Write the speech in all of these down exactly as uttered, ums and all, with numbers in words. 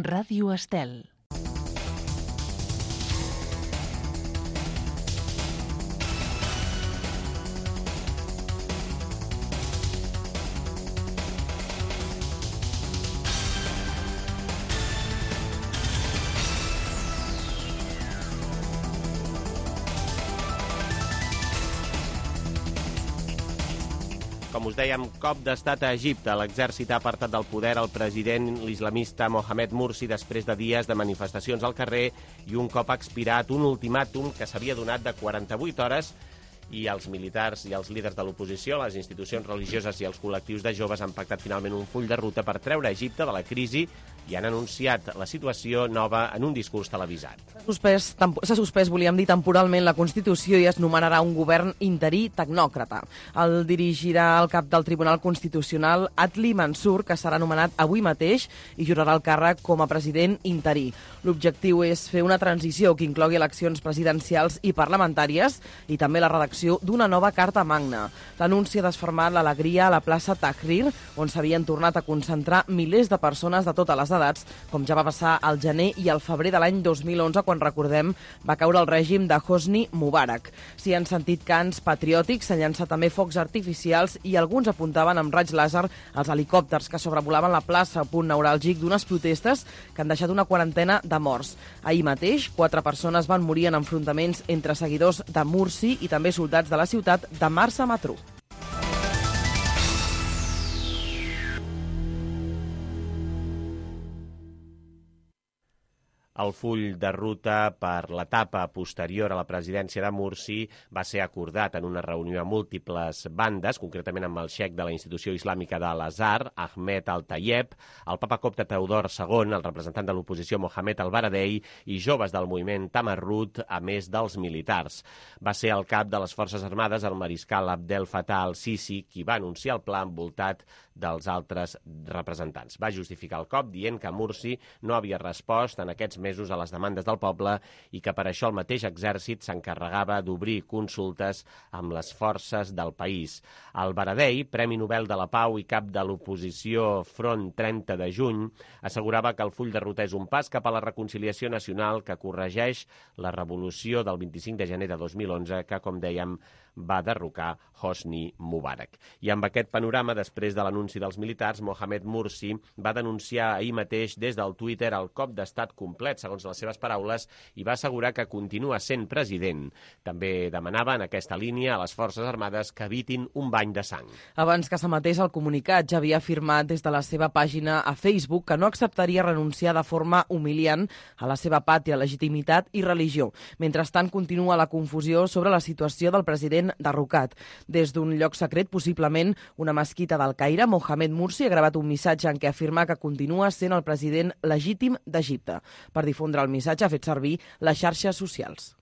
Ràdio Estel. Com us dèiem, cop d'estat a Egipte. L'exèrcit ha apartat del poder el president l'islamista Mohamed Morsi després de dies de manifestacions al carrer i un cop ha expirat un ultimàtum que s'havia donat de quaranta-vuit hores i els militars i els líders de l'oposició, les institucions religioses i els col·lectius de joves han pactat finalment un full de ruta per treure Egipte de la crisi i han anunciat la situació nova en un discurs televisat. S'ha suspès, volíem dir, temporalment la Constitució i es nomenarà un govern interí tecnòcrata. El dirigirà el cap del Tribunal Constitucional, Adli Mansur, que serà nomenat avui mateix i jurarà el càrrec com a president interí. L'objectiu és fer una transició que inclogui eleccions presidencials i parlamentàries i també la redacció d'una nova Carta Magna. L'anunci ha desfermat l'alegria a la plaça Tahrir, on s'havien tornat a concentrar milers de persones de totes les edats, com ja va passar al gener i al febrer de l'any dos mil onze, quan, recordem, va caure el règim de Hosni Mubarak. S'hi han sentit cants patriòtics, s'han llançat també focs artificials i alguns apuntaven amb raig làser els helicòpters que sobrevolaven la plaça, punt neuràlgic d'unes protestes que han deixat una quarantena de morts. Ahir mateix, quatre persones van morir en enfrontaments entre seguidors de Morsi i també soldats de la ciutat de Marsa Matruh. El full de ruta per l'etapa posterior a la presidència de Morsi va ser acordat en una reunió a múltiples bandes, concretament amb el xeic de la institució islàmica de l'Azhar, Ahmed Al-Tayeb, el papa copte Teodor segon, el representant de l'oposició Mohamed Al-Baradei i joves del moviment Tamarrut, a més dels militars. Va ser el cap de les Forces Armades, el mariscal Abdel Fattah al-Sisi, qui va anunciar el pla envoltat dels altres representants. Va justificar el cop dient que Morsi no havia respost en aquests mesos a les demandes del poble i que per això el mateix exèrcit s'encarregava d'obrir consultes amb les forces del país. El Baradei, Premi Nobel de la Pau i cap de l'oposició Front trenta de juny, assegurava que el full de ruta és un pas cap a la reconciliació nacional que corregeix la revolució del vint-i-cinc de gener de dos mil onze que, com dèiem, va derrocar Hosni Mubarak. I amb aquest panorama, després de l'anunci dels militars, Mohamed Morsi va denunciar ahir mateix des del Twitter el cop d'estat complet, segons les seves paraules, i va assegurar que continua sent president. També demanava en aquesta línia a les Forces Armades que evitin un bany de sang. Abans que s'emetés el comunicat, ja havia afirmat des de la seva pàgina a Facebook que no acceptaria renunciar de forma humiliant a la seva pàtria, legitimitat i religió. Mentrestant, continua la confusió sobre la situació del president derrocat. Des d'un lloc secret, possiblement una mesquita del Caire, Mohamed Morsi ha gravat un missatge en què afirma que continua sent el president legítim d'Egipte. Per difondre el missatge ha fet servir les xarxes socials.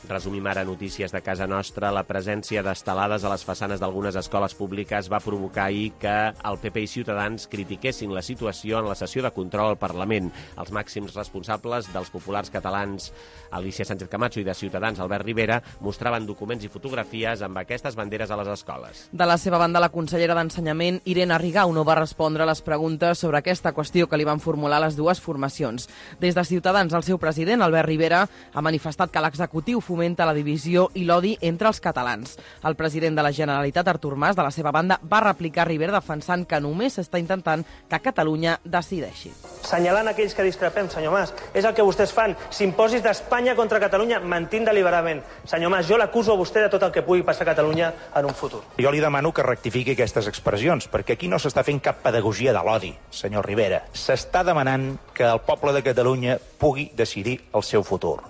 Resumim ara notícies de casa nostra. La presència d'estelades a les façanes d'algunes escoles públiques va provocar ahir que el P P i Ciutadans critiquessin la situació en la sessió de control al Parlament. Els màxims responsables dels populars catalans, Alicia Sánchez Camacho, i de Ciutadans, Albert Rivera, mostraven documents i fotografies amb aquestes banderes a les escoles. De la seva banda, la consellera d'Ensenyament, Irene Rigau, no va respondre a les preguntes sobre aquesta qüestió que li van formular les dues formacions. Des de Ciutadans, el seu president, Albert Rivera, ha manifestat que l'executiu fomenta la divisió i l'odi entre els catalans. El president de la Generalitat, Artur Mas, de la seva banda, va replicar a Rivera defensant que només s'està intentant que Catalunya decideixi. Senyalant aquells que discrepem, senyor Mas, és el que vostès fan. Simposis d'Espanya contra Catalunya mentint deliberadament. Senyor Mas, jo l'acuso a vostè de tot el que pugui passar a Catalunya en un futur. Jo li demano que rectifiqui aquestes expressions, perquè aquí no s'està fent cap pedagogia de l'odi, senyor Rivera. S'està demanant que el poble de Catalunya pugui decidir el seu futur.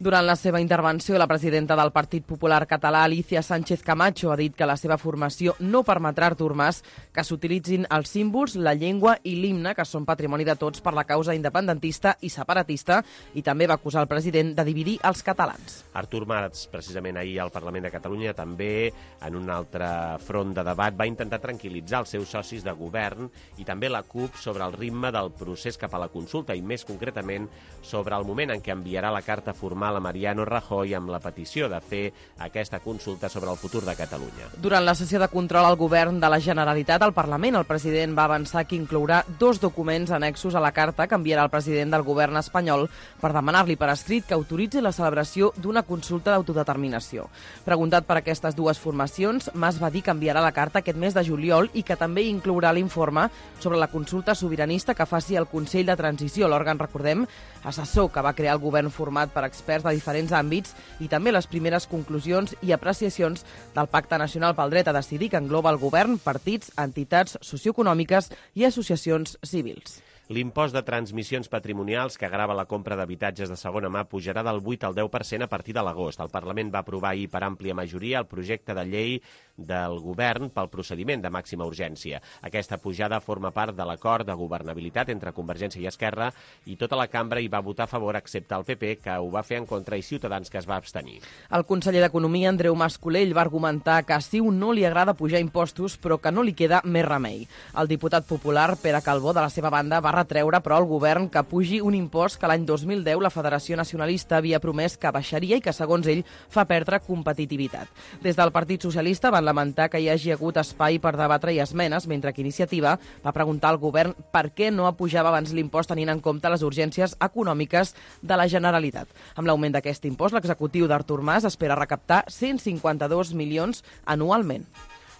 Durant la seva intervenció, la presidenta del Partit Popular Català, Alicia Sánchez Camacho, ha dit que la seva formació no permetrà a Artur Mas que s'utilitzin els símbols, la llengua i l'himne, que són patrimoni de tots per la causa independentista i separatista, i també va acusar el president de dividir els catalans. Artur Mas, precisament ahir al Parlament de Catalunya, també en un altre front de debat, va intentar tranquil·litzar els seus socis de govern i també la CUP sobre el ritme del procés cap a la consulta i més concretament sobre el moment en què enviarà la carta formal a Mariano Rajoy amb la petició de fer aquesta consulta sobre el futur de Catalunya. Durant la sessió de control al govern de la Generalitat al Parlament, el president va avançar que inclourà dos documents annexos a la carta que enviarà el president del govern espanyol per demanar-li per escrit que autoritzi la celebració d'una consulta d'autodeterminació. Preguntat per aquestes dues formacions, Mas va dir que enviarà la carta aquest mes de juliol i que també inclourà l'informe sobre la consulta sobiranista que faci el Consell de Transició, l'òrgan, recordem, assessor que va crear el govern format per experts de diferents àmbits i també les primeres conclusions i apreciacions del Pacte Nacional pel Dret a Decidir, que engloba el govern, partits, entitats socioeconòmiques i associacions civils. L'impost de transmissions patrimonials que grava la compra d'habitatges de segona mà pujarà del vuit al deu per cent a partir de l'agost. El Parlament va aprovar ahir per àmplia majoria el projecte de llei del govern pel procediment de màxima urgència. Aquesta pujada forma part de l'acord de governabilitat entre Convergència i Esquerra i tota la cambra hi va votar a favor excepte el P P, que ho va fer en contra, i Ciutadans, que es va abstenir. El conseller d'Economia, Andreu Mas-Colell, va argumentar que a CiU no li agrada pujar impostos, però que no li queda més remei. El diputat popular, Pere Calbó, de la seva banda, va retreure, però, al govern que pugi un impost que l'any dos mil deu la Federació Nacionalista havia promès que baixaria i que, segons ell, fa perdre competitivitat. Des del Partit Socialista van lamentar que hi hagi hagut espai per debatre i esmenes, mentre que Iniciativa va preguntar al govern per què no apujava abans l'impost tenint en compte les urgències econòmiques de la Generalitat. Amb l'augment d'aquest impost, l'executiu d'Artur Mas espera recaptar cent cinquanta-dos milions anualment.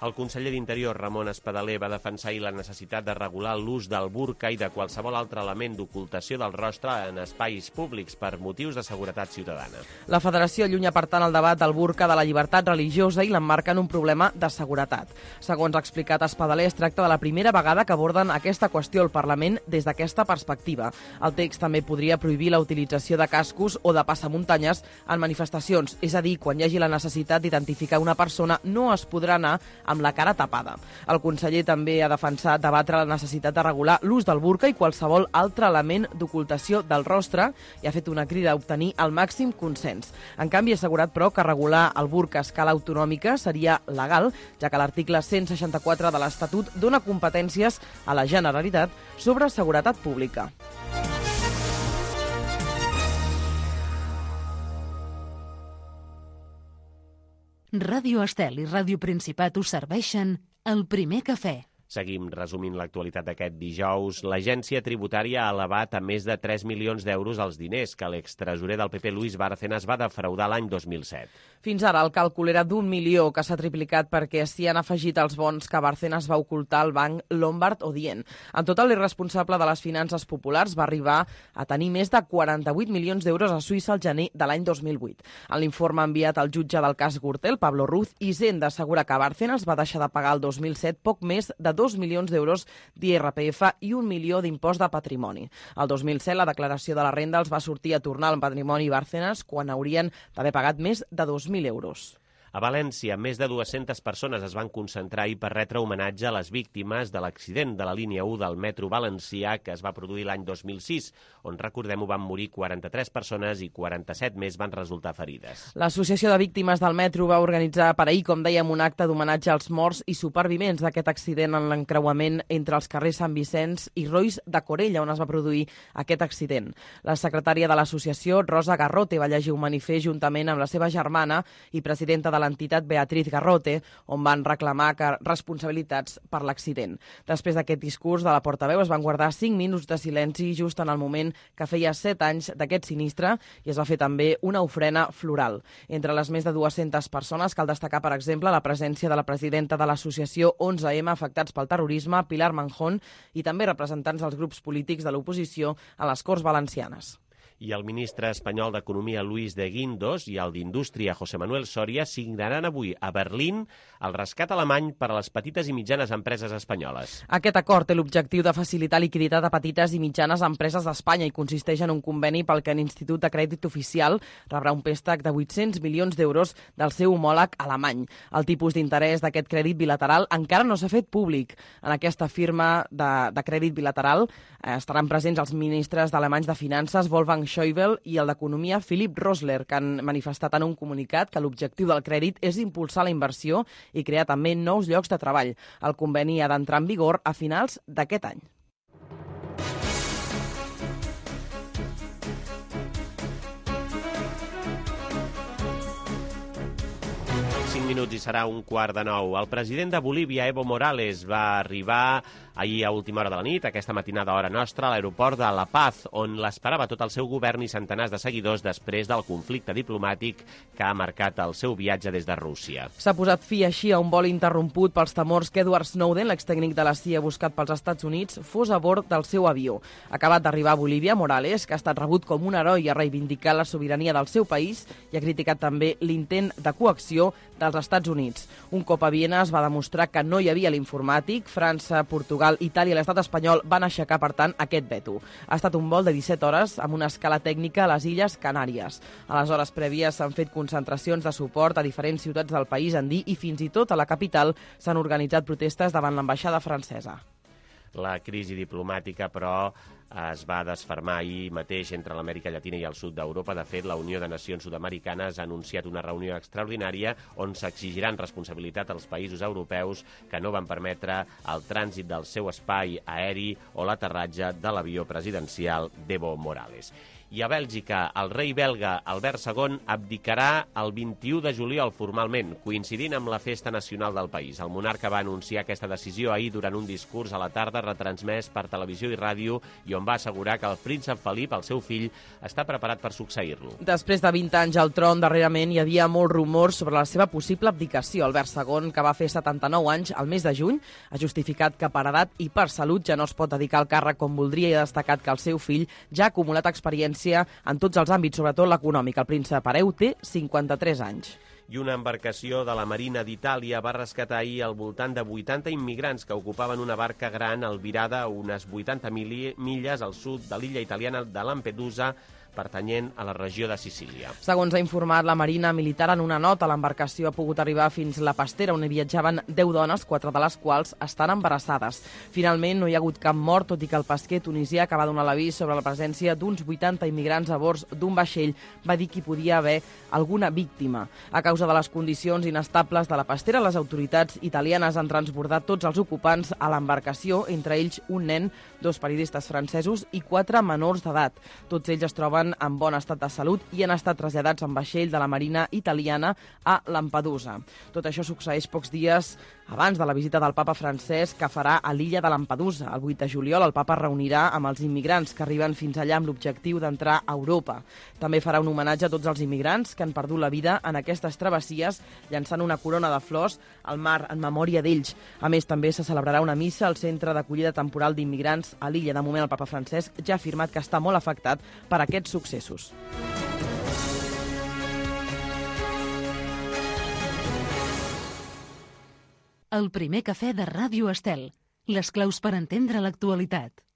El conseller d'Interior, Ramon Espadaler, va defensar ahir la necessitat de regular l'ús del burca i de qualsevol altre element d'ocultació del rostre en espais públics per motius de seguretat ciutadana. La Federació allunya, per tant, el debat del burca de la llibertat religiosa i l'emmarca en un problema de seguretat. Segons ha explicat Espadaler, es tracta de la primera vegada que aborden aquesta qüestió al Parlament des d'aquesta perspectiva. El text també podria prohibir la utilització de cascos o de passamuntanyes en manifestacions, és a dir, quan hi hagi la necessitat d'identificar una persona no es podrà anar amb la cara tapada. El conseller també ha defensat debatre la necessitat de regular l'ús del burca i qualsevol altre element d'ocultació del rostre i ha fet una crida a obtenir el màxim consens. En canvi, ha assegurat, però, que regular el burca a escala autonòmica seria legal, ja que l'article cent seixanta-quatre de l'Estatut dona competències a la Generalitat sobre seguretat pública. Ràdio Estel i Ràdio Principat us serveixen el primer cafè. Seguim resumint l'actualitat d'aquest dijous. L'agència tributària ha elevat a més de tres milions d'euros els diners que l'extresorer del P P, Luis Bárcenas, va defraudar l'any dos mil set. Fins ara el càlcul era d'un milió, que s'ha triplicat perquè s'hi han afegit els bons que Bárcenas va ocultar al banc Lombard Odient. En total, l'irresponsable de les finances populars va arribar a tenir més de quaranta-vuit milions d'euros a Suïssa al gener de l'any dos mil vuit. En l'informe enviat al jutge del cas Gürtel, Pablo Ruz, Hisenda assegura que Bárcenas va deixar de pagar el dos mil set poc més de dos milions d'euros d'I R P F i un milió d'impost de patrimoni. El dos mil set la declaració de la renda els va sortir a tornar al patrimoni Bárcenas quan haurien d'haver pagat més de dos mil euros. A València, més de dues-centes persones es van concentrar ahir per retre homenatge a les víctimes de l'accident de la línia u del metro valencià que es va produir l'any dos mil sis, on, recordem-ho, van morir quaranta-tres persones i quaranta-set més van resultar ferides. L'Associació de Víctimes del Metro va organitzar per ahir, com dèiem, un acte d'homenatge als morts i supervivents d'aquest accident en l'encreuament entre els carrers Sant Vicenç i Rois de Corella, on es va produir aquest accident. La secretària de l'associació, Rosa Garrote, va llegir un manifest juntament amb la seva germana i presidenta de l'entitat Beatriz Garrote, on van reclamar que responsabilitats per l'accident. Després d'aquest discurs de la portaveu es van guardar cinc minuts de silenci just en el moment que feia set anys d'aquest sinistre i es va fer també una ofrena floral. Entre les més de dues-centes persones cal destacar, per exemple, la presència de la presidenta de l'associació onze eme Afectats pel Terrorisme, Pilar Manjón, i també representants dels grups polítics de l'oposició a les Corts Valencianes. I el ministre espanyol d'Economia, Luis de Guindos, i el d'Indústria, José Manuel Soria, signaran avui a Berlín el rescat alemany per a les petites i mitjanes empreses espanyoles. Aquest acord té l'objectiu de facilitar liquiditat a petites i mitjanes empreses d'Espanya i consisteix en un conveni pel que l'Institut de Crèdit Oficial rebrà un préstec de vuit-cents milions d'euros del seu homòleg alemany. El tipus d'interès d'aquest crèdit bilateral encara no s'ha fet públic. En aquesta firma de, de crèdit bilateral eh, estaran presents els ministres alemanys de Finances, Wolfgang Schäuble, i el d'Economia, Philipp Rösler, que han manifestat en un comunicat que l'objectiu del crèdit és impulsar la inversió i crear també nous llocs de treball. El conveni ha d'entrar en vigor a finals d'aquest any. cinc minuts i serà un quart de nou. El president de Bolívia, Evo Morales, va arribar ahir a última hora de la nit, aquesta matinada hora nostra, a l'aeroport de La Paz, on l'esperava tot el seu govern i centenars de seguidors després del conflicte diplomàtic que ha marcat el seu viatge des de Rússia. S'ha posat fi així a un vol interromput pels temors que Edward Snowden, l'extècnic de la C I A buscat pels Estats Units, fos a bord del seu avió. Acabat d'arribar a Bolívia, Morales, que ha estat rebut com un heroi, ha reivindicat la sobirania del seu país i ha criticat també l'intent de coacció dels Estats Units. Un cop a Viena es va demostrar que no hi havia l'informàtic. França, Portugal, Itàlia i l'estat espanyol van aixecar, per tant, aquest veto. Ha estat un vol de disset hores amb una escala tècnica a les Illes Canàries. A les hores prèvies s'han fet concentracions de suport a diferents ciutats del país andí i fins i tot a la capital s'han organitzat protestes davant l'ambaixada francesa. La crisi diplomàtica, però, es va desfermar ahir mateix entre l'Amèrica Llatina i el sud d'Europa. De fet, la Unió de Nacions Sud-Americanes ha anunciat una reunió extraordinària on s'exigiran responsabilitat als països europeus que no van permetre el trànsit del seu espai aeri o l'aterratge de l'avió presidencial d'Evo Morales. I a Bèlgica, el rei belga Albert segon abdicarà el vint-i-u de juliol formalment, coincidint amb la festa nacional del país. El monarca va anunciar aquesta decisió ahir durant un discurs a la tarda retransmès per televisió i ràdio i on va assegurar que el príncep Felip, el seu fill, està preparat per succeir-lo. Després de vint anys al tron, darrerament hi havia molts rumors sobre la seva possible abdicació. Albert segon, que va fer setanta-nou anys al mes de juny, ha justificat que per edat i per salut ja no es pot dedicar al càrrec com voldria i ha destacat que el seu fill ja ha acumulat experiència en tots els àmbits, sobretot l'econòmic. El príncep hereu té cinquanta-tres anys. I una embarcació de la Marina d'Itàlia va rescatar ahir al voltant de vuitanta immigrants que ocupaven una barca gran albirada a unes vuitanta milles al sud de l'illa italiana de Lampedusa, pertanyent a la regió de Sicília. Segons ha informat la Marina Militar en una nota, l'embarcació ha pogut arribar fins la Pastera, on hi viatjaven deu dones, quatre de les quals estan embarassades. Finalment, no hi ha hagut cap mort, tot i que el pesquer tunisià, que va donar l'avís sobre la presència d'uns vuitanta immigrants a bord d'un vaixell, va dir que hi podia haver alguna víctima. A causa de les condicions inestables de la Pastera, les autoritats italianes han transbordat tots els ocupants a l'embarcació, entre ells un nen, dos periodistes francesos i quatre menors d'edat. Tots ells es troben en bon estat de salut i han estat traslladats en vaixell de la Marina italiana a Lampedusa. Tot això succeeix pocs dies abans de la visita del papa francès que farà a l'illa de Lampedusa. El vuit de juliol el papa reunirà amb els immigrants que arriben fins allà amb l'objectiu d'entrar a Europa. També farà un homenatge a tots els immigrants que han perdut la vida en aquestes travessies, llançant una corona de flors al mar en memòria d'ells. A més, també se celebrarà una missa al centre d'acollida temporal d'immigrants a l'illa. De moment, el papa Francesc ja ha afirmat que està molt afectat per aquests successos. El primer cafè de Ràdio Estel. Les claus per entendre l'actualitat.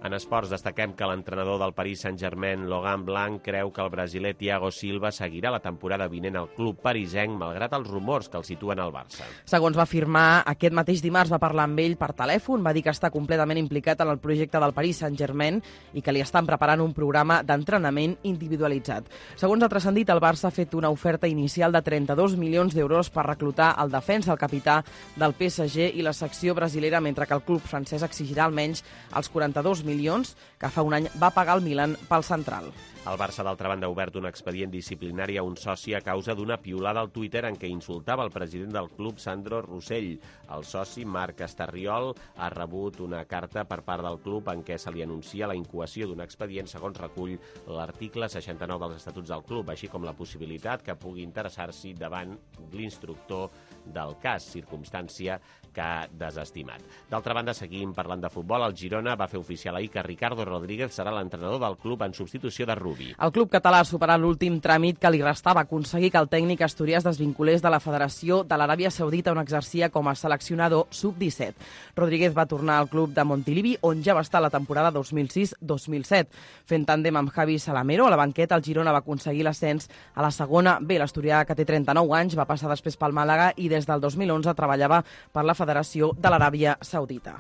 En esports destaquem que l'entrenador del Paris Saint-Germain, Laurent Blanc, creu que el brasiler Thiago Silva seguirà la temporada vinent al club parisenc, malgrat els rumors que el situen al Barça. Segons va afirmar, aquest mateix dimarts va parlar amb ell per telèfon, va dir que està completament implicat en el projecte del Paris Saint-Germain i que li estan preparant un programa d'entrenament individualitzat. Segons ha transcendit, el Barça ha fet una oferta inicial de trenta-dos milions d'euros per reclutar el defensa, el capità del P S G i la secció brasilera, mentre que el club francès exigirà almenys els quaranta-dos milions que fa un any va pagar el Milan pel central. El Barça, d'altra banda, ha obert un expedient disciplinari a un soci a causa d'una piulada al Twitter en què insultava el president del club, Sandro Rossell. El soci, Marc Estarriol, ha rebut una carta per part del club en què se li anuncia la incoació d'un expedient, segons recull l'article seixanta-nou dels Estatuts del club, així com la possibilitat que pugui interessar-s'hi davant l'instructor del cas, circumstància que ha desestimat. D'altra banda, seguim parlant de futbol. El Girona va fer oficial ahir que Ricardo Rodríguez serà l'entrenador del club en substitució de Rubi. El club català ha superat l'últim tràmit que li restava, aconseguir que el tècnic asturià es desvinculés de la Federació de l'Aràbia Saudita, on exercia com a seleccionador sub disset. Rodríguez va tornar al club de Montilivi, on ja va estar la temporada dos mil sis dos mil set. Fent tàndem amb Javi Salamero, a la banqueta el Girona va aconseguir l'ascens a la segona B. L'asturià, que té trenta-nou anys, va passar després pel Màlaga i des del dos mil onze treballava per la Federació de l'Aràbia Saudita.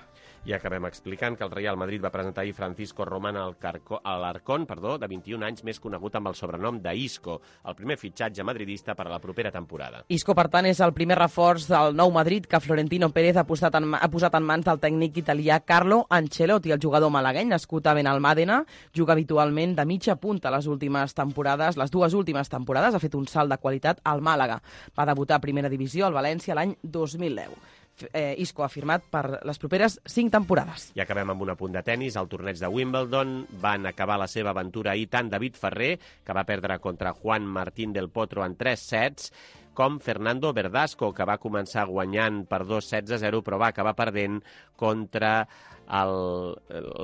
I acabem explicant que el Real Madrid va presentar ahir Francisco Román Alarcón, perdó, de vint-i-un anys, més conegut amb el sobrenom d'Isco, el primer fitxatge madridista per a la propera temporada. Isco, per tant, és el primer reforç del nou Madrid que Florentino Pérez ha posat en, ha posat en mans del tècnic italià Carlo Ancelotti. El jugador malagueny, nascut a Benalmàdena, juga habitualment de mitja punta les últimes temporades, les dues últimes temporades, ha fet un salt de qualitat al Màlaga. Va debutar a Primera Divisió al València l'any dos mil deu. Eh, Isco ha firmat per les properes cinc temporades. I acabem amb un apunt de tennis. Al torneig de Wimbledon van acabar la seva aventura ahir tant David Ferrer, que va perdre contra Juan Martín del Potro en tres sets, com Fernando Verdasco, que va començar guanyant per dos sets a zero, però va acabar perdent contra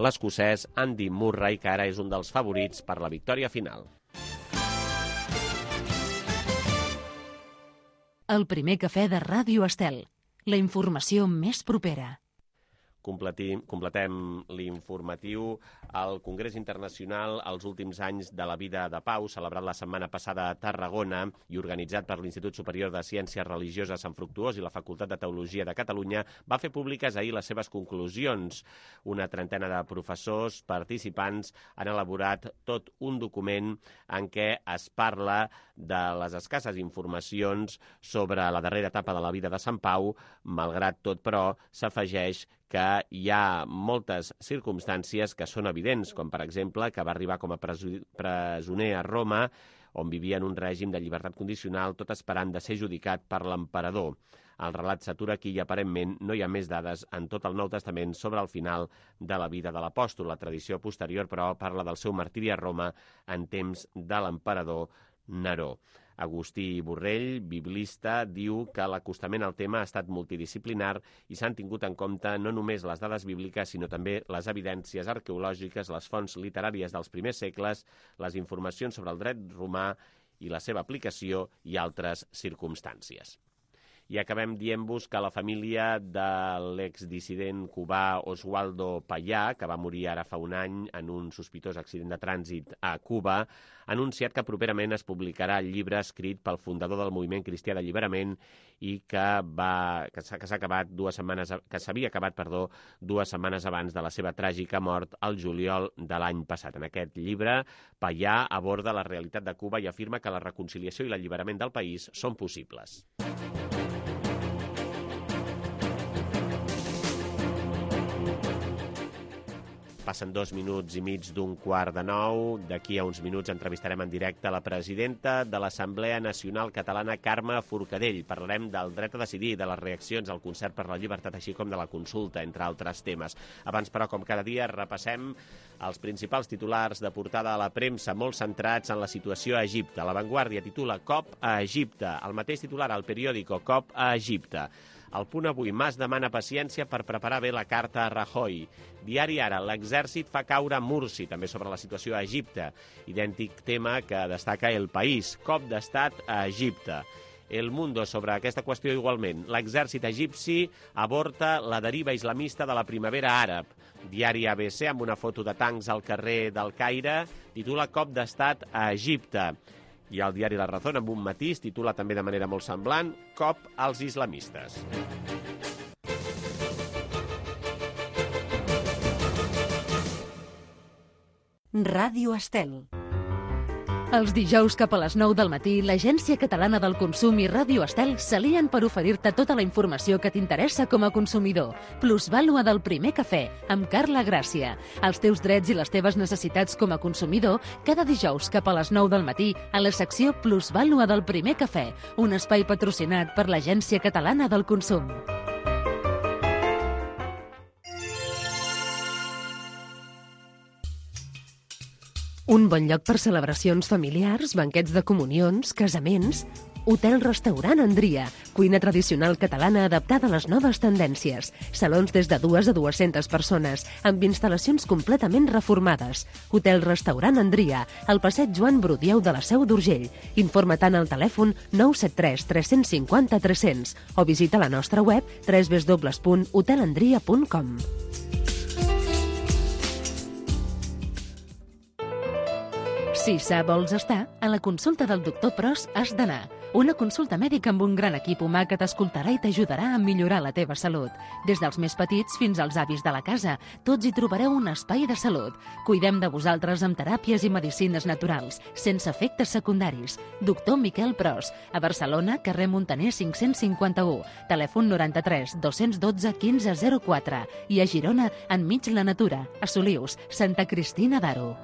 l'escocès Andy Murray, que ara és un dels favorits per la victòria final. El primer cafè de Ràdio Estel. La informació més propera. Completim, completem l'informatiu. El Congrés Internacional, als últims anys de la vida de Pau, celebrat la setmana passada a Tarragona i organitzat per l'Institut Superior de Ciències Religioses Sant Fructuós i la Facultat de Teologia de Catalunya, va fer públiques ahir les seves conclusions. Una trentena de professors participants han elaborat tot un document en què es parla de les escasses informacions sobre la darrera etapa de la vida de Sant Pau. Malgrat tot, però, s'afegeix que hi ha moltes circumstàncies que són evidents, com per exemple que va arribar com a presoner a Roma, on vivia en un règim de llibertat condicional, tot esperant de ser judicat per l'emperador. El relat s'atura aquí i aparentment no hi ha més dades en tot el Nou Testament sobre el final de la vida de l'apòstol. La tradició posterior, però, parla del seu martiri a Roma en temps de l'emperador Neró. Agustí Borrell, biblista, diu que l'acostament al tema ha estat multidisciplinar i s'han tingut en compte no només les dades bíbliques, sinó també les evidències arqueològiques, les fonts literàries dels primers segles, les informacions sobre el dret romà i la seva aplicació i altres circumstàncies. I acabem dient-vos que la família de l'exdissident cubà Oswaldo Payá, que va morir ara fa un any en un sospitós accident de trànsit a Cuba, ha anunciat que properament es publicarà el llibre escrit pel fundador del Moviment Cristià d'Alliberament i que va que s'ha acabat dues setmanes que s'havia acabat, perdó, dues setmanes abans de la seva tràgica mort al juliol de l'any passat. En aquest llibre, Payá aborda la realitat de Cuba i afirma que la reconciliació i l'alliberament del país són possibles. Passen dos minuts i mig d'un quart de nou. D'aquí a uns minuts entrevistarem en directe la presidenta de l'Assemblea Nacional Catalana, Carme Forcadell. Parlarem del dret a decidir, de les reaccions al concert per la llibertat, així com de la consulta, entre altres temes. Abans, però, com cada dia, repassem els principals titulars de portada a la premsa, molt centrats en la situació a Egipte. La Vanguardia titula Cop a Egipte. El mateix titular al periòdico, Cop a Egipte. Al Punt avui, Mas demana paciència per preparar bé la carta a Rajoy. Diari Ara, l'exèrcit fa caure Mursi, també sobre la situació a Egipte. Idèntic tema que destaca El País, cop d'estat a Egipte. El Mundo, sobre aquesta qüestió igualment. L'exèrcit egipci aborta la deriva islamista de la primavera àrab. Diari A B C, amb una foto de tancs al carrer del Caire, titula Cop d'estat a Egipte. I el diari La Razón, amb un matís, titula també de manera molt semblant Cop als islamistes. Ràdio Estel. Els dijous cap a les nou del matí, l'Agència Catalana del Consum i Ràdio Estel s'alien per oferir-te tota la informació que t'interessa com a consumidor. Plusvàlua del primer cafè, amb Carla Gràcia. Els teus drets i les teves necessitats com a consumidor, cada dijous cap a les nou del matí, a la secció Plusvàlua del primer cafè, un espai patrocinat per l'Agència Catalana del Consum. Un bon lloc per celebracions familiars, banquets de comunions, casaments Hotel-restaurant Andria, cuina tradicional catalana adaptada a les noves tendències. Salons des de dues a dues-centes persones, amb instal·lacions completament reformades. Hotel-restaurant Andria, al passeig Joan Brudieu de la Seu d'Urgell. Informa tant al telèfon nou set tres tres cinc zero tres zero zero o visita la nostra web w w w punt hotelandria punt com. Si sa vols estar, a la consulta del doctor Pros has d'anar. Una consulta mèdica amb un gran equip humà que t'escoltarà i t'ajudarà a millorar la teva salut. Des dels més petits fins als avis de la casa, tots hi trobareu un espai de salut. Cuidem de vosaltres amb teràpies i medicines naturals, sense efectes secundaris. Doctor Miquel Pros, a Barcelona, carrer Montaner cinc-cents cinquanta-u, telèfon noranta-tres dos-cents dotze quinze zero quatre i a Girona, enmig la natura, a Solius, Santa Cristina d'Aro.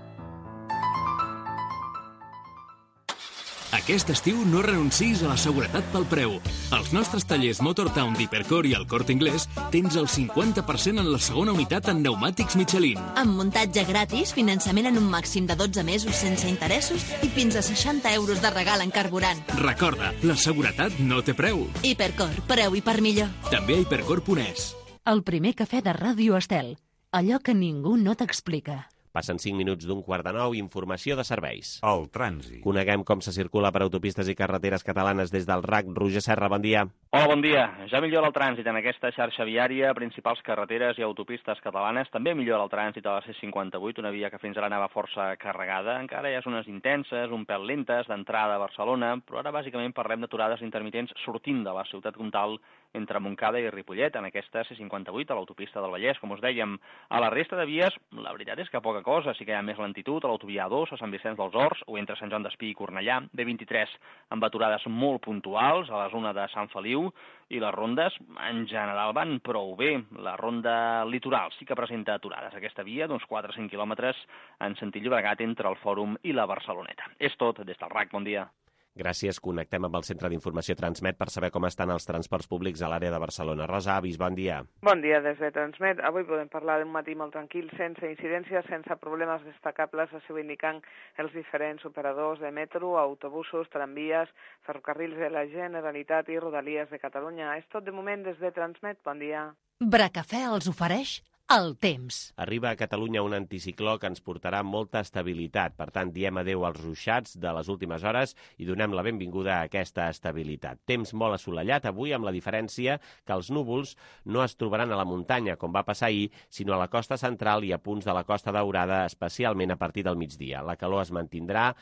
Aquest estiu no renuncis a la seguretat pel preu. Als nostres tallers Motortown d'Hipercor i al Corte Inglés tens el cinquanta per cent en la segona unitat en pneumàtics Michelin. Amb muntatge gratis, finançament en un màxim de dotze mesos sense interessos i fins a seixanta euros de regal en carburant. Recorda, la seguretat no té preu. Hipercor, preu i per millor. També a hipercor punt es. El primer cafè de Ràdio Estel. Allò que ningú no t'explica. Passen cinc minuts d'un quart de nou, informació de serveis. El trànsit. Coneguem com se circula per autopistes i carreteres catalanes des del R A C. Roger Serra, bon dia. Hola, bon dia. Ja millora el trànsit en aquesta xarxa viària, principals carreteres i autopistes catalanes. També millora el trànsit a la C cinquanta-vuit, una via que fins ara anava força carregada. Encara hi ha zones intenses, un pèl lentes, d'entrada a Barcelona, però ara bàsicament parlem d'aturades intermitents sortint de la ciutat comtal entre Montcada i Ripollet, en aquesta C cinquanta-vuit, a l'autopista del Vallès, com us dèiem. A la resta de vies, la veritat és que poca cosa, sí que hi ha més lentitud a l'autovia A dos, a Sant Vicenç dels Horts, o entre Sant Joan d'Espí i Cornellà, B vint-i-tres, amb aturades molt puntuals a la zona de Sant Feliu, i les rondes, en general, van prou bé. La ronda litoral sí que presenta aturades. Aquesta via, d'uns quatre a cinc quilòmetres, en sentit Llobregat entre el Fòrum i la Barceloneta. És tot, des del R A C. Bon dia. Gràcies. Connectem amb el Centre d'Informació Transmet per saber com estan els transports públics a l'àrea de Barcelona. Rosa Avis, bon dia. Bon dia des de Transmet. Avui podem parlar d'un matí molt tranquil, sense incidències, sense problemes destacables, així ho indiquen els diferents operadors de metro, autobusos, tramvies, ferrocarrils de la Generalitat i Rodalies de Catalunya. És tot de moment des de Transmet. Bon dia. Bracafè els ofereix el temps. Arriba a Catalunya un anticicló que ens portarà molta estabilitat. Per tant, diem adeu als ruixats de les últimes hores i donem la benvinguda a aquesta estabilitat. Temps molt assolellat avui, amb la diferència que els núvols no es trobaran a la muntanya, com va passar ahir, sinó a la costa central i a punts de la Costa Daurada, especialment a partir del migdia. La calor es mantindrà,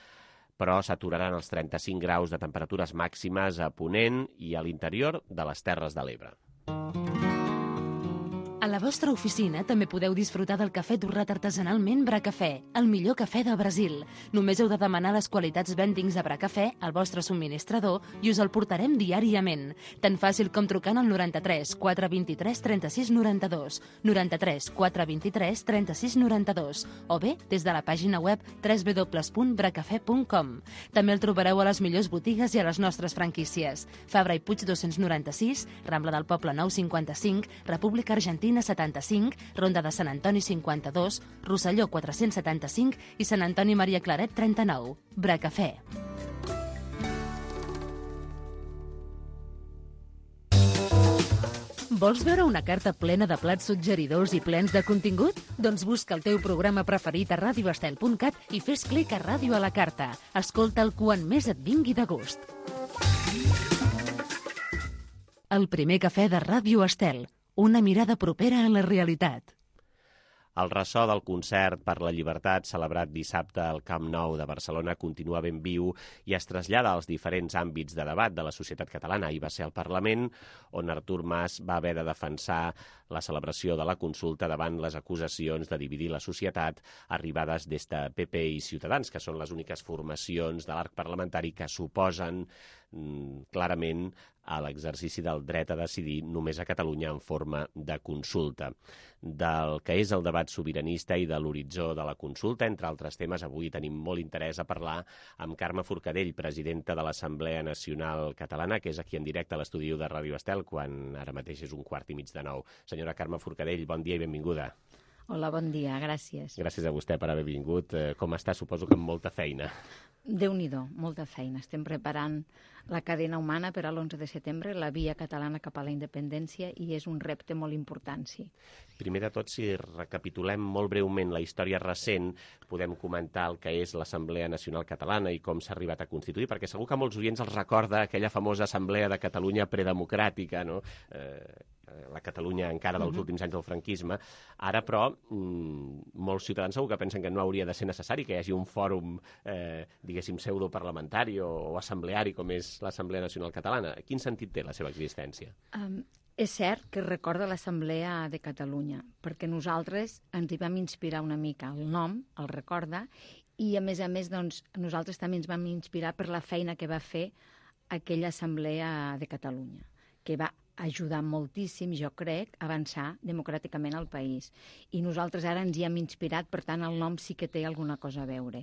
però s'aturaran els trenta-cinc graus de temperatures màximes a Ponent i a l'interior de les Terres de l'Ebre. A la vostra oficina també podeu disfrutar del cafè torrat artesanalment Bracafè, el millor cafè del Brasil. Només heu de demanar les qualitats vendings de Bracafè al vostre subministrador i us el portarem diàriament. Tan fàcil com trucant al noranta-tres quatre vint-i-tres trenta-sis noranta-dos, noranta-tres quatre vint-i-tres trenta-sis noranta-dos o bé des de la pàgina web w w w punt bracafè punt com. També el trobareu a les millors botigues i a les nostres franquícies. Fabra i Puig dos-cents noranta-sis, Rambla del Poble nou cinquanta-cinc, República Argentina setanta-cinc, Ronda de Sant Antoni cinquanta-dos, Rosselló quatre-cents setanta-cinc i Sant Antoni Maria Claret trenta-nou. Bracafè. Vols veure una carta plena de plats suggeridors i plens de contingut? Doncs busca el teu programa preferit a radio estel punt cat i fes clic a Ràdio a la carta. Escolta'l quan més et vingui de gust. El primer cafè de Ràdio Estel. Una mirada propera a la realitat. El ressò del concert per la llibertat celebrat dissabte al Camp Nou de Barcelona continua ben viu i es trasllada als diferents àmbits de debat de la societat catalana. Ahir va ser al Parlament, on Artur Mas va haver de defensar la celebració de la consulta davant les acusacions de dividir la societat arribades des de P P i Ciutadans, que són les úniques formacions de l'arc parlamentari que suposen mm, clarament a l'exercici del dret a decidir només a Catalunya en forma de consulta. Del que és el debat sobiranista i de l'horitzó de la consulta, entre altres temes, avui tenim molt interès a parlar amb Carme Forcadell, presidenta de l'Assemblea Nacional Catalana, que és aquí en directe a l'estudi de Ràdio Estel, quan ara mateix és un quart i mig de nou. Senyora Carme Forcadell, bon dia i benvinguda. Hola, bon dia, gràcies. Gràcies a vostè per haver vingut. Com està? Suposo que amb molta feina. Déu-n'hi-do, molta feina. Estem preparant la cadena humana per a l'onze de setembre, la via catalana cap a la independència, i és un repte molt important, sí. Primer de tot, si recapitulem molt breument la història recent, podem comentar el que és l'Assemblea Nacional Catalana i com s'ha arribat a constituir, perquè segur que molts oients els recorda aquella famosa Assemblea de Catalunya predemocràtica, no? Eh, la Catalunya encara dels últims anys del franquisme. Ara, però, mmm, molts ciutadans segur que pensen que no hauria de ser necessari que hi hagi un fòrum, eh, diguéssim, pseudoparlamentari o, o assembleari com és l'Assemblea Nacional Catalana. Quin sentit té la seva existència? Um, és cert que recorda l'Assemblea de Catalunya, perquè nosaltres ens hi vam inspirar una mica. El nom el recorda i, a més a més, doncs, nosaltres també ens vam inspirar per la feina que va fer aquella Assemblea de Catalunya, que va ajudar moltíssim, jo crec, a avançar democràticament al país. I nosaltres ara ens hi hem inspirat, per tant, el nom sí que té alguna cosa a veure.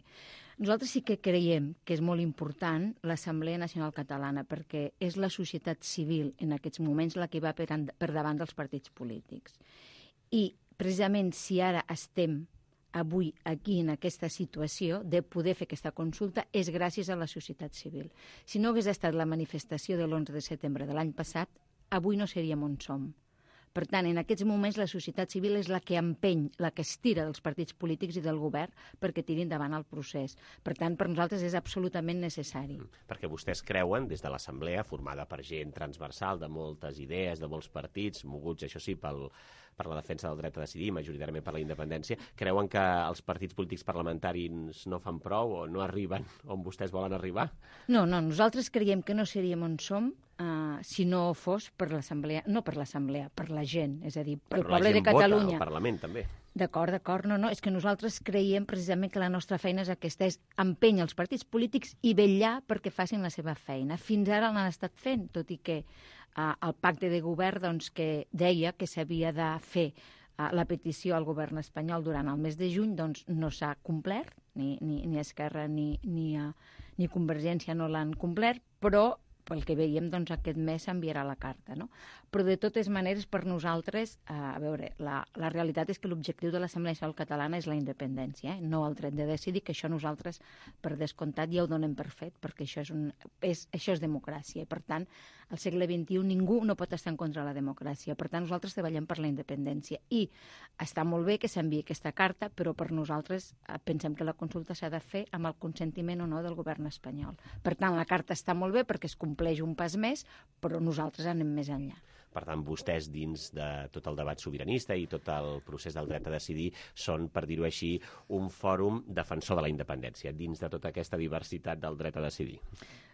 Nosaltres sí que creiem que és molt important l'Assemblea Nacional Catalana, perquè és la societat civil en aquests moments la que va per, per davant dels partits polítics. I, precisament, si ara estem avui aquí en aquesta situació de poder fer aquesta consulta és gràcies a la societat civil. Si no hagués estat la manifestació de l'onze de setembre de l'any passat, avui no seríem on som. Per tant, en aquests moments la societat civil és la que empeny, la que estira dels partits polítics i del govern perquè tirin endavant el procés. Per tant, per nosaltres és absolutament necessari. Perquè vostès creuen, des de l'Assemblea, formada per gent transversal de moltes idees, de molts partits, moguts, això sí, pel, per la defensa del dret a decidir, majoritàriament per la independència, creuen que els partits polítics parlamentaris no fan prou o no arriben on vostès volen arribar? No, no, nosaltres creiem que no seríem on som Uh, si no fos per l'Assemblea, no per l'Assemblea, per la gent, és a dir, per el poble de Catalunya. Vota al Parlament, també. D'acord, d'acord, no, no, és que nosaltres creiem precisament que la nostra feina és aquesta, és empènyer els partits polítics i vetllar perquè facin la seva feina. Fins ara l'han estat fent, tot i que uh, el pacte de govern doncs, que deia que s'havia de fer uh, la petició al govern espanyol durant el mes de juny, doncs no s'ha complert, ni, ni, ni Esquerra ni, ni, uh, ni Convergència no l'han complert, però pel que veiem, doncs, aquest mes s'enviarà la carta, no? Però, de totes maneres, per nosaltres, eh, a veure, la, la realitat és que l'objectiu de l'Assemblea Nacional Catalana és la independència, eh? No el dret de decidir, que això nosaltres, per descomptat, ja ho donem per fet, perquè això és, un, és, això és democràcia, i, per tant, al segle vint-i-u ningú no pot estar en contra de la democràcia. Per tant, nosaltres treballem per la independència. I està molt bé que s'enviï aquesta carta, però per nosaltres eh, pensem que la consulta s'ha de fer amb el consentiment o no del govern espanyol. Per tant, la carta està molt bé perquè es compleix un pas més, però nosaltres anem més enllà. Per tant, vostès, dins de tot el debat sobiranista i tot el procés del dret a decidir, són, per dir-ho així, un fòrum defensor de la independència, dins de tota aquesta diversitat del dret a decidir.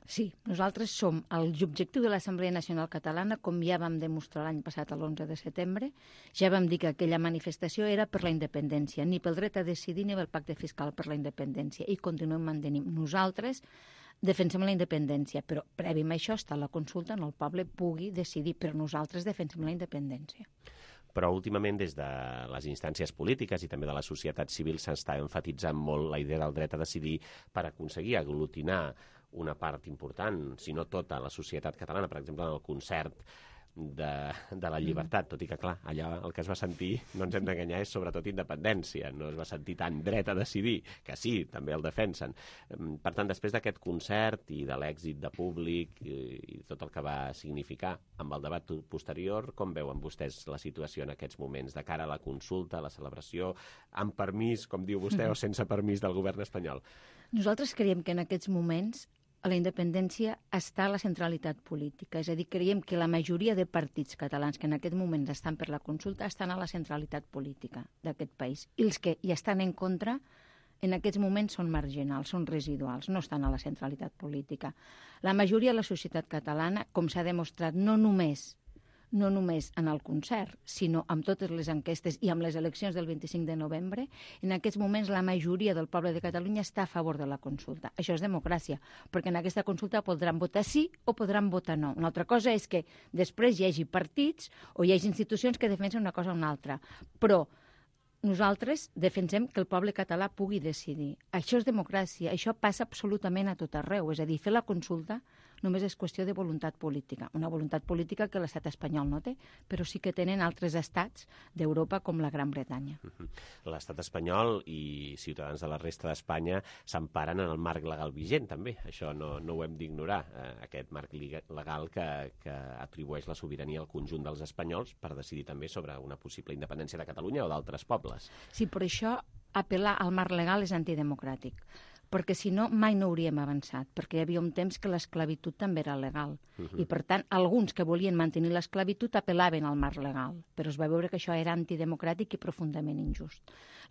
Sí, nosaltres som l'objectiu de l'Assemblea Nacional Catalana, com ja vam demostrar l'any passat a l'onze de setembre, ja vam dir que aquella manifestació era per la independència, ni pel dret a decidir ni pel pacte fiscal per la independència, i continuem mantenint. Nosaltres defensem la independència, però previ a això està la consulta on el poble pugui decidir, però nosaltres defensem la independència. Però últimament, des de les instàncies polítiques i també de la societat civil, s'està enfatitzant molt la idea del dret a decidir per aconseguir aglutinar una part important, si no tota, la societat catalana, per exemple, en el concert de, de la llibertat, tot i que, clar, allà el que es va sentir, no ens hem d'enganyar, és sobretot independència, no es va sentir tant dret a decidir, que sí, també el defensen. Per tant, després d'aquest concert i de l'èxit de públic i, i tot el que va significar amb el debat posterior, com veuen vostès la situació en aquests moments, de cara a la consulta, a la celebració, amb permís, com diu vostè, o sense permís del govern espanyol? Nosaltres creiem que en aquests moments a la independència està la centralitat política. És a dir, creiem que la majoria de partits catalans que en aquest moment estan per la consulta estan a la centralitat política d'aquest país. I els que hi estan en contra en aquests moments són marginals, són residuals, no estan a la centralitat política. La majoria de la societat catalana, com s'ha demostrat, no només no només en el concert, sinó amb totes les enquestes i amb les eleccions del vint-i-cinc de novembre, en aquests moments la majoria del poble de Catalunya està a favor de la consulta. Això és democràcia, perquè en aquesta consulta podran votar sí o podran votar no. Una altra cosa és que després hi hagi partits o hi hagi institucions que defensen una cosa o una altra, però nosaltres defensem que el poble català pugui decidir. Això és democràcia, això passa absolutament a tot arreu. És a dir, fer la consulta només és qüestió de voluntat política. Una voluntat política que l'estat espanyol no té, però sí que tenen altres estats d'Europa com la Gran Bretanya. L'estat espanyol i ciutadans de la resta d'Espanya s'emparen en el marc legal vigent, també. Això no, no ho hem d'ignorar, eh, aquest marc legal que, que atribueix la sobirania al conjunt dels espanyols per decidir també sobre una possible independència de Catalunya o d'altres pobles. Sí, per això apel·lar al marc legal és antidemocràtic, perquè si no mai no hauríem avançat, perquè hi havia un temps que l'esclavitud també era legal. Uh -huh. I per tant, alguns que volien mantenir l'esclavitud apel·laven al marc legal, però es va veure que això era antidemocràtic i profundament injust.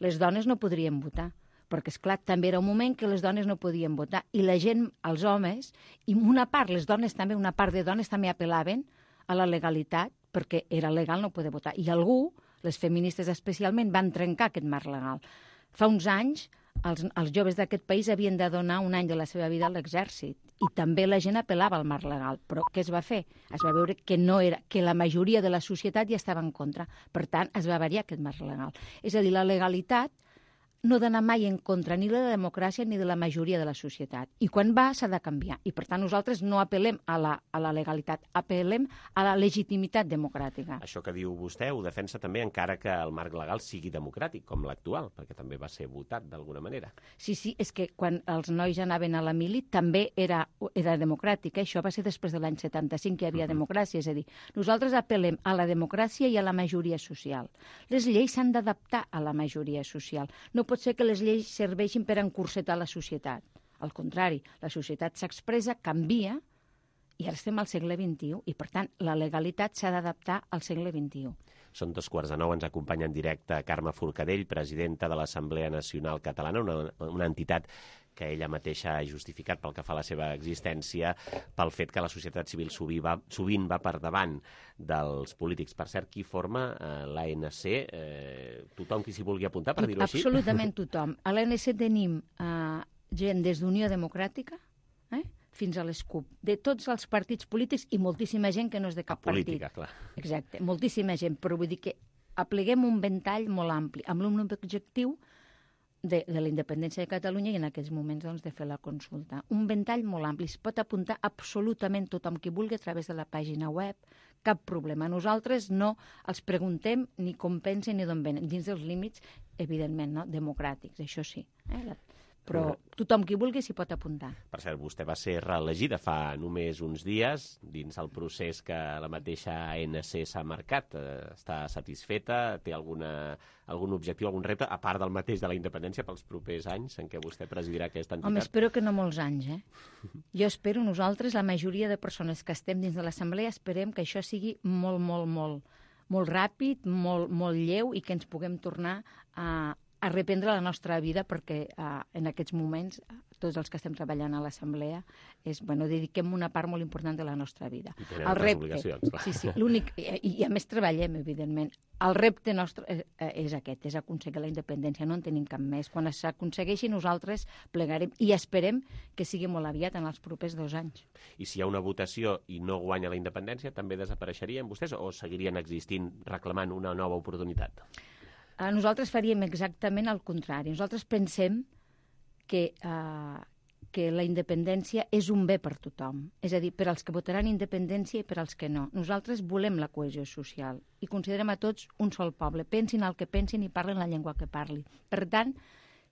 Les dones no podrien votar, perquè, esclar, també era un moment que les dones no podien votar, i la gent, els homes, i una part, les dones també, una part de dones també apel·laven a la legalitat, perquè era legal no poder votar. I algú, les feministes especialment, van trencar aquest marc legal. Fa uns anys, els, els joves d'aquest país havien de donar un any de la seva vida a l'exèrcit, i també la gent apel·lava al marc legal. Però què es va fer? Es va veure que, no era, que la majoria de la societat ja estava en contra. Per tant, es va variar aquest marc legal. És a dir, la legalitat no d'anar mai en contra ni de la democràcia ni de la majoria de la societat. I quan va, s'ha de canviar. I, per tant, nosaltres no apel·lem a la, a la legalitat, apel·lem a la legitimitat democràtica. Això que diu vostè ho defensa també encara que el marc legal sigui democràtic, com l'actual, perquè també va ser votat d'alguna manera. Sí, sí, és que quan els nois anaven a la mili també era, era democràtic. Eh? Això va ser després de l'any setanta-cinc que hi havia uh-huh. democràcia. És a dir, nosaltres apel·lem a la democràcia i a la majoria social. Les lleis s'han d'adaptar a la majoria social. No pot ser que les lleis serveixin per encursetar la societat. Al contrari, la societat s'expressa, canvia, i ara estem al segle vint-i-u, i per tant la legalitat s'ha d'adaptar al segle vint-i-u. Són dos quarts de nou, ens acompanya en directe Carme Forcadell, presidenta de l'Assemblea Nacional Catalana, una, una entitat que ella mateixa ha justificat pel que fa a la seva existència pel fet que la societat civil sovint va, sovint va per davant dels polítics. Per cert, qui forma eh, l'A N C? Eh, tothom qui s'hi vulgui apuntar, per dir-ho així? Absolutament tothom. A l'A N C tenim eh, gent des d'Unió Democràtica eh, fins a les CUP, de tots els partits polítics i moltíssima gent que no és de cap política, partit. Clar. Exacte, moltíssima gent, però vull dir que apleguem un ventall molt ampli, amb l'únic objectiu De, de la independència de Catalunya i en aquests moments doncs, de fer la consulta. Un ventall molt ampli. Es pot apuntar absolutament tothom qui vulgui a través de la pàgina web. Cap problema. Nosaltres no els preguntem ni com pensen ni d'on venen. Dins dels límits, evidentment, no? Democràtics, això sí. Eh? La... Però tothom qui vulgui s'hi pot apuntar. Per cert, vostè va ser reelegida fa només uns dies dins el procés que la mateixa A N C s'ha marcat. Està satisfeta? Té alguna, algun objectiu, algun repte, a part del mateix de la independència pels propers anys en què vostè presidirà aquesta entitat? Home, espero que no molts anys, eh? Jo espero, nosaltres, la majoria de persones que estem dins de l'Assemblea, esperem que això sigui molt, molt, molt, molt ràpid, molt, molt lleu i que ens puguem tornar a a reprendre la nostra vida perquè uh, en aquests moments tots els que estem treballant a l'Assemblea és, bueno, dediquem una part molt important de la nostra vida. I tenen altres obligacions, clar. Sí, sí, l'únic, i, i a més treballem, evidentment. El repte nostre és, és aquest, és aconseguir la independència, no en tenim cap més. Quan s'aconsegueixi nosaltres plegarem i esperem que sigui molt aviat en els propers dos anys. I si hi ha una votació i no guanya la independència, també desapareixerien vostès o seguirien existint reclamant una nova oportunitat? Nosaltres faríem exactament el contrari. Nosaltres pensem que, uh, que la independència és un bé per tothom. És a dir, per als que votaran independència i per als que no. Nosaltres volem la cohesió social i considerem a tots un sol poble. Pensin el que pensin i parlen la llengua que parli. Per tant,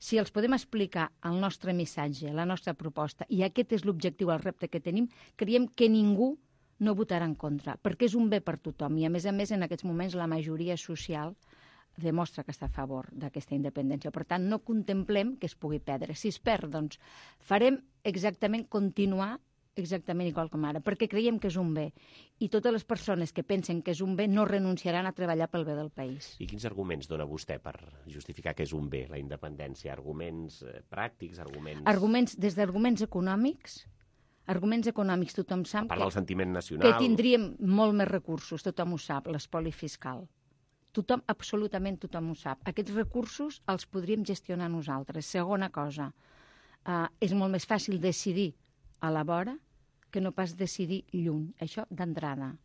si els podem explicar el nostre missatge, la nostra proposta, i aquest és l'objectiu, el repte que tenim, creiem que ningú no votarà en contra, perquè és un bé per tothom. I, a més a més, en aquests moments, la majoria social demostra que està a favor d'aquesta independència. Per tant, no contemplem que es pugui perdre. Si es perd, doncs, farem exactament continuar exactament igual com ara, perquè creiem que és un bé. I totes les persones que pensen que és un bé no renunciaran a treballar pel bé del país. I quins arguments dona vostè per justificar que és un bé, la independència? Arguments eh, pràctics, arguments... Arguments, des d'arguments econòmics, arguments econòmics, tothom sap a part que, del sentiment nacional... que tindríem molt més recursos, tothom ho sap, l'espoli fiscal. Tothom, absolutament tothom ho sap. Aquests recursos els podríem gestionar nosaltres. Segona cosa, eh, és molt més fàcil decidir a la vora que no pas decidir lluny. Això d'entrada.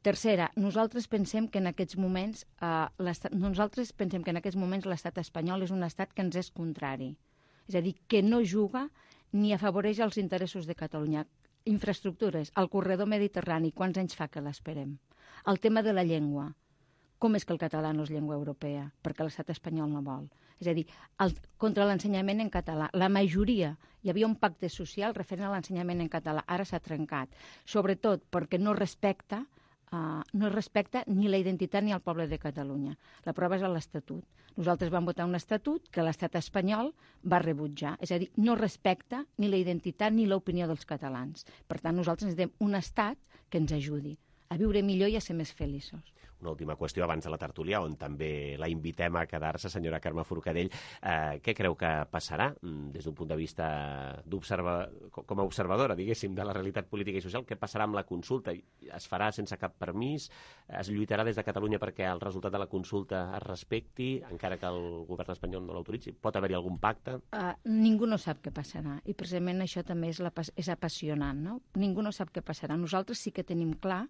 Tercera, nosaltres pensem que en aquests moments eh, nosaltres pensem que en aquests moments l'estat espanyol és un estat que ens és contrari. És a dir, que no juga ni afavoreix els interessos de Catalunya. infraestructures, el corredor mediterrani, quants anys fa que l'esperem? El tema de la llengua. Com és que el català no és llengua europea? Perquè l'estat espanyol no vol. És a dir, el, contra l'ensenyament en català. La majoria, hi havia un pacte social referent a l'ensenyament en català, ara s'ha trencat. Sobretot perquè no respecta, uh, no respecta ni la identitat ni el poble de Catalunya. La prova és l'Estatut. Nosaltres vam votar un estatut que l'estat espanyol va rebutjar. És a dir, no respecta ni la identitat ni l'opinió dels catalans. Per tant, nosaltres necessitem un estat que ens ajudi a viure millor i a ser més feliços. Una última qüestió abans de la tertúlia, on també la invitem a quedar-se, senyora Carme Forcadell. Eh, què creu que passarà des d'un punt de vista com a observadora, diguéssim, de la realitat política i social? Què passarà amb la consulta? Es farà sense cap permís? Es lluitarà des de Catalunya perquè el resultat de la consulta es respecti, encara que el govern espanyol no l'autoritzi? Pot haver-hi algun pacte? Uh, ningú no sap què passarà, i precisament això també és, la, és apassionant, no? Ningú no sap què passarà. Nosaltres sí que tenim clar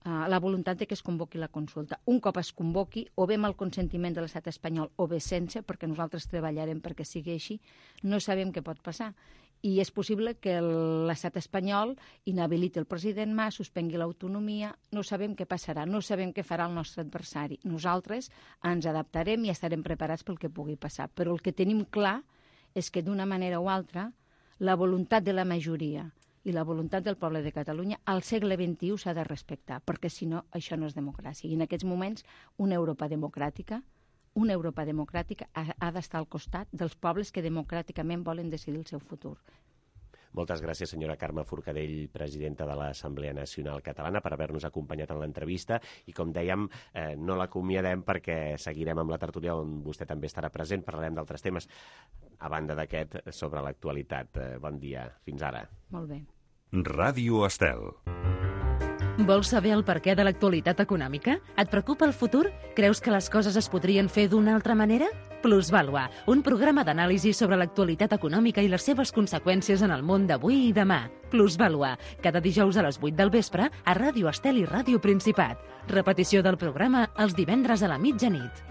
Uh, la voluntat de que es convoqui la consulta. Un cop es convoqui, o bé amb el consentiment de l'estat espanyol o bé sense, perquè nosaltres treballarem perquè sigui així, no sabem què pot passar. I és possible que l'estat espanyol inhabiliti el president Mas, suspengui l'autonomia, no sabem què passarà, no sabem què farà el nostre adversari. Nosaltres ens adaptarem i estarem preparats pel que pugui passar. Però el que tenim clar és que d'una manera o altra la voluntat de la majoria i la voluntat del poble de Catalunya al segle vint-i-u s'ha de respectar, perquè si no, això no és democràcia. I en aquests moments, una Europa democràtica, una Europa democràtica ha, ha d'estar al costat dels pobles que democràticament volen decidir el seu futur. Moltes gràcies, senyora Carme Forcadell, presidenta de l'Assemblea Nacional Catalana, per haver-nos acompanyat en l'entrevista. I, com dèiem, eh, no l'acomiadem perquè seguirem amb la tertúlia on vostè també estarà present. Parlarem d'altres temes, a banda d'aquest, sobre l'actualitat. Eh, bon dia. Fins ara. Molt bé. Ràdio Estel. Vols saber el perquè de l'actualitat econòmica? Et preocupa el futur? Creus que les coses es podrien fer d'una altra manera? Plusvàlua, un programa d'anàlisi sobre l'actualitat econòmica i les seves conseqüències en el món d'avui i demà. Plusvàlua, cada dijous a les vuit del vespre a Ràdio Estel i Ràdio Principat. Repetició del programa els divendres a la mitjanit.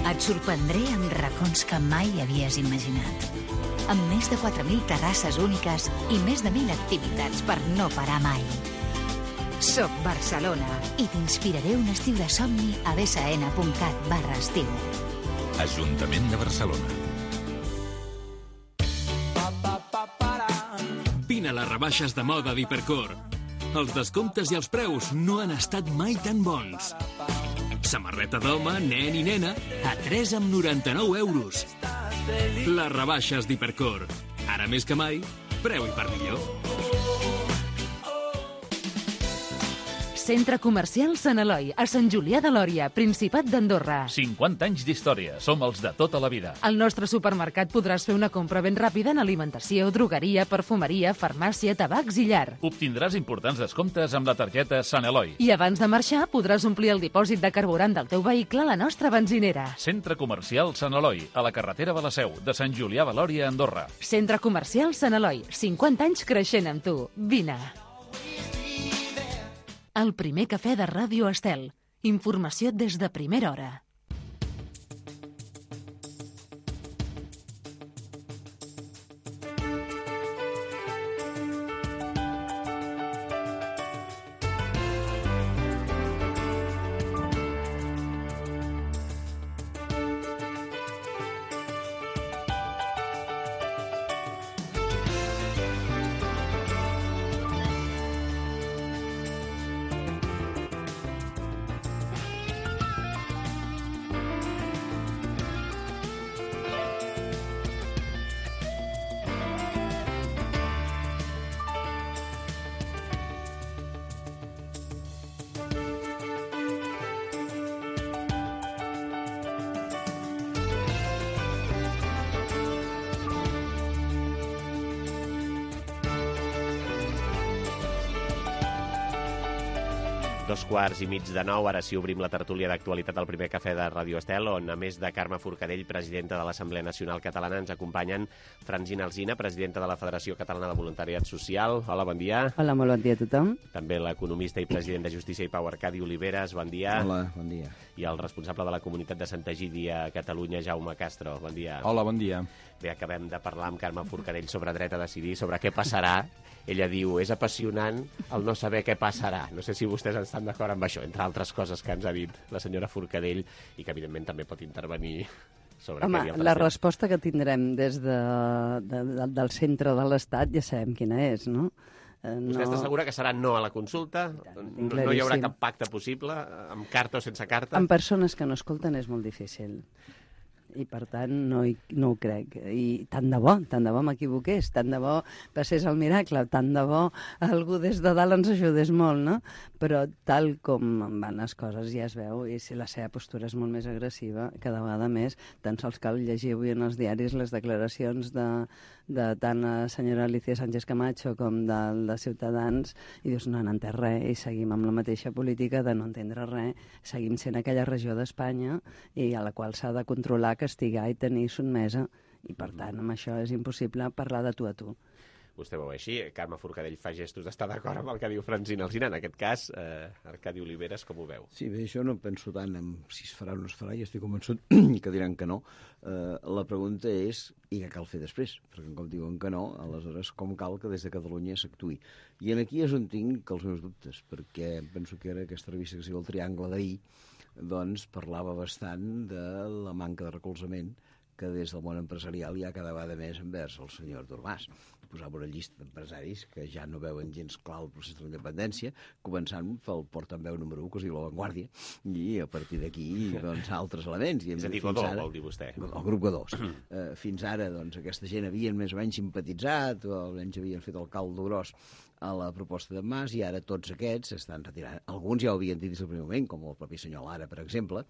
Et sorprendré amb racons que mai havies imaginat. Amb més de quatre mil terrasses úniques i més de mil activitats per no parar mai. Soc Barcelona i t'inspiraré un estiu de somni a bsn.cat barra estiu. Ajuntament de Barcelona. Vine a les rebaixes de moda d'Hipercor. Els descomptes i els preus no han estat mai tan bons. Samarreta d'home, nen i nena, a tres coma noranta-nou euros. Les rebaixes d'Hipercor. Ara més que mai, preu i per millor. Centre Comercial Sant Eloi, a Sant Julià de Lòria, Principat d'Andorra. cinquanta anys d'història, som els de tota la vida. Al nostre supermercat podràs fer una compra ben ràpida en alimentació, drogueria, perfumeria, farmàcia, tabacs i llar. Obtindràs importants descomptes amb la targeta Sant Eloi. I abans de marxar podràs omplir el dipòsit de carburant del teu vehicle a la nostra benzinera. Centre Comercial Sant Eloi, a la carretera de la Seu, de Sant Julià de Lòria, Andorra. Centre Comercial Sant Eloi, cinquanta anys creixent amb tu. Vine. El primer cafè de Ràdio Estel. Informació des de primera hora. Dos quarts i mig de nou, ara sí obrim la tertúlia d'actualitat al primer cafè de Ràdio Estel, on a més de Carme Forcadell, presidenta de l'Assemblea Nacional Catalana, ens acompanyen Francina Alsina, presidenta de la Federació Catalana de Voluntariat Social. Hola, bon dia. Hola, molt bon dia a tothom. També l'economista i president de Justícia i Pau, Arcadi Oliveres, bon dia. Hola, bon dia. I el responsable de la comunitat de Santa Egídia a Catalunya, Jaume Castro, bon dia. Hola, bon dia. Bé, acabem de parlar amb Carme Forcadell sobre dret a decidir, sobre què passarà. Ella diu, és apassionant el no saber què passarà. No sé si vostès estan d'acord amb això, entre altres coses que ens ha dit la senyora Forcadell i que, evidentment, també pot intervenir sobre Home, què havia la resposta que tindrem des de, de, de, del centre de l'Estat ja sabem quina és, no? Eh, no... Vostè està segura que serà no a la consulta? No, no hi haurà cap pacte possible, amb carta o sense carta? Amb persones que no escolten és molt difícil. I, per tant, no, hi, no ho crec. I tant de bo, tant de bo m'equivoqués, tant de bo passés el miracle, tant de bo algú des de dalt ens ajudés molt, no? Però tal com van les coses ja es veu, i si la seva postura és molt més agressiva, cada vegada més, tan sols cal llegir avui en els diaris les declaracions de, de tant la senyora Alicia Sánchez Camacho com de, de Ciutadans, i dius, no han entès res, i seguim amb la mateixa política de no entendre res, seguim sent aquella regió d'Espanya i a la qual s'ha de controlar, castigar i tenir sotmesa, i per tant amb això és impossible parlar de tu a tu. Vostè ho veu així, Carme Forcadell fa gestos d'estar d'acord amb el que diu Francina Alsina. En aquest cas, eh, Arcadi Oliveres, com ho veu? Sí, bé, jo no penso tant en si es farà o no es farà, i estic convençut que diran que no. Eh, la pregunta és, i què cal fer després? Perquè com diuen que no, aleshores com cal que des de Catalunya s'actuï? I aquí és on tinc els meus dubtes, perquè penso que era aquesta revista que es diu El Triangle d'ahir, doncs parlava bastant de la manca de recolzament que des del món empresarial hi ha cada vegada més envers el senyor Artur Mas. Posava una llista d'empresaris que ja no veuen gens clar el procés de la independència, començant pel portaveu número u, que es diu La Vanguardia, i a partir d'aquí, doncs, altres elements. I és a dir, Godó, vol dir vostè. El grup Godó. uh, fins ara, doncs, aquesta gent havien més o menys simpatitzat, o almenys havien fet el caldo gros a la proposta de Mas, i ara tots aquests estan retirant. Alguns ja ho havien dit des del primer moment, com el propi senyor Lara, per exemple,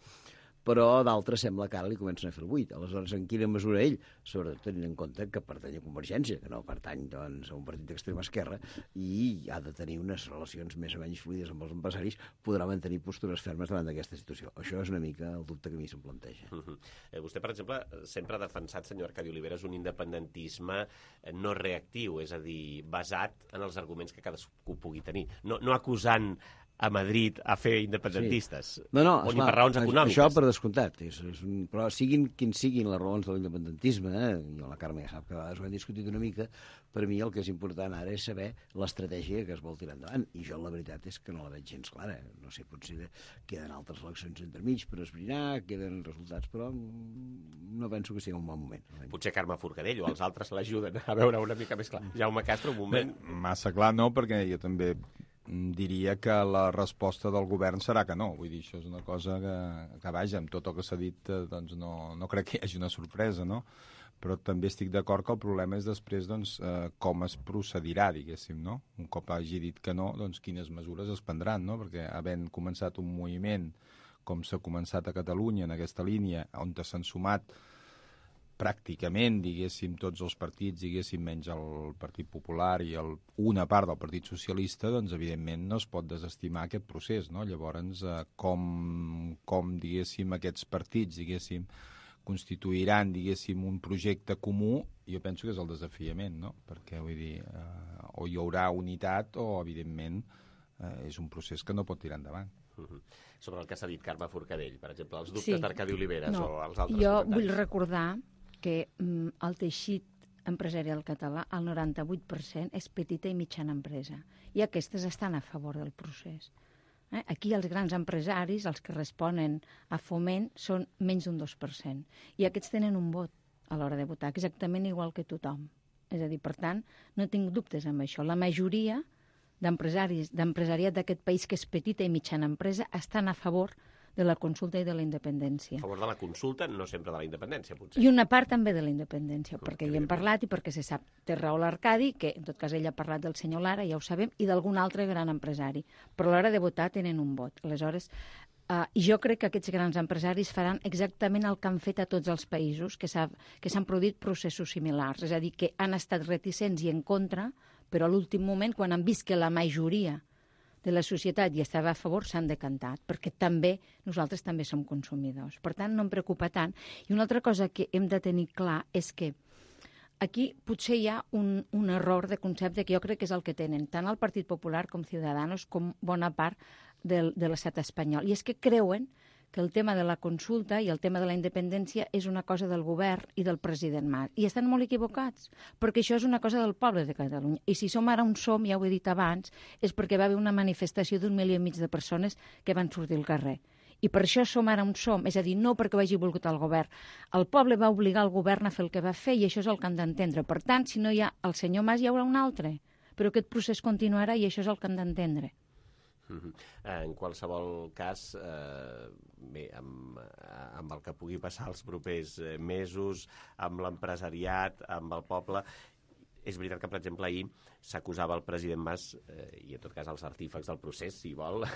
però d'altres sembla que ara li comencen a fer el buit. Aleshores, en quina mesura ell, sobretot tenint en compte que pertany a Convergència, que no pertany, doncs, a un partit d'extrema esquerra, i ha de tenir unes relacions més o menys fluides amb els empresaris, podrà mantenir postures fermes davant d'aquesta situació. Això és una mica el dubte que a mi se'm planteja. Uh -huh. eh, vostè, per exemple, sempre ha defensat, senyor Arcadi Oliveres, un independentisme no reactiu, és a dir, basat en els arguments que cadascú pugui tenir. No, no acusant a Madrid a fer independentistes, sí. no, no, o ni esclar, per raons econòmiques. Això per descomptat, és, és un, però siguin quins siguin les raons de l'independentisme, eh? Jo la Carme ja sap que a vegades ho hem discutit una mica, per mi el que és important ara és saber l'estratègia que es vol tirar endavant, i jo la veritat és que no la veig gens clara. No sé, potser queden altres eleccions entremig per esbrinar, queden resultats, però no penso que sigui un bon moment. Potser Carme Forcadell o els altres l'ajuden a veure una mica més clar. Jaume Castro, un moment. Bé, massa clar no, perquè jo també diria que la resposta del govern serà que no. Vull dir, això és una cosa que, que vaja, amb tot el que s'ha dit, doncs no, no crec que hi hagi una sorpresa, no? Però també estic d'acord que el problema és després, doncs, eh, com es procedirà, diguéssim, no? Un cop hagi dit que no, doncs quines mesures es prendran, no? Perquè havent començat un moviment com s'ha començat a Catalunya en aquesta línia, on s'han sumat pràcticament, diguéssim, tots els partits, diguéssim, menys el Partit Popular i el, una part del Partit Socialista, doncs, evidentment, no es pot desestimar aquest procés, no? Llavors, eh, com, com, diguéssim, aquests partits, diguéssim, constituiran, diguéssim, un projecte comú, jo penso que és el desafiament, no? Perquè, vull dir, eh, o hi haurà unitat o, evidentment, eh, és un procés que no pot tirar endavant. Uh-huh. Sobre el que s'ha dit Carme Forcadell, per exemple, els dubtes sí. d'Arcadi Oliveres no. o els altres jo comentaris. Vull recordar que mm, el teixit empresarial català, el noranta-vuit per cent és petita i mitjana empresa, i aquestes estan a favor del procés. Eh? Aquí els grans empresaris, els que responen a Foment, són menys d'un dos per cent, i aquests tenen un vot a l'hora de votar, exactament igual que tothom. És a dir, per tant, no tinc dubtes amb això. La majoria d'empresaris, d'empresariat d'aquest país, que és petita i mitjana empresa, estan a favor de la consulta i de la independència. A favor de la consulta, no sempre de la independència, potser. I una part també de la independència, Com perquè hi hem parlat i perquè se sap. Té raó l'Arcadi, que en tot cas ell ha parlat del senyor Lara, ja ho sabem, i d'algun altre gran empresari. Però a l'hora de votar tenen un vot. Aleshores, uh, jo crec que aquests grans empresaris faran exactament el que han fet a tots els països, que s'han produït processos similars. És a dir, que han estat reticents i en contra, però a l'últim moment, quan han vist que la majoria de la societat i estava a favor s'han decantat, perquè també nosaltres també som consumidors. Per tant, no em preocupa tant. I una altra cosa que hem de tenir clar és que aquí potser hi ha un, un error de concepte que jo crec que és el que tenen tant el Partit Popular com Ciudadanos com bona part del, de l'estat espanyol. I és que creuen que el tema de la consulta i el tema de la independència és una cosa del govern i del president Mas. I estan molt equivocats, perquè això és una cosa del poble de Catalunya. I si som ara on som, ja ho he dit abans, és perquè va haver una manifestació d'un milió i mig de persones que van sortir al carrer. I per això som ara on som, és a dir, no perquè ho hagi volgut el govern. El poble va obligar el govern a fer el que va fer i això és el que han d'entendre. Per tant, si no hi ha el senyor Mas, hi haurà un altre. Però aquest procés continuarà i això és el que han d'entendre. Uh-huh. En qualsevol cas, eh, bé, amb, amb el que pugui passar els propers mesos, amb l'empresariat, amb el poble, és veritat que, per exemple, ahir s'acusava el president Mas, eh, i en tot cas els artífecs del procés, si vol,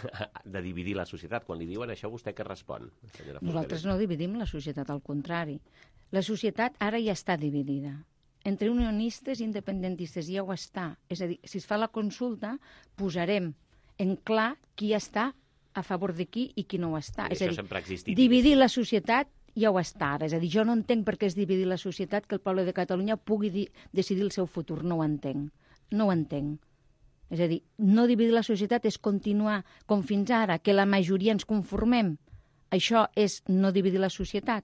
de dividir la societat. Quan li diuen això, vostè què respon? Nosaltres no dividim la societat, al contrari. La societat ara ja està dividida. Entre unionistes i independentistes ja ho està. És a dir, si es fa la consulta, posarem en clar qui està a favor de qui i qui no ho està. I és això a dir, sempre ha existit. Dividir la societat ja ho està ara. És a dir, jo no entenc per què és dividir la societat que el poble de Catalunya pugui di decidir el seu futur. No ho entenc. No ho entenc. És a dir, no dividir la societat és continuar com fins ara, que la majoria ens conformem. Això és no dividir la societat.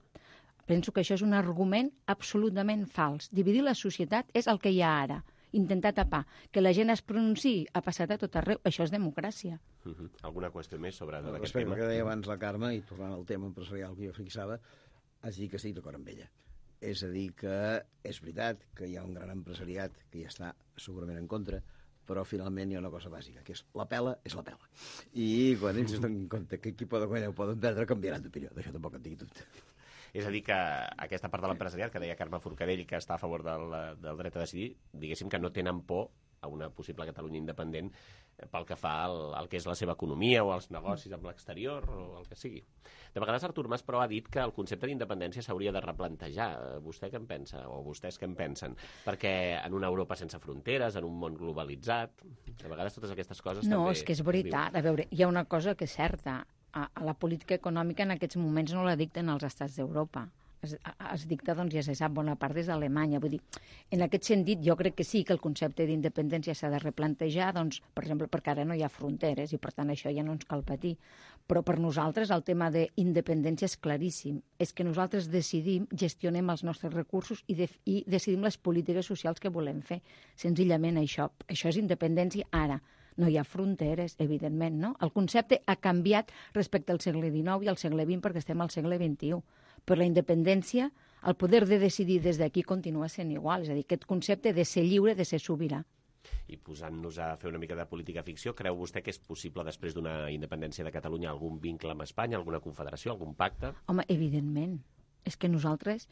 Penso que això és un argument absolutament fals. Dividir la societat és el que hi ha ara. Intentar tapar. Que la gent es pronunciï ha passat a tot arreu. Això és democràcia. Uh -huh. Alguna qüestió més sobre no, aquest tema? tema? Que deia abans la Carme, i tornant al tema empresarial que jo fixava, has dit que estic d'acord amb ella. És a dir, que és veritat que hi ha un gran empresariat que hi està segurament en contra, però finalment hi ha una cosa bàsica, que és la pela és la pela. I quan ells es donen en compte que qui poden guanyar o poden perdre, canviaran d'opinió. D'això tampoc en tinc dubte. És a dir, que aquesta part de l'empresariat, que deia Carme Forcadell, que està a favor del, del dret a decidir, diguéssim que no tenen por a una possible Catalunya independent pel que fa al, al que és la seva economia o als negocis amb l'exterior o el que sigui. De vegades Artur Mas, però, ha dit que el concepte d'independència s'hauria de replantejar. Vostè què en pensa? O vostès què en pensen? Perquè en una Europa sense fronteres, en un món globalitzat, de vegades totes aquestes coses no, també... No, és que és veritat. A veure, hi ha una cosa que és certa. A, a la política econòmica en aquests moments no la dicten els estats d'Europa. Es, es dicta, doncs, ja se sap, bona part des d'Alemanya. Vull dir, en aquest sentit, jo crec que sí que el concepte d'independència s'ha de replantejar, doncs, per exemple, perquè ara no hi ha fronteres i, per tant, això ja no ens cal patir. Però per nosaltres el tema d'independència és claríssim. És que nosaltres decidim, gestionem els nostres recursos i, de, i decidim les polítiques socials que volem fer. Senzillament això. Això és independència ara. No hi ha fronteres, evidentment, no? El concepte ha canviat respecte al segle dinou i al segle vint perquè estem al segle vint-i-u. Però la independència, el poder de decidir des d'aquí continua sent igual. És a dir, aquest concepte de ser lliure, de ser sobirà. I posant-nos a fer una mica de política ficció, creu vostè que és possible, després d'una independència de Catalunya, algun vincle amb Espanya, alguna confederació, algun pacte? Home, evidentment. És que nosaltres,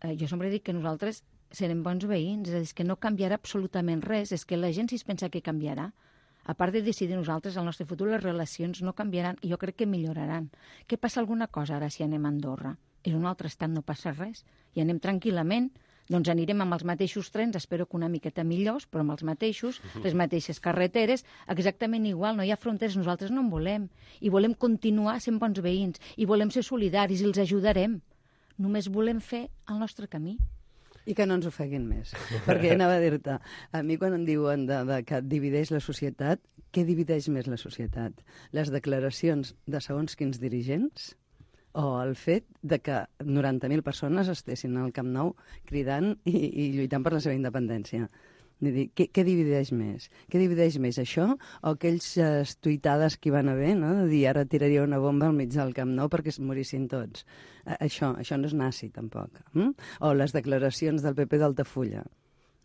eh, jo sempre dic que nosaltres serem bons veïns, és a dir, que no canviarà absolutament res, és que la gent si es pensa que canviarà. A part de decidir nosaltres el nostre futur, les relacions no canviaran i jo crec que milloraran. Què passa alguna cosa ara si anem a Andorra? És un altre estat, no passa res. I anem tranquil·lament, doncs anirem amb els mateixos trens, espero que una miqueta millors, però amb els mateixos, les mateixes carreteres, exactament igual, no hi ha fronteres, nosaltres no en volem. I volem continuar sent bons veïns, i volem ser solidaris, i els ajudarem. Només volem fer el nostre camí. I que no ens ofeguin més. Perquè anava a dir-te, a mi quan em diuen de, de que divideix la societat, què divideix més la societat? Les declaracions de segons quins dirigents o el fet de que noranta mil persones estessin al Camp Nou cridant i, i lluitant per la seva independència? Vull dir, què, què divideix més? Què divideix més, això o aquells eh, tuitades que hi van haver, no? De dir, ara tiraria una bomba al mig del Camp Nou perquè es morissin tots. Eh, això, això no és nazi, tampoc. Mm? O les declaracions del P P d'Altafulla,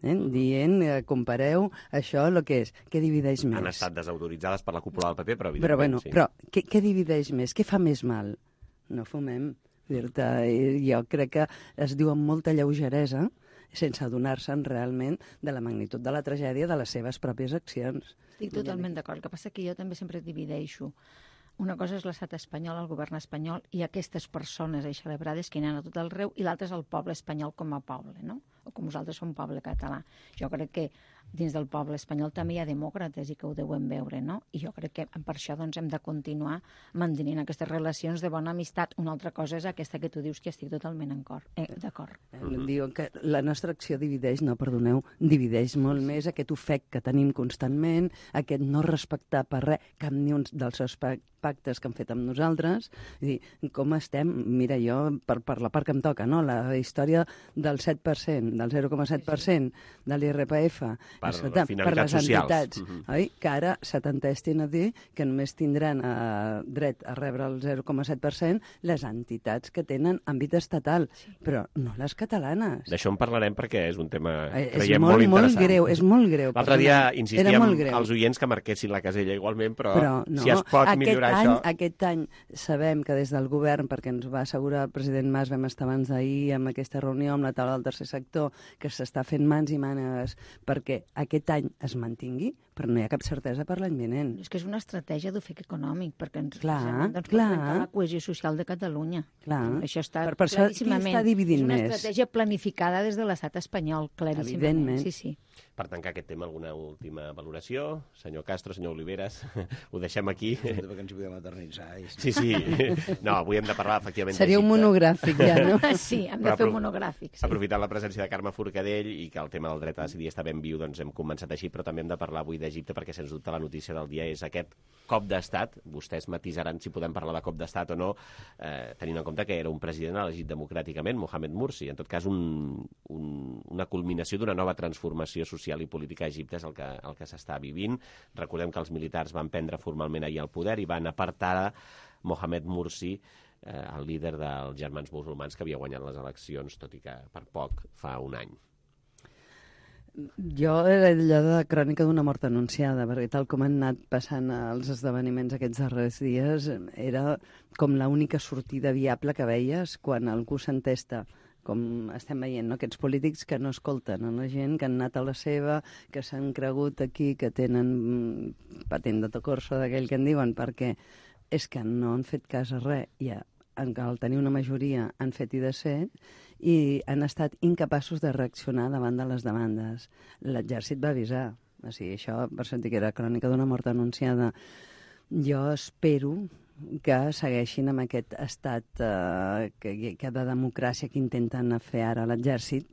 eh? dient, eh, compareu això el que és. Què divideix més? Han estat desautoritzades per la cúpula del P P, però evidentment però, bueno, sí. Però què, què divideix més? Què fa més mal? No fumem. Dir-te, jo crec que es diu amb molta lleugeresa sense adonar-se'n realment de la magnitud de la tragèdia de les seves pròpies accions. Estic totalment d'acord. El que passa que jo també sempre divideixo. Una cosa és l'estat espanyol, el govern espanyol, i aquestes persones eixelebrades que hi ha a tot arreu, i l'altra és el poble espanyol com a poble, no? O com nosaltres som poble català. Jo crec que dins del poble espanyol també hi ha demòcrates i que ho deuen veure, no? I jo crec que per això doncs, hem de continuar mantenint aquestes relacions de bona amistat. Una altra cosa és aquesta que tu dius que estic totalment eh, d'acord. Mm-hmm. Diuen que la nostra acció divideix, no, perdoneu, divideix molt més aquest ofec que tenim constantment, aquest no respectar per res cap ni un dels aspectes pactes que han fet amb nosaltres, és dir, com estem, mira, jo, per, per la part que em toca, no? La història del set per cent, del zero coma set per cent de l'I R P F, per, per, per les socials. entitats, uh-huh. oi? Que ara s'atentestin a dir que només tindran eh, dret a rebre el zero coma set per cent les entitats que tenen àmbit estatal, sí. Però no les catalanes. D'això en parlarem perquè és un tema, eh, creiem, molt, molt interessant. Molt greu, és molt greu. L'altre dia insistíem als oients que marquessin la casella igualment, però, però no, si es pot millorar any, això... Aquest any sabem que des del govern, perquè ens va assegurar el president Mas, vam estar abans d'ahir amb aquesta reunió amb la taula del tercer sector, que s'està fent mans i mànegues perquè aquest any es mantingui, però no hi ha cap certesa per l'any vinent. És que és una estratègia d'ofec econòmic, perquè ens clar, doncs, clar. per la cohesió social de Catalunya. Clar. Això està per, per claríssimament. Qui està dividint és una més? estratègia planificada des de l'estat espanyol, claríssimament. Evidentment. Sí, sí. Per tancar aquest tema, alguna última valoració? Senyor Castro, senyor Oliveres, ho deixem aquí. Perquè ens hi podem eternitzar. Sí, sí. No, avui hem de parlar, efectivament, seria un monogràfic, ja, no? Sí, hem de fer un monogràfic. Sí. Aprofitant la presència de Carme Forcadell i que el tema del dret a decidir està ben viu, doncs hem començat així, però també hem de parlar avui d'Egipte, perquè sens dubte la notícia del dia és aquest cop d'estat. Vostès matisaran si podem parlar de cop d'estat o no, eh, tenint en compte que era un president elegit democràticament, Mohamed Morsi. En tot cas, un, un, una culminació d'una nova transformació social i política a Egipte és el que, el que s'està vivint. Recordem que els militars van prendre formalment ahir el poder i van apartar Mohamed Morsi, eh, el líder dels germans musulmans que havia guanyat les eleccions, tot i que per poc fa un any. Jo era allò de crònica d'una mort anunciada, perquè tal com han anat passant els esdeveniments aquests darrers dies, era com l'única sortida viable que veies quan algú s'entesta, com estem veient, no? Aquests polítics que no escolten a la gent, que han anat a la seva, que s'han cregut aquí, que tenen patent de tocorso d'aquell que en diuen, perquè és que no han fet cas a res, i al tenir una majoria han fet i desfet, i han estat incapaços de reaccionar davant de les demandes. L'exèrcit va avisar. O sigui, això, per sentir que era crònica d'una mort anunciada. Jo espero que segueixin amb aquest estat eh, que, que de democràcia que intenten fer ara l'exèrcit,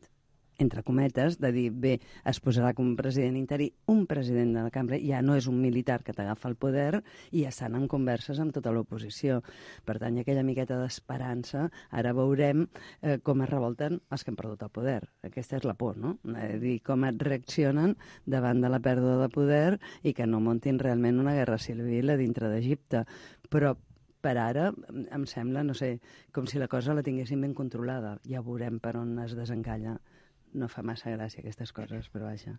entre cometes, de dir, bé, es posarà com un president interí, un president de la cambra, ja no és un militar que t'agafa el poder, i ja estan en converses amb tota l'oposició. Per tant, hi ha aquella miqueta d'esperança. Ara veurem eh, com es revolten els que han perdut el poder. Aquesta és la por, no? És dir, com et reaccionen davant de la pèrdua de poder i que no muntin realment una guerra civil a dintre d'Egipte. Però per ara, em sembla, no sé, com si la cosa la tinguessin ben controlada. Ja veurem per on es desencalla. No fa massa gràcia aquestes coses, però vaja.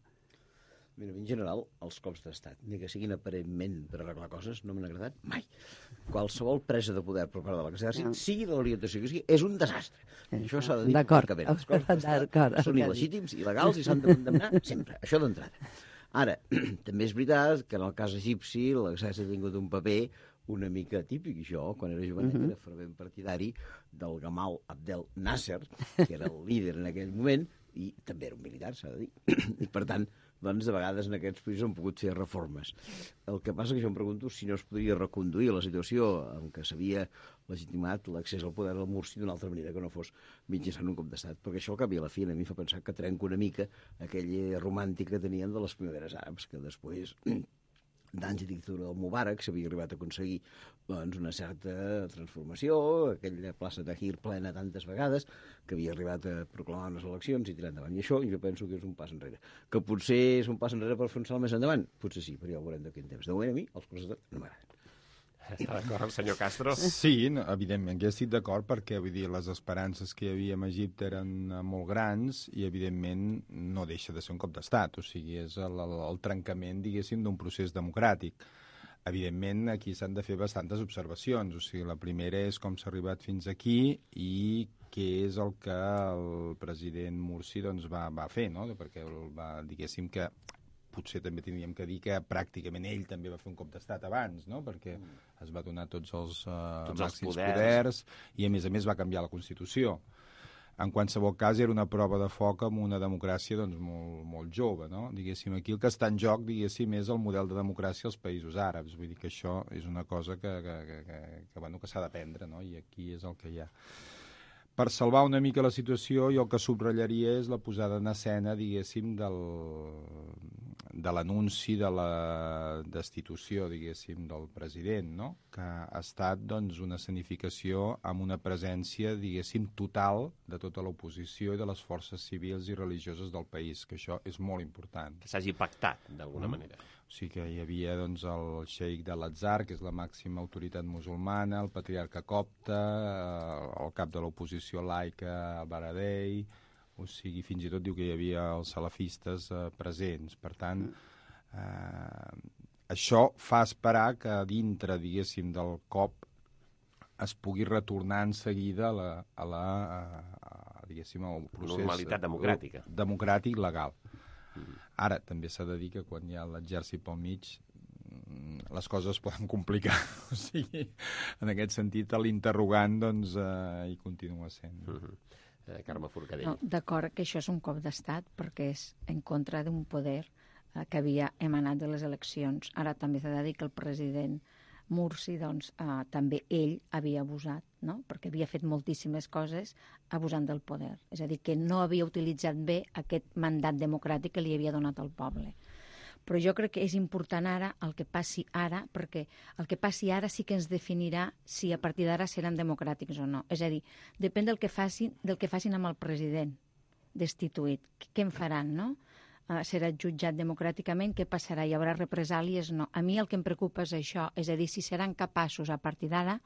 Mira, en general, els cops d'estat, ni que siguin aparentment per arreglar coses, no m'han agradat mai. Qualsevol presa de poder per part de l'exèrcit, no. sigui de l'orientació que sigui, és un desastre. Eh, Això s'ha de dir francament. Els cops d'estat són il·legítims, il·legals i s'han de condemnar sempre. Això d'entrada. Ara, també és veritat que en el cas egipci l'exèrcit ha tingut un paper una mica típic. Jo, quan era jovenet, uh-huh. era fervent partidari del Gamal Abdel Nasser, que era el líder en aquell moment, i també era un militar, s'ha de dir. I, per tant, doncs, de vegades en aquests països han pogut fer reformes. El que passa que jo em pregunto si no es podria reconduir la situació en què s'havia legitimat l'accés al poder del Morsi d'una altra manera que no fos mitjançant un cop d'estat, perquè això al cap i a la fi a mi fa pensar que trenca una mica aquella romàntica que tenien de les primaveres àrabs, que després d'anys de dictadura del Mubarak s'havia arribat a aconseguir doncs, una certa transformació, aquella plaça Tahrir plena tantes vegades, que havia arribat a proclamar unes eleccions i tirar endavant. I això jo penso que és un pas enrere. Que potser és un pas enrere per fer un salt més endavant? Potser sí, però ja ho veurem d'aquí en temps. De moment a mi els coses no m'agraden. Està d'acord el senyor Castro? Sí, no, evidentment, jo estic d'acord perquè vull dir, les esperances que hi havia en Egipte eren molt grans i, evidentment, no deixa de ser un cop d'estat. O sigui, és el, el, el trencament, diguéssim, d'un procés democràtic. Evidentment, aquí s'han de fer bastantes observacions. O sigui, la primera és com s'ha arribat fins aquí i què és el que el president Morsi doncs, va, va fer, no? Perquè va, diguéssim que potser també tindríem que dir que pràcticament ell també va fer un cop d'estat abans, no? Perquè mm. es va donar tots els, uh, tots màxims els poders. poders i, a més a més, va canviar la Constitució. en qualsevol cas era una prova de foc amb una democràcia doncs, molt, molt jove, no? Diguéssim, aquí el que està en joc, diguéssim, és el model de democràcia als països àrabs. Vull dir que això és una cosa que, que, que, que, que, bueno, que s'ha d'aprendre, no? I aquí és el que hi ha. Per salvar una mica la situació, jo el que subratllaria és la posada en escena, diguéssim, del, de l'anunci de la destitució, diguéssim, del president, no? Que ha estat, doncs, una escenificació amb una presència, diguéssim, total de tota l'oposició i de les forces civils i religioses del país, que això és molt important. Que s'hagi pactat, d'alguna mm. manera. O sigui que hi havia doncs, el xeic de l'Atzar, que és la màxima autoritat musulmana, el patriarca copte, el cap de l'oposició laica, el Baradei, o sigui, fins i tot diu que hi havia els salafistes eh, presents. Per tant, eh, això fa esperar que dintre, diguéssim, del cop es pugui retornar en seguida a la, a la a, a, diguéssim, al procés normalitat democràtica. democràtic legal. Ara, també s'ha de dir que quan hi ha l'exèrcit pel mig les coses es poden complicar. O sigui, en aquest sentit, l'interrogant doncs, eh, hi continua sent. Uh -huh. eh, Carme Forcadell. No, d'acord que això és un cop d'estat perquè és en contra d'un poder eh, que havia emanat de les eleccions. Ara també s'ha de dir que el president Mursi, doncs, eh, també ell havia abusat, no? Perquè havia fet moltíssimes coses abusant del poder. És a dir, que no havia utilitzat bé aquest mandat democràtic que li havia donat al poble. Però jo crec que és important ara el que passi ara, perquè el que passi ara sí que ens definirà si a partir d'ara seran democràtics o no. És a dir, depèn del que facin, del que facin amb el president destituït. Què en faran, no? Uh, serà jutjat democràticament, què passarà? Hi haurà represàlies? No. A mi el que em preocupa és això, és a dir, si seran capaços a partir d'ara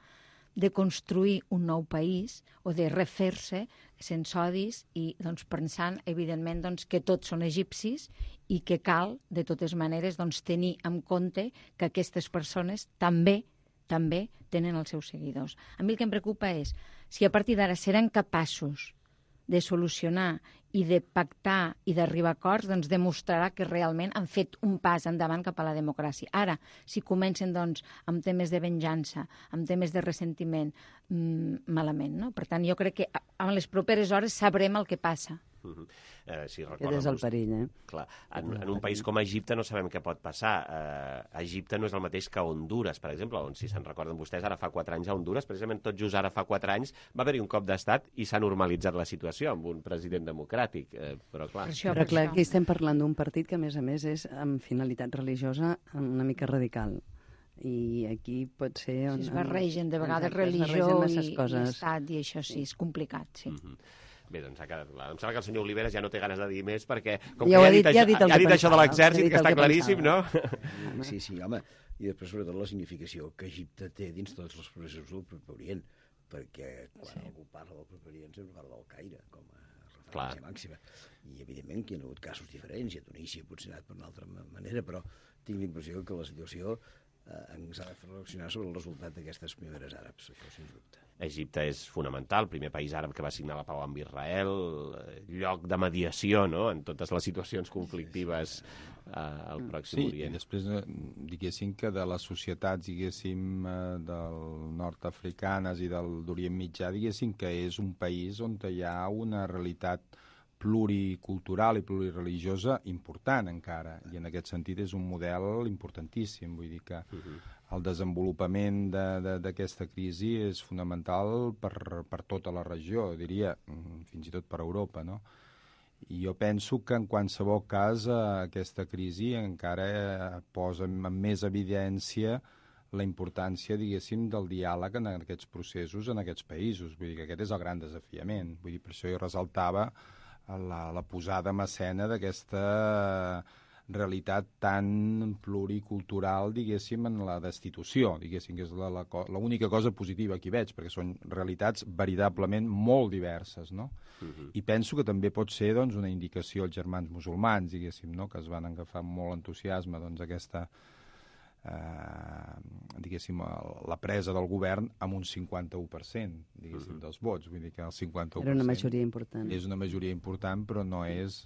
de construir un nou país o de refer-se sense odis i doncs, pensant, evidentment, doncs, que tots són egipcis i que cal, de totes maneres, doncs, tenir en compte que aquestes persones també també tenen els seus seguidors. A mi el que em preocupa és si a partir d'ara seran capaços de solucionar i de pactar i d'arribar a acords, doncs demostrarà que realment han fet un pas endavant cap a la democràcia. Ara, si comencen doncs, amb temes de venjança, amb temes de ressentiment, mmm, malament, no? Per tant, jo crec que en les properes hores sabrem el que passa. Uh-huh. eh, si Aquest és el perill, eh? Clar, en, en un país com Egipte no sabem què pot passar. Eh, Egipte no és el mateix que Hondures, per exemple, on, si se'n recorden vostès, ara fa quatre anys a Hondures, precisament tot just ara fa quatre anys, va haver-hi un cop d'estat i s'ha normalitzat la situació amb un president democràtic. Eh, però clar, per això, però, clar aquí estem parlant d'un partit que, a més a més, és amb finalitat religiosa una mica radical. I aquí pot ser... On, si es barregen de vegades exacte, religió i, i estat, i això sí, és complicat, sí. Uh-huh. Bé, doncs ha quedat clar. Em sembla que el senyor Oliveres ja no té ganes de dir més perquè, com ja que ja ha dit, dit, ja això, dit, ja ha dit pensava, això de l'exèrcit, ja que està que claríssim, no? Sí, sí, home. I després, sobretot, la significació que Egipte té dins tots els processos del Proper Orient, perquè quan sí. algú parla del Proper Orient sempre parla del Caire, com a referència Clar. màxima. I, evidentment, que hi ha hagut casos diferents, i a Tunísia potser ha anat per una altra manera, però tinc la impressió que la situació eh, ens ha de fer reflexionar sobre el resultat d'aquestes primeres àrabs, això sens dubte. Egipte és fonamental, el primer país àrab que va signar la pau amb Israel, lloc de mediació, no?, en totes les situacions conflictives eh, al Pròxim sí, Orient. Sí, i després, diguéssim que de les societats, diguéssim, del nord-africanes i del d'Orient Mitjà, diguéssim que és un país on hi ha una realitat pluricultural i plurireligiosa important encara, i en aquest sentit és un model importantíssim, vull dir que uh-huh. el desenvolupament d'aquesta crisi és fonamental per, per tota la regió, diria, fins i tot per Europa, no? I jo penso que en qualsevol cas aquesta crisi encara posa amb més evidència la importància, diguéssim, del diàleg en aquests processos, en aquests països. Vull dir que aquest és el gran desafiament. Vull dir, per això jo resaltava la, la posada en escena d'aquesta realitat tan pluricultural, diguéssim, en la destitució, diguéssim, que és l'única cosa positiva que hi veig, perquè són realitats veritablement molt diverses, no? Uh-huh. I penso que també pot ser, doncs, una indicació als germans musulmans, diguéssim, no?, que es van agafar amb molt entusiasme, doncs, aquesta, eh, diguéssim, la presa del govern amb un cinquanta-u per cent, diguéssim, uh-huh. dels vots. Vull dir que el cinquanta-u per cent... Era una majoria important. És una majoria important, però no és...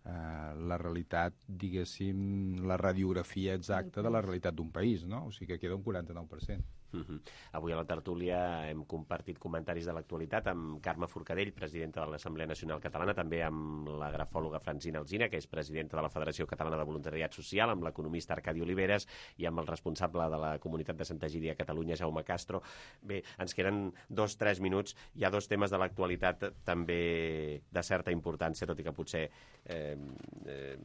Uh, la realitat, diguéssim, la radiografia exacta de la realitat d'un país, no? O sigui que queda un quaranta-nou per cent. Uh-huh. Avui a la tertúlia hem compartit comentaris de l'actualitat amb Carme Forcadell, presidenta de l'Assemblea Nacional Catalana, també amb la grafòloga Francina Alsina, que és presidenta de la Federació Catalana de Voluntariat Social, amb l'economista Arcadi Oliveres i amb el responsable de la comunitat de Santa Egídia a Catalunya, Jaume Castro. Bé, ens queden dos, tres minuts. Hi ha dos temes de l'actualitat també de certa importància, tot i que potser eh, eh,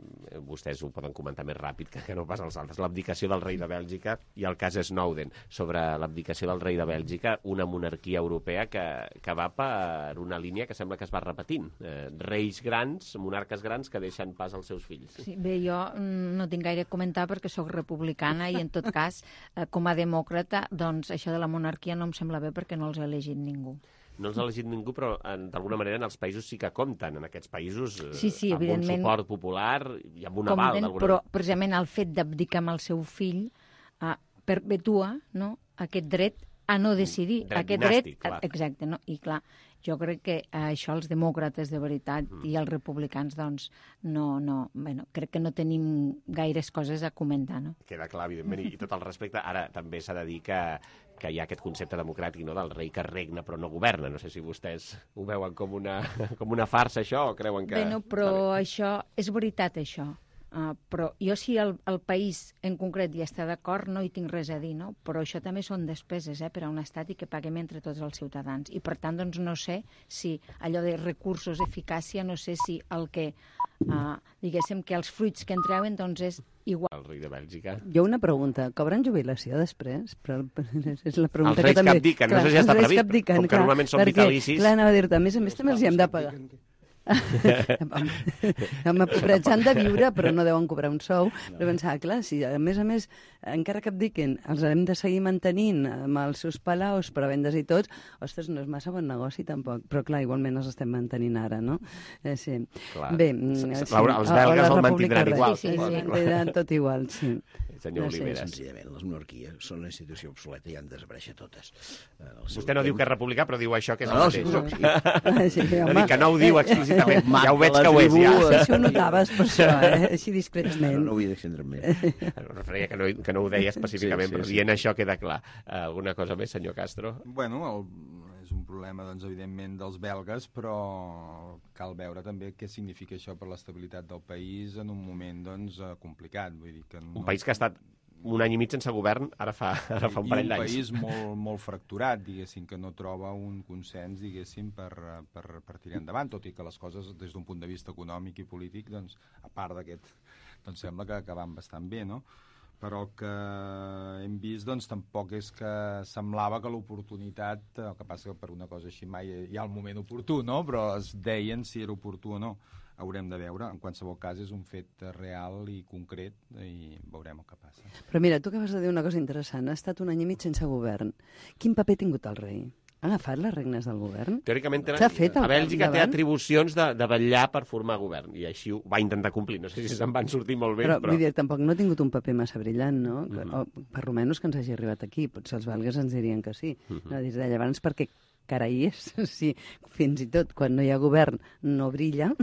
vostès ho poden comentar més ràpid que, que no pas els altres. L'abdicació del rei de Bèlgica i el cas Snowden. Sobre l'abdicació del rei de Bèlgica, una monarquia europea que, que va per una línia que sembla que es va repetint. Eh, reis grans, monarques grans que deixen pas als seus fills. Sí, bé, jo no tinc gaire a comentar perquè sóc republicana i en tot cas, eh, com a demòcrata, doncs això de la monarquia no em sembla bé perquè no els ha elegit ningú. No els ha elegit ningú, però d'alguna manera en els països sí que compten, en aquests països, eh, sí, sí, amb un suport popular i amb un aval. Compten, però precisament el fet d'abdicar amb el seu fill eh, perpetua, no?, aquest dret a no decidir. Dret aquest dinàstic, dret, clar. Exacte, no? I clar, jo crec que això els demòcrates de veritat Mm. i els republicans, doncs, no, no, bueno, crec que no tenim gaires coses a comentar, no? Queda clar, evidentment, i tot el respecte. Ara, també s'ha de dir que, que hi ha aquest concepte democràtic, no?, del rei que regna però no governa. No sé si vostès ho veuen com una, com una farsa, això, o creuen que... Bé, no, però això, és veritat, això. Uh, però jo si el, el país en concret ja està d'acord no hi tinc res a dir, no? Però això també són despeses, eh, per a un estat i que paguem entre tots els ciutadans. I per tant, doncs no sé si allò de recursos, eficàcia, no sé si el que, uh, diguéssim, que els fruits que en treuen, doncs és igual. El rei de Bèlgica. Jo una pregunta, cobren jubilació després? Però és la pregunta els reis que també... que abdiquen, no sé si ja està previst, abdiquen, com que clar, normalment són perquè, vitalicis. Clar, anava a dir-te, a més a més també els hi hem de pagar. Home, pobrets han de viure, però no deuen cobrar un sou. Però pensava, clar, si a més a més, encara que abdiquen, els hem de seguir mantenint amb els seus palaus, prebendes i tots, ostres, no és massa bon negoci tampoc. Però clar, igualment els estem mantenint ara, no? Eh, sí. Clar. Bé, S sí. Laura, els belgues el mantindran igual. Sí, sí, sí, sí, tot igual, sí. Senyor no sé, Oliveres. Senzillament, les monarquies són una institució obsoleta i han de desaparèixer totes. Eh, Vostè no diu que és republicà, però diu això que és no, el mateix. No, sí. Sí, no home. dic que no ho diu explícitament, Eh, ja ho veig que ho és, ja. Sí, si ho notaves per això, eh? Així discretament. No, no vull d'extendre'm més. No referia que no, que no ho deia específicament, Sí, sí, però sí. dient això queda clar. Uh, alguna cosa més, senyor Castro? Bueno, el, és un problema, doncs, evidentment, dels belgues, però cal veure també què significa això per l'estabilitat del país en un moment, doncs, eh, complicat. Vull dir que no... Un país que ha estat un any i mig sense govern, ara fa, ara fa un parell d'anys. I un país molt, molt fracturat, diguéssim, que no troba un consens, diguéssim, per, per, per tirar endavant, tot i que les coses, des d'un punt de vista econòmic i polític, doncs, a part d'aquest, doncs sembla que, que van bastant bé, no? Però el que hem vist, doncs, tampoc és que semblava que l'oportunitat, el que passa que per una cosa així mai hi ha el moment oportú, no? Però es deien si era oportú o no. Haurem de veure. En qualsevol cas, és un fet real i concret i veurem el que passa. Però mira, tu acabes de dir una cosa interessant. Ha estat un any i mig sense govern. Quin paper ha tingut el rei? Ha agafat les regnes del govern? Teòricament, té, S'ha fet el a Bèlgica té davant? atribucions de, de vetllar per formar govern, i així ho va intentar complir. No sé si se'n van sortir molt bé, però... però... Vull dir, tampoc no ha tingut un paper massa brillant, no? Mhm. Mm-hmm. O, per almenys que ens hagi arribat aquí. Potser els belgues ens dirien que sí. Mhm. No, des de llavors, perquè carai és, si fins i tot quan no hi ha govern no brilla...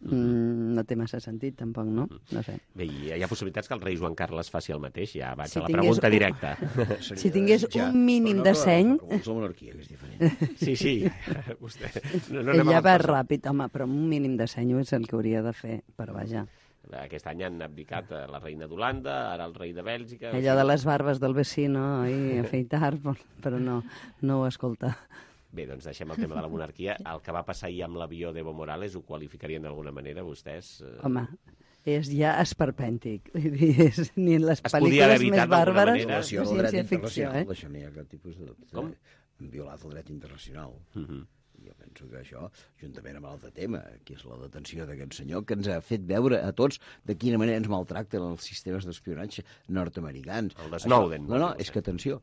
Mm, no té massa sentit, tampoc, no? No sé. Bé, hi ha possibilitats que el rei Joan Carles faci el mateix? Ja vaig Si a la tingués pregunta un- directa. Si tingués un mínim de seny... És la monarquia, que és diferent. Sí, sí. Vostè... No, no Ell anem ja amb va coses. ràpid, home, però un mínim de seny és el que hauria de fer per baixar. Aquest any han abdicat eh, la reina d'Holanda, ara el rei de Bèlgica... Allò de les barbes del vecino i afeitar, però no, no ho escolta. Bé, doncs deixem el tema de la monarquia. El que va passar ahir amb l'avió d'Evo Morales ho qualificarien d'alguna manera, vostès? Eh... Home, és ja esperpèntic. Vull dir, és, ni en les Es podia haver pel·lícules evitat més d'alguna bàrbares manera. de Violació del dret ciència-ficció, internacional, eh? això no hi ha cap tipus de dubte. Com? Han violat el dret internacional. Uh -huh. Jo penso que això, juntament amb l'altre tema, que és la detenció d'aquest senyor, que ens ha fet veure a tots de quina manera ens maltracten els sistemes d'espionatge nord-americans. El de Snowden. Això, no, no, és que, atenció,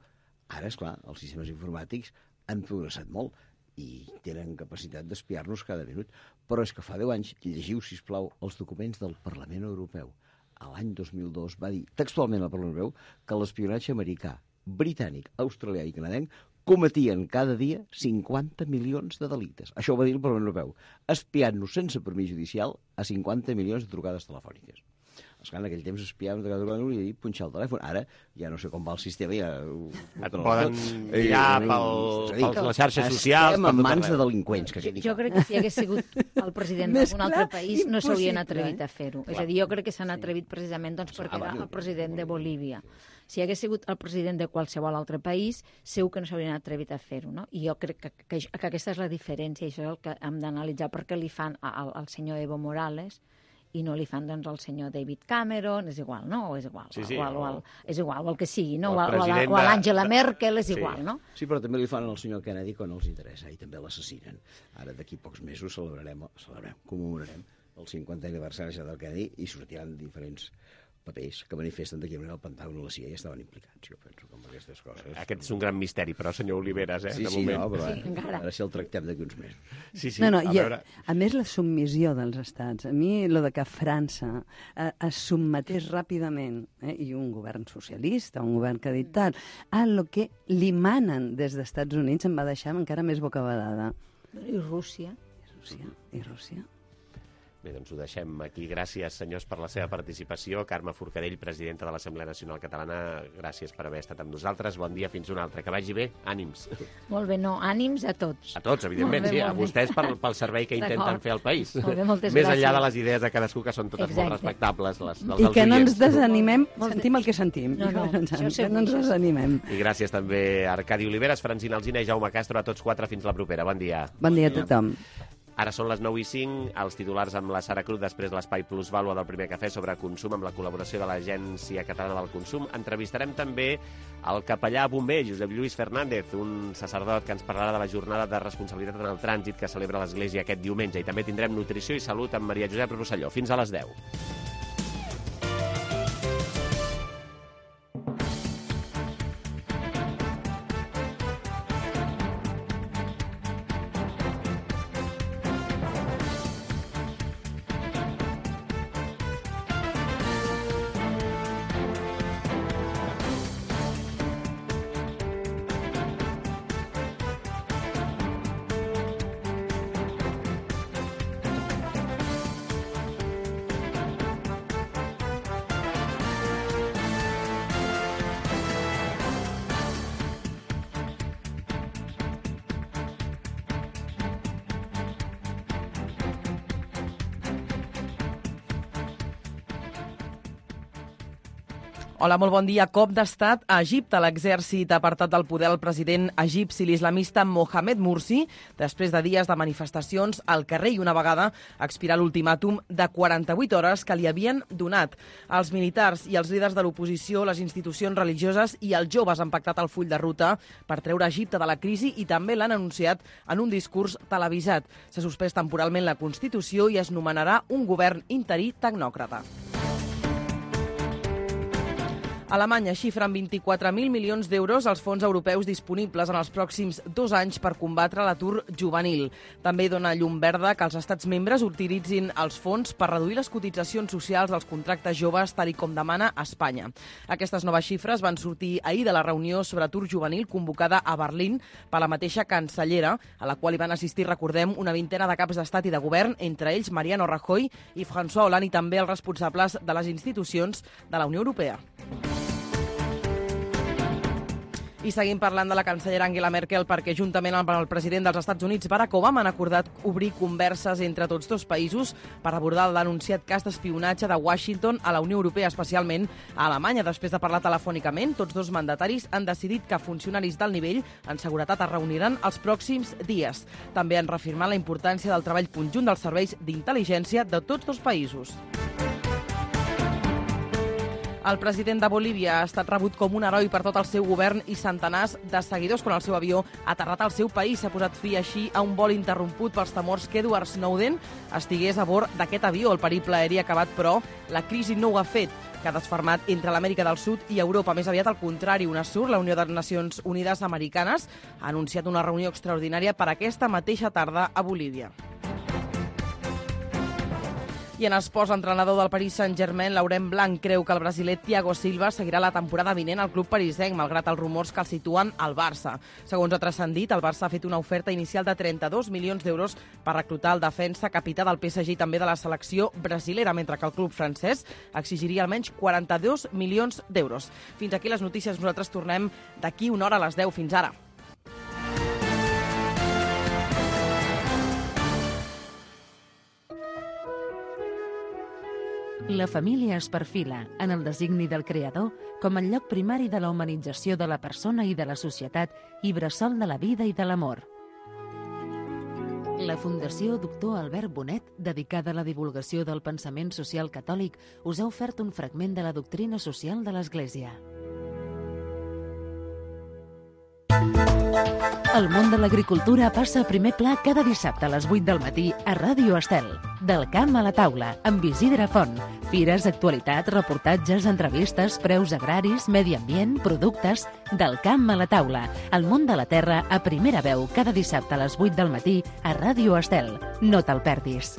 ara, és clar, els sistemes informàtics han progressat molt i tenen capacitat d'espiar-nos cada minut. Però és que fa deu anys, llegiu, sisplau, els documents del Parlament Europeu. A l'any dos mil dos va dir textualment al Parlament Europeu que l'espionatge americà, britànic, australià i canadenc cometien cada dia cinquanta milions de delictes. Això ho va dir el Parlament Europeu, espiant-nos sense permís judicial a cinquanta milions de trucades telefòniques. Esclar, en aquell temps espiàvem de cada cosa i punxar el telèfon. Ara ja no sé com va el sistema. Ja, et poden mirar per les xarxes socials. Estem en mans de delinqüents. Que jo crec que si hagués sigut el president d'algun altre país no s'haurien atrevit a fer-ho. És a dir, jo crec que s'han atrevit precisament doncs, perquè era el president de Bolívia. Si hagués sigut el president de qualsevol altre país, segur que no s'haurien atrevit a fer-ho. No? I jo crec que, que, que aquesta és la diferència, i això és el que hem d'analitzar, perquè li fan al, al senyor Evo Morales i no li fan doncs, al senyor David Cameron, és igual, no? O és igual, sí, sí, o, el, o, el, és igual, o el que sigui, no? O, o, o a l'Angela Merkel, és igual, sí. no? Sí, però també li fan al senyor Kennedy quan els interessa, i també l'assassinen. Ara, d'aquí pocs mesos, celebrarem, celebrarem commemorarem el cinquantè aniversari del Kennedy i sortiran diferents papers que manifesten de quina manera el Pentàgon i la C I A estaven implicats. Jo penso que amb aquestes coses... Aquest és un gran misteri, però, senyor Oliveres, eh, sí, de sí, moment. No, però sí, ara, ara sí el tractem d'aquí uns mesos. Sí, sí, no, no, a, i, veure... a més, la submissió dels estats. A mi, lo de que França eh, es submetés ràpidament, eh, i un govern socialista, un govern que ha dit tal, a lo que li manen des dels Estats Units em va deixar encara més bocabadada. I Rússia. I Rússia. I Rússia. Bé, doncs ho deixem aquí. Gràcies, senyors, per la seva participació. Carme Forcadell, presidenta de l'Assemblea Nacional Catalana, gràcies per haver estat amb nosaltres. Bon dia, fins un altre. Que vagi bé. Ànims. Molt bé, no, ànims a tots. A tots, evidentment, bé, sí. A vostès pel, pel servei que intenten fer al país. Molt bé, moltes Més gràcies. enllà de les idees de cadascú, que són totes Exacte. Molt respectables. Les, les I que no ens oients. desanimem, sentim el que sentim. No, no, que no ens desanimem. I gràcies també a Arcadi Oliveres, Francina Alsina i Jaume Castro, a tots quatre. Fins la propera. Bon dia. Bon dia a tothom. Ara són les nou i cinc, els titulars amb la Sara Cruz, després l'espai Plusvàlua del Primer Cafè sobre consum amb la col·laboració de l'Agència Catalana del Consum. Entrevistarem també el capellà bomber, Josep Lluís Fernández, un sacerdot que ens parlarà de la jornada de responsabilitat en el trànsit que celebra l'Església aquest diumenge. I també tindrem nutrició i salut amb Maria Josep Rosselló. Fins a les deu. Hola, molt bon dia. Cop d'estat a Egipte. L'exèrcit ha apartat del poder el president egipci, l'islamista Mohamed Morsi, després de dies de manifestacions al carrer i una vegada expirar l'ultimàtum de quaranta-vuit hores que li havien donat. Els militars i els líders de l'oposició, les institucions religioses i els joves han pactat el full de ruta per treure Egipte de la crisi i també l'han anunciat en un discurs televisat. S'ha suspès temporalment la Constitució i es nomenarà un govern interí tecnòcrata. Alemanya xifra en vint-i-quatre mil milions d'euros els fons europeus disponibles en els pròxims dos anys per combatre l'atur juvenil. També dona llum verda que els estats membres utilitzin els fons per reduir les cotitzacions socials dels contractes joves, tal i com demana Espanya. Aquestes noves xifres van sortir ahir de la reunió sobre atur juvenil convocada a Berlín per la mateixa cancellera, a la qual hi van assistir, recordem, una vintena de caps d'estat i de govern, entre ells Mariano Rajoy i François Hollande, i també els responsables de les institucions de la Unió Europea. I seguim parlant de la cancellera Angela Merkel perquè juntament amb el president dels Estats Units, Barack Obama, han acordat obrir converses entre tots dos països per abordar el denunciat cas d'espionatge de Washington a la Unió Europea, especialment a Alemanya. Després de parlar telefònicament, tots dos mandataris han decidit que funcionaris d'alt nivell en seguretat es reuniran els pròxims dies. També han reafirmat la importància del treball conjunt dels serveis d'intel·ligència de tots dos països. El president de Bolívia ha estat rebut com un heroi per tot el seu govern i centenars de seguidors quan el seu avió ha aterrat al seu país. S'ha posat fi així a un vol interromput pels temors que Edward Snowden estigués a bord d'aquest avió. El periple aeri ha acabat, però la crisi no ho ha fet, que ha desfermat entre l'Amèrica del Sud i Europa. Més aviat al contrari, UNASUR, la Unió de Nacions Unides Americanes, ha anunciat una reunió extraordinària per aquesta mateixa tarda a Bolívia. I en esports, l'entrenador del Paris Saint-Germain, Laurent Blanc, creu que el brasiler Thiago Silva seguirà la temporada vinent al club parisenc, malgrat els rumors que el situen al Barça. Segons ha transcendit, el Barça ha fet una oferta inicial de trenta-dos milions d'euros per reclutar el defensa capità del P S G i també de la selecció brasilera, mentre que el club francès exigiria almenys quaranta-dos milions d'euros. Fins aquí les notícies. Nosaltres tornem d'aquí una hora a les deu. Fins ara. La família es perfila, en el designi del creador, com el lloc primari de la humanització de la persona i de la societat i bressol de la vida i de l'amor. La Fundació Doctor Albert Bonet, dedicada a la divulgació del pensament social catòlic, us ha ofert un fragment de la doctrina social de l'Església. El món de l'agricultura passa a primer pla cada dissabte a les vuit del matí a Ràdio Estel. Del camp a la taula, amb Isidre Font. Fires, actualitat, reportatges, entrevistes, preus agraris, medi ambient, productes... Del camp a la taula. El món de la terra a primera veu cada dissabte a les vuit del matí a Ràdio Estel. No te'l perdis.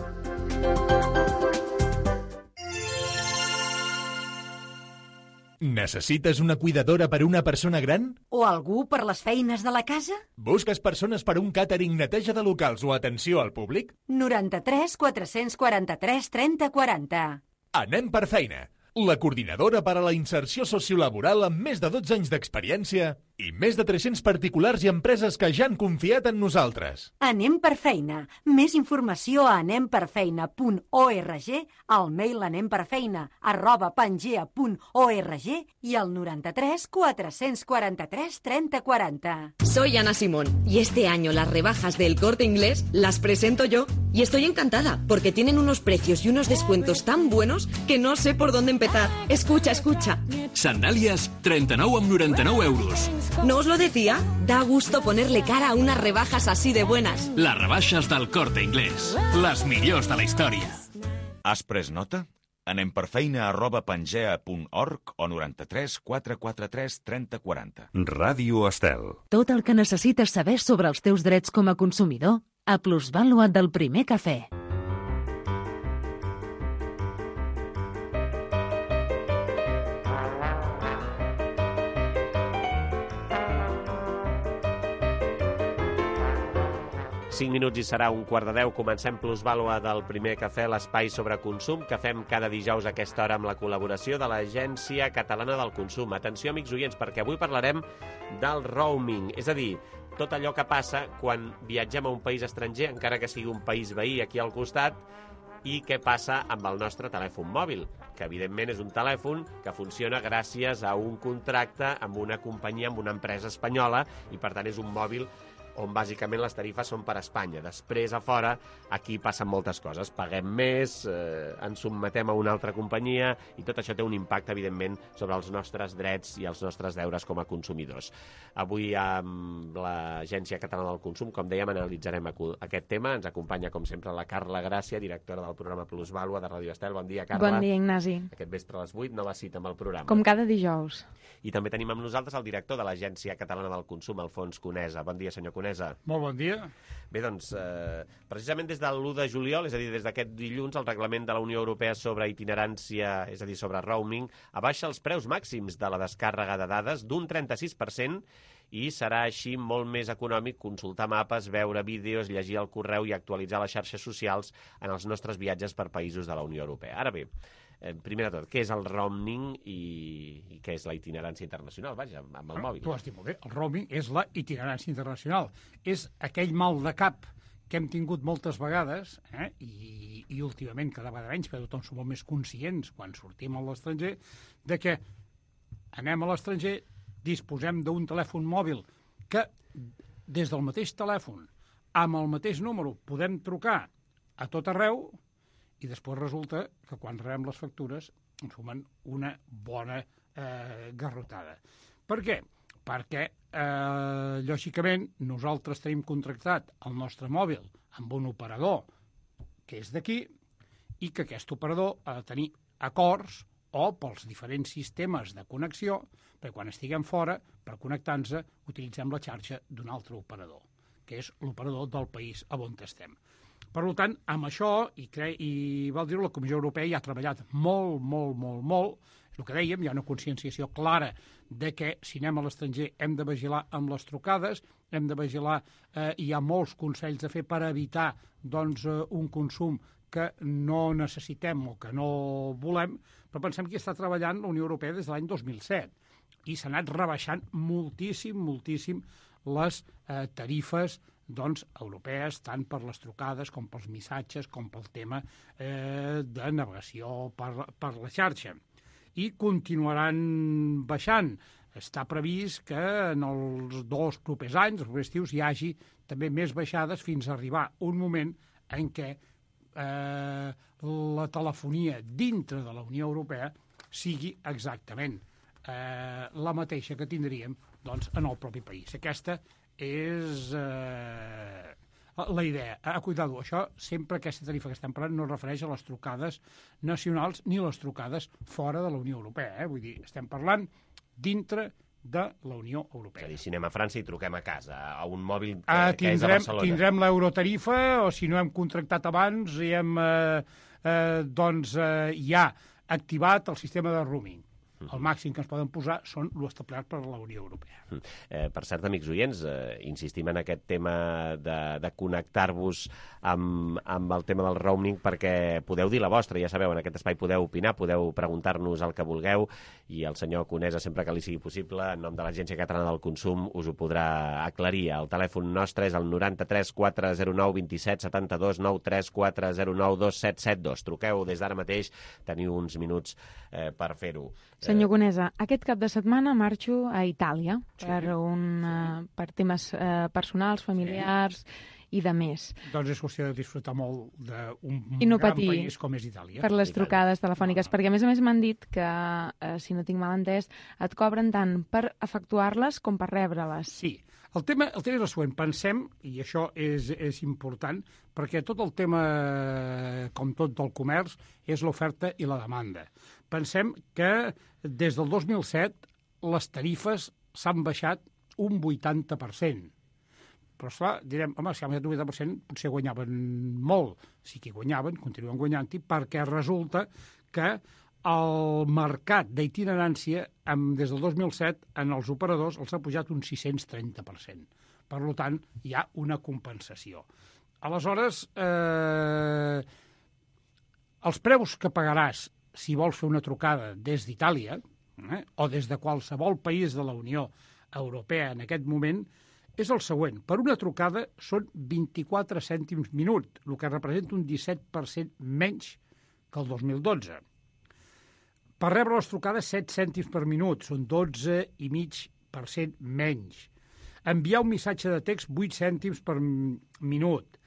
Necessites una cuidadora per a una persona gran? O algú per les feines de la casa? Busques persones per a un càtering, neteja de locals o atenció al públic? noranta-tres quatre-cents quaranta-tres trenta quaranta. Anem per feina. La coordinadora per a la inserció sociolaboral amb més de dotze anys d'experiència i més de tres-cents particulars i empreses que ja han confiat en nosaltres. Anem per feina. Més informació a anem per feina punt org, al mail anemperfeina arroba pangea punt org i al noranta-tres quatre-cents quaranta-tres trenta quaranta. Soy Ana Simón y este año las rebajas del Corte Inglés las presento yo y estoy encantada porque tienen unos precios y unos descuentos tan buenos que no sé por dónde empezar. Escucha, escucha. Sandalias, trenta-nou amb noranta-nou euros. ¿No os lo decía? Da gusto ponerle cara a unas rebajas así de buenas. Les rebaixes del Corte Inglés. Les millors de la història. Has pres nota? Anem per feina arroba pangea punt org o noranta-tres quatre quaranta-tres trenta quaranta. Ràdio Estel. Tot el que necessites saber sobre els teus drets com a consumidor a Plusvàlua del Primer Cafè. cinc minuts i serà un quart de deu. Comencem Plusvàlua del Primer Cafè, l'espai sobre consum que fem cada dijous a aquesta hora amb la col·laboració de l'Agència Catalana del Consum. Atenció, amics oients, perquè avui parlarem del roaming, és a dir, tot allò que passa quan viatgem a un país estranger, encara que sigui un país veí aquí al costat, i què passa amb el nostre telèfon mòbil, que evidentment és un telèfon que funciona gràcies a un contracte amb una companyia, amb una empresa espanyola, i per tant és un mòbil on bàsicament les tarifes són per a Espanya. Després, a fora, aquí passen moltes coses. Paguem més, eh, ens sotmetem a una altra companyia i tot això té un impacte, evidentment, sobre els nostres drets i els nostres deures com a consumidors. Avui, amb l'Agència Catalana del Consum, com dèiem, analitzarem aquest tema. Ens acompanya, com sempre, la Carla Gràcia, directora del programa Plusvàlua de Ràdio Estel. Bon dia, Carla. Bon dia, Ignasi. Aquest vespre a les vuit, nova cita amb el programa. Com cada dijous. I també tenim amb nosaltres el director de l'Agència Catalana del Consum, Alfons Conesa. Bon dia, senyor Conesa. Molt bon dia. Bé, doncs, eh, precisament des de l'u de juliol, és a dir, des d'aquest dilluns, el reglament de la Unió Europea sobre itinerància, és a dir, sobre roaming, abaixa els preus màxims de la descàrrega de dades d'un trenta-sis per cent i serà així molt més econòmic consultar mapes, veure vídeos, llegir el correu i actualitzar les xarxes socials en els nostres viatges per països de la Unió Europea. Ara bé, Eh, primer de tot, què és el roaming i, i què és la itinerància internacional? Vaja, amb el mòbil. Tu has dit molt bé, el roaming és la itinerància internacional. És aquell mal de cap que hem tingut moltes vegades, eh, i, i últimament cada vegada menys, perquè tothom som molt més conscients quan sortim a l'estranger, de que anem a l'estranger, disposem d'un telèfon mòbil que des del mateix telèfon, amb el mateix número, podem trucar a tot arreu, i després resulta que quan rebem les factures ens sumen una bona eh, garrotada. Per què? Perquè, eh, lògicament, nosaltres tenim contractat el nostre mòbil amb un operador que és d'aquí i que aquest operador ha de tenir acords o pels diferents sistemes de connexió, perquè quan estiguem fora, per connectar-nos, utilitzem la xarxa d'un altre operador, que és l'operador del país on estem. Per tant, amb això, i, cre... i val dir-ho, la Comissió Europea ja ha treballat molt, molt, molt, molt, és el que dèiem, hi ha una conscienciació clara de que si anem a l'estranger hem de vigilar amb les trucades, hem de vigilar, eh, hi ha molts consells a fer per evitar doncs, eh, un consum que no necessitem o que no volem, però pensem que està treballant la Unió Europea des de l'any dos mil set i s'ha anat rebaixant moltíssim, moltíssim les eh, tarifes doncs, europees, tant per les trucades com pels missatges, com pel tema eh, de navegació per, per la xarxa. I continuaran baixant. Està previst que en els dos propers anys, els propers estius, hi hagi també més baixades fins a arribar un moment en què Eh, la telefonia dintre de la Unió Europea sigui exactament eh, la mateixa que tindríem doncs, en el propi país. Aquesta és eh, la idea. Ah, cuidado, això sempre aquesta tarifa que estem parlant no es refereix a les trucades nacionals ni a les trucades fora de la Unió Europea. Eh? Vull dir, estem parlant dintre de la Unió Europea. És a dir, si anem a França i truquem a casa, a un mòbil que, ah, que és a tindrem, Barcelona. Tindrem l'eurotarifa, o si no hem contractat abans i hem eh, eh, doncs, eh, ja activat el sistema de roaming. El màxim que ens poden posar són l'establert per la Unió Europea. Eh, per cert, amics oients, eh, insistim en aquest tema de, de connectar-vos amb, amb el tema del roaming perquè podeu dir la vostra, ja sabeu, en aquest espai podeu opinar, podeu preguntar-nos el que vulgueu i el senyor Conesa, sempre que li sigui possible, en nom de l'Agència Catalana del Consum, us ho podrà aclarir. El telèfon nostre és el noranta-tres quatre zero nou vint set setanta-dos nou tres quatre zero nou dos set set dos. Truqueu des d'ara mateix, teniu uns minuts eh, per fer-ho. Senyor Conesa, aquest cap de setmana marxo a Itàlia sí, per, un, sí. uh, per temes uh, personals, familiars sí. i de més. Doncs és qüestió de disfrutar molt d'un no gran patir país com és Itàlia. Per les trucades telefòniques, no, no. perquè a més a més m'han dit que, uh, si no tinc mal entès, et cobren tant per efectuar-les com per rebre-les. Sí. El tema, el tema és el següent. Pensem, i això és, és important, perquè tot el tema, com tot del comerç, és l'oferta i la demanda. Pensem que des del dos mil set les tarifes s'han baixat un vuitanta per cent. Però, esclar, direm, home, si han baixat un vuitanta per cent, potser guanyaven molt. Sí que guanyaven, continuen guanyant-hi, perquè resulta que el mercat d'itinerància des del dos mil set en els operadors els ha pujat un sis-cents trenta per cent. Per tant, hi ha una compensació. Aleshores, eh, els preus que pagaràs si vols fer una trucada des d'Itàlia eh, o des de qualsevol país de la Unió Europea en aquest moment és el següent. Per una trucada són vint-i-quatre cèntims minut, el que representa un disset per cent menys que el dos mil dotze. Per rebre les trucades, set cèntims per minut, són dotze i mig per cent menys. Enviar un missatge de text, vuit cèntims per minut.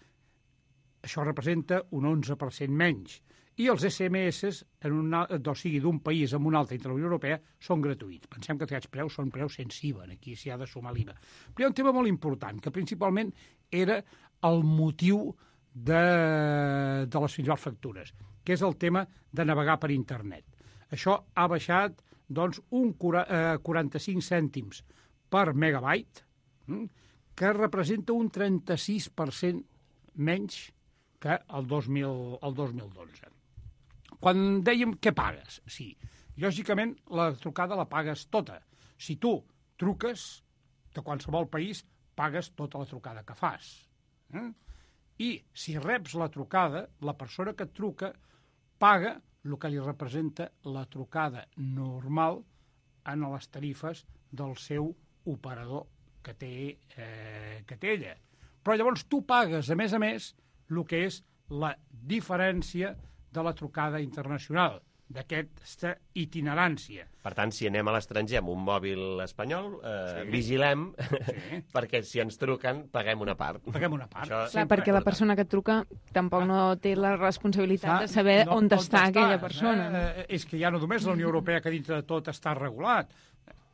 Això representa un onze per cent menys. I els esse eme esse, en una, o sigui, d'un país amb un altre entre la Unió Europea, són gratuïts. Pensem que aquests preus són preus sense I V A, aquí s'hi ha de sumar l'I V A. Però hi ha un tema molt important, que principalment era el motiu de, de les principals factures, que és el tema de navegar per internet. Això ha baixat doncs, un quaranta-cinc cèntims per megabyte, que representa un trenta-sis per cent menys que el dos mil dotze. Quan dèiem què pagues, sí, lògicament la trucada la pagues tota. Si tu truques de qualsevol país, pagues tota la trucada que fas. Eh? I si reps la trucada, la persona que et truca paga el que li representa la trucada normal en les tarifes del seu operador que té, eh, que té ella. Però llavors tu pagues, a més a més, el que és la diferència de la trucada internacional, d'aquesta itinerància. Per tant, si anem a l'estranger amb un mòbil espanyol, eh, sí. vigilem, sí. perquè si ens truquen, paguem una part. Paguem una part. Això Clar, perquè la persona que et truca tampoc no té la responsabilitat de saber no, on està aquella persona. Eh? No? És que ja no només la Unió Europea, que dintre de tot està regulat.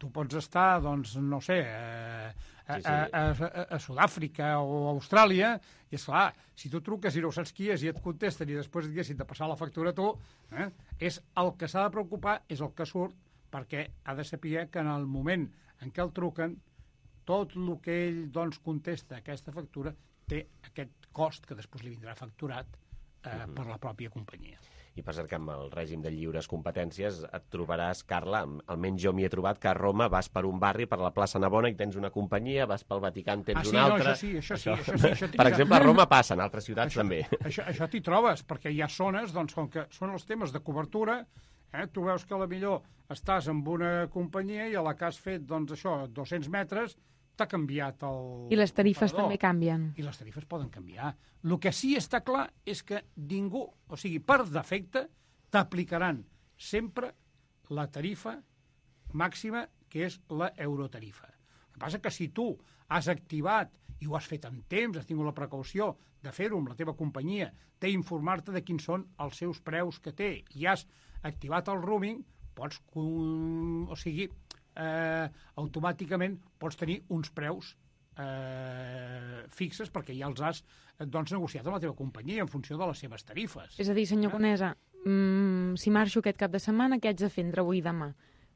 Tu pots estar, doncs, no sé, a, a, sí, sí. a, a, a Sud-àfrica o a Austràlia, i esclar, si tu truques i no saps qui és i et contesten i després et diguessin de passar la factura a tu, eh, és el que s'ha de preocupar, és el que surt, perquè ha de saber que en el moment en què el truquen, tot el que ell doncs, contesta a aquesta factura té aquest cost que després li vindrà facturat eh, mm-hmm. per la pròpia companyia. I per cert que amb el règim de lliures competències et trobaràs, Carla, almenys jo m'hi he trobat, que a Roma vas per un barri, per la plaça Navona, i tens una companyia, vas pel Vaticà, en tens ah, sí, una no, altra... Això sí, això sí. Això sí això per exemple, a Roma passa, en altres ciutats això, també. Això, això t'hi trobes, perquè hi ha zones, doncs, com que són els temes de cobertura, eh, tu veus que a la millor estàs amb una companyia i a la que has fet, doncs, això, dos-cents metres, t'ha canviat el... I les tarifes operador. també canvien. I les tarifes poden canviar. El que sí està clar és que ningú, o sigui, per defecte, t'aplicaran sempre la tarifa màxima, que és la eurotarifa. El que passa que si tu has activat i ho has fet en temps, has tingut la precaució de fer-ho amb la teva companyia, d'informar-te de quins són els seus preus que té i has activat el roaming, pots, o sigui, eh, automàticament pots tenir uns preus eh, fixes perquè ja els has doncs, negociat amb la teva companyia en funció de les seves tarifes. És a dir, senyor Conesa, mm, si marxo aquest cap de setmana, què haig de fer entre avui i demà?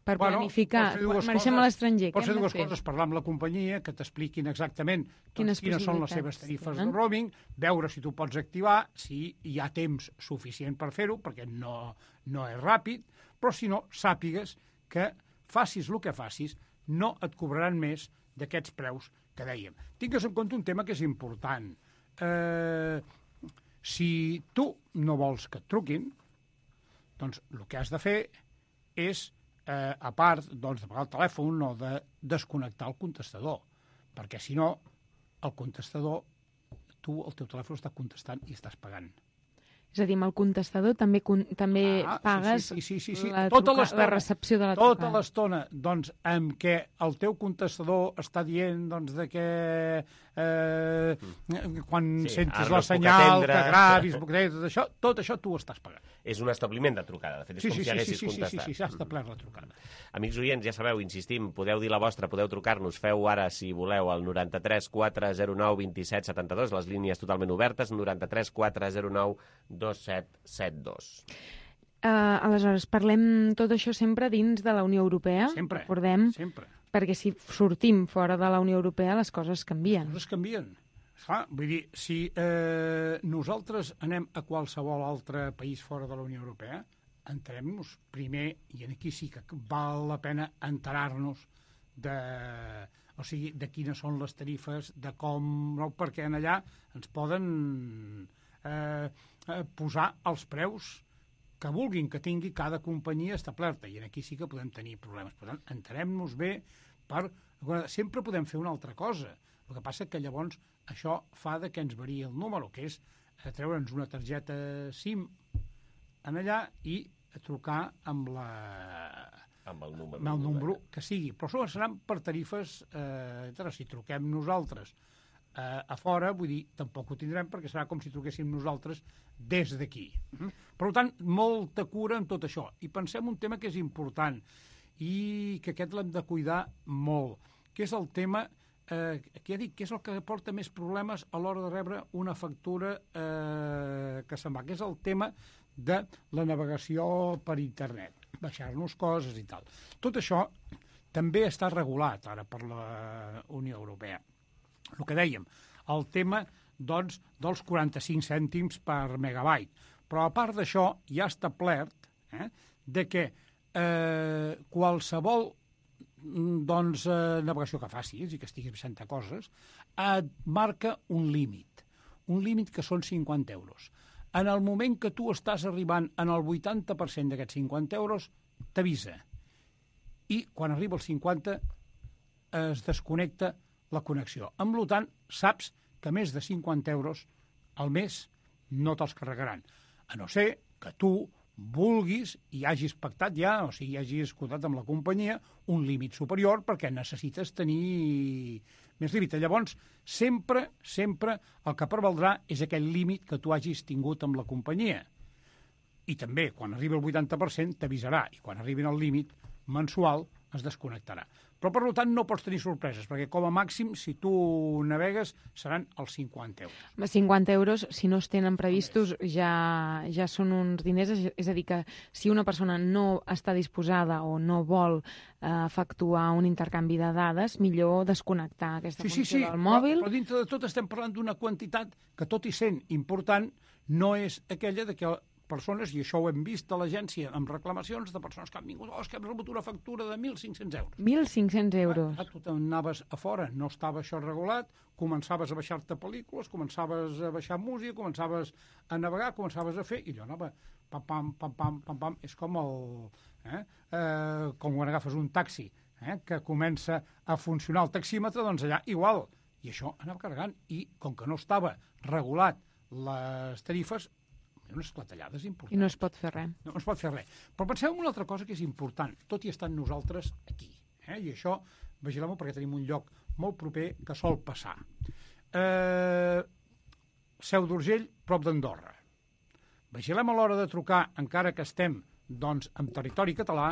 Per bueno, planificar, marxem a l'estranger, què hem de fer? Pots fer dues coses, parlar amb la companyia, que t'expliquin exactament doncs, quines són les seves tarifes de roaming, veure si tu pots activar, si hi ha temps suficient per fer-ho, perquè no, no és ràpid, però si no, sàpigues que facis el que facis, no et cobraran més d'aquests preus que dèiem. Tingues en compte un tema que és important. Eh, si tu no vols que et truquin, doncs el que has de fer és, eh, a part doncs, de pagar el telèfon o de desconnectar el contestador, perquè si no, el contestador, tu el teu telèfon està contestant i estàs pagant. És a dir, amb el contestador també, també ah, pagues sí, sí, sí, sí, sí. La, tota truca, la recepció de la trucada. Tota l'estona, doncs, en què el teu contestador està dient doncs, de que eh, quan sí, sentes la senyal, que gravis, tot això, tot això tu ho estàs pagant. És un establiment de trucada, de fet, és sí, com sí, si haguessis sí, sí, contestat. Sí, sí, sí, s'ha establert la trucada. Amics oients, ja sabeu, insistim, podeu dir la vostra, podeu trucar-nos, feu ara, si voleu, al noranta-tres quatre zero nou vint set setanta dos, les línies totalment obertes, noranta-tres quatre zero nou dos set set dos. Uh, aleshores, parlem tot això sempre dins de la Unió Europea, sempre, recordem, sempre. Perquè si sortim fora de la Unió Europea les coses canvien. Les coses canvien. Clar, vull dir, si eh, nosaltres anem a qualsevol altre país fora de la Unió Europea, entenem-nos primer, i aquí sí que val la pena enterar-nos de, o sigui, de quines són les tarifes, de com, no, perquè en allà ens poden eh, posar els preus que vulguin que tingui cada companyia establerta, i aquí sí que podem tenir problemes. Per tant, entenem-nos bé per... Sempre podem fer una altra cosa. El que passa que llavors això fa de que ens varia el número, que és treure'ns una targeta SIM en allà i trucar amb la... amb el número, amb el número que sigui. Però això seran per tarifes... Eh, si truquem nosaltres eh, a fora, vull dir, tampoc ho tindrem perquè serà com si truquéssim nosaltres des d'aquí. Mm? Per tant, molta cura en tot això. I pensem un tema que és important i que aquest l'hem de cuidar molt, que és el tema... Eh, que ja dic, que és el que porta més problemes a l'hora de rebre una factura eh, que se'n va, que és el tema de la navegació per internet, baixar-nos coses i tal. Tot això també està regulat ara per la Unió Europea. El que dèiem, el tema doncs, dels quaranta-cinc cèntims per megabyte. Però a part d'això, hi ha establert eh, de que eh, qualsevol doncs, eh, navegació que facis i que estiguis baixant a coses, et marca un límit. Un límit que són cinquanta euros. En el moment que tu estàs arribant en el vuitanta per cent d'aquests cinquanta euros, t'avisa. I quan arriba als cinquanta es desconnecta la connexió. Amb tant, saps que més de cinquanta euros al mes no te'ls carregaran. A no ser que tu vulguis i hagis pactat ja, o sigui, hagis escoltat amb la companyia un límit superior perquè necessites tenir més límit. Llavors, sempre, sempre el que prevaldrà és aquell límit que tu hagis tingut amb la companyia. I també, quan arribi el vuitanta per cent, t'avisarà, i quan arribin al límit mensual es desconnectarà. Però, per tant, no pots tenir sorpreses, perquè com a màxim, si tu navegues, seran els cinquanta euros. cinquanta euros, si no es tenen previstos, ja, ja són uns diners. És a dir, que si una persona no està disposada o no vol eh, efectuar un intercanvi de dades, millor desconnectar aquesta sí, funció sí, sí, del mòbil. Però, però dintre de tot estem parlant d'una quantitat que, tot i sent important, no és aquella de que persones, i això ho hem vist a l'agència amb reclamacions de persones que han vingut, oh, és que hem rebut una factura de mil cinc-cents euros. mil cinc-cents euros. Ah, tu anaves a fora, no estava això regulat, començaves a baixar-te pel·lícules, començaves a baixar música, començaves a navegar, començaves a fer, i allò anava pam, pam, pam, pam, pam, pam, és com el... Eh? Eh, com quan agafes un taxi, eh? que comença a funcionar el taxímetre, doncs allà igual. I això anava carregant, i com que no estava regulat les tarifes, unes clatellades importants. I no es pot fer res. No, no es pot fer res. Però penseu en una altra cosa que és important, tot i estant nosaltres aquí. Eh? I això, vigilem-ho perquè tenim un lloc molt proper que sol passar. Eh, Seu d'Urgell, prop d'Andorra. Vigilem a l'hora de trucar, encara que estem doncs, en territori català,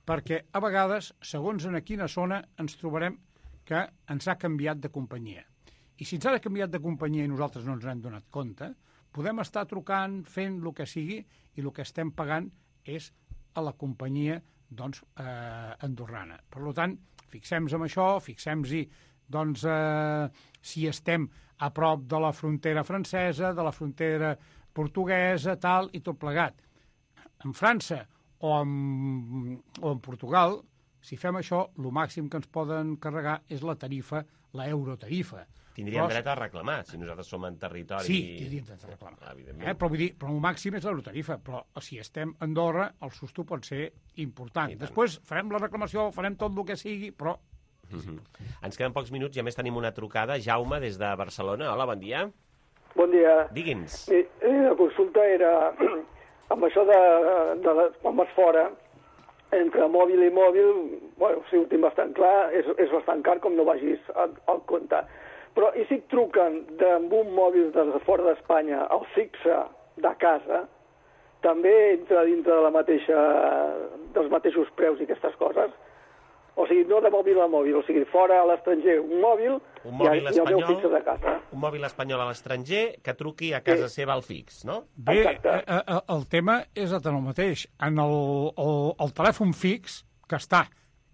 perquè a vegades, segons en quina zona, ens trobarem que ens ha canviat de companyia. I si ens ha canviat de companyia i nosaltres no ens n'hem donat compte, podem estar trucant, fent el que sigui, i el que estem pagant és a la companyia doncs, eh, andorrana. Per tant, fixem-nos en això, fixem-nos doncs, eh, si estem a prop de la frontera francesa, de la frontera portuguesa, tal, i tot plegat. En França o en, o en Portugal, si fem això, el màxim que ens poden carregar és la tarifa, la eurotarifa. Tindríem dret a reclamar, si nosaltres som en territori... Sí, tindríem dret a reclamar. Eh? Però vull dir, però el màxim és l'eurotarifa, però si estem a Andorra, el susto pot ser important. Després farem la reclamació, farem tot el que sigui, però... Mm-hmm. Ens queden pocs minuts i a més tenim una trucada. Jaume, des de Barcelona. Hola, bon dia. Bon dia. Digui'ns. Eh, la consulta era, amb això de, de, de quan vas fora, entre mòbil i mòbil, bueno, si ho tinc bastant clar, és, és bastant car com no vagis al, al compte. Però i si et truquen amb un mòbil de fora d'Espanya al fixe de casa, també entra dintre de la mateixa, dels mateixos preus i aquestes coses? O sigui, no de mòbil a mòbil, o sigui, fora a l'estranger un mòbil, un mòbil i, i el meu fixe de casa. Un mòbil espanyol a l'estranger que truqui a casa sí. seva al fix, no? Bé, eh, el tema és el mateix. En el, el, el telèfon fix, que està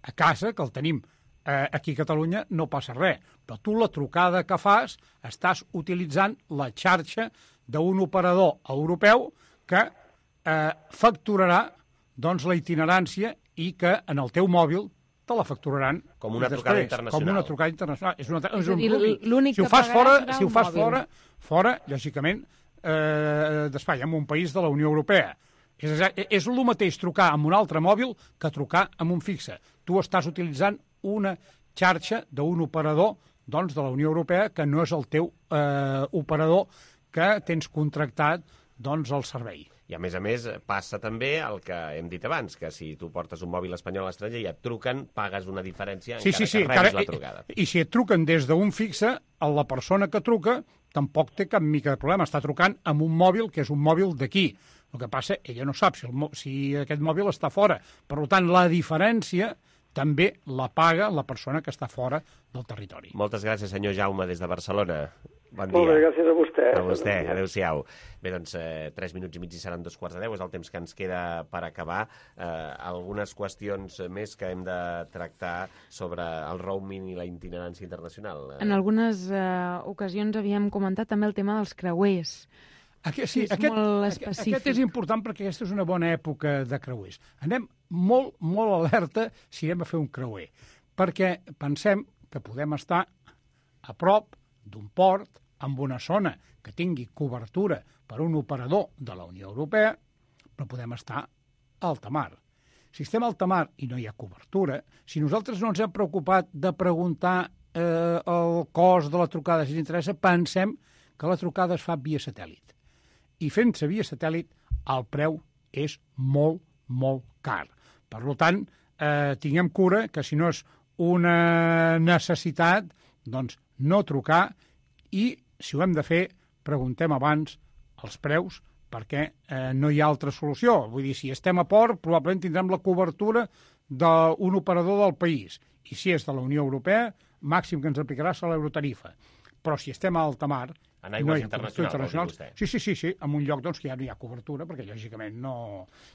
a casa, que el tenim eh, aquí a Catalunya, no passa res. Però tu la trucada que fas estàs utilitzant la xarxa d'un operador europeu que eh, facturarà doncs, la itinerància i que en el teu mòbil te la facturaran com una després, trucada internacional. Com una trucada internacional. És, una, és, és un dir, l'únic si ho fas fora, si ho fas fora, fora, lògicament, eh, d'Espanya, en un país de la Unió Europea. És, és el mateix trucar amb un altre mòbil que trucar amb un fixe. Tu estàs utilitzant una xarxa d'un operador doncs, de la Unió Europea que no és el teu eh, operador que tens contractat doncs, el servei. I, a més a més, passa també el que hem dit abans, que si tu portes un mòbil espanyol a l'estranger i et truquen, pagues una diferència sí, encara sí, sí, que rebis encara, la trucada. I, I si et truquen des d'un fixe, la persona que truca tampoc té cap mica de problema. Està trucant amb un mòbil que és un mòbil d'aquí. El que passa, ella no sap si, el, si aquest mòbil està fora. Per tant, la diferència també la paga la persona que està fora del territori. Moltes gràcies, senyor Jaume, des de Barcelona. Bon dia. Molt bé, gràcies a vostè. A vostè, adéu-siau. Bé, doncs, eh, tres minuts i mig i seran dos quarts de deu, és el temps que ens queda per acabar. Eh, algunes qüestions més que hem de tractar sobre el roaming i la itinerància internacional. En algunes eh, ocasions havíem comentat també el tema dels creuers. Aquest, sí, és aquest, molt específic. Aquest és important perquè aquesta és una bona època de creuers. Anem molt, molt alerta si anem a fer un creuer, perquè pensem que podem estar a prop d'un port, amb una zona que tingui cobertura per un operador de la Unió Europea, però podem estar a alta mar. Si estem a alta mar i no hi ha cobertura, si nosaltres no ens hem preocupat de preguntar eh, el cost de la trucada, si ens interessa, pensem que la trucada es fa via satèl·lit. I fent-se via satèl·lit, el preu és molt, molt car. Per tant, eh, tinguem cura que si no és una necessitat, doncs no trucar i, si ho hem de fer, preguntem abans els preus perquè eh, no hi ha altra solució. Vull dir, si estem a port, probablement tindrem la cobertura d'un operador del país. I si és de la Unió Europea, màxim que ens aplicarà serà l'eurotarifa. Però si estem a alta mar... En aigües no internacionals, internacionals vol dir vostè. Sí, sí, sí, sí, en un lloc doncs, que ja no hi ha cobertura, perquè lògicament no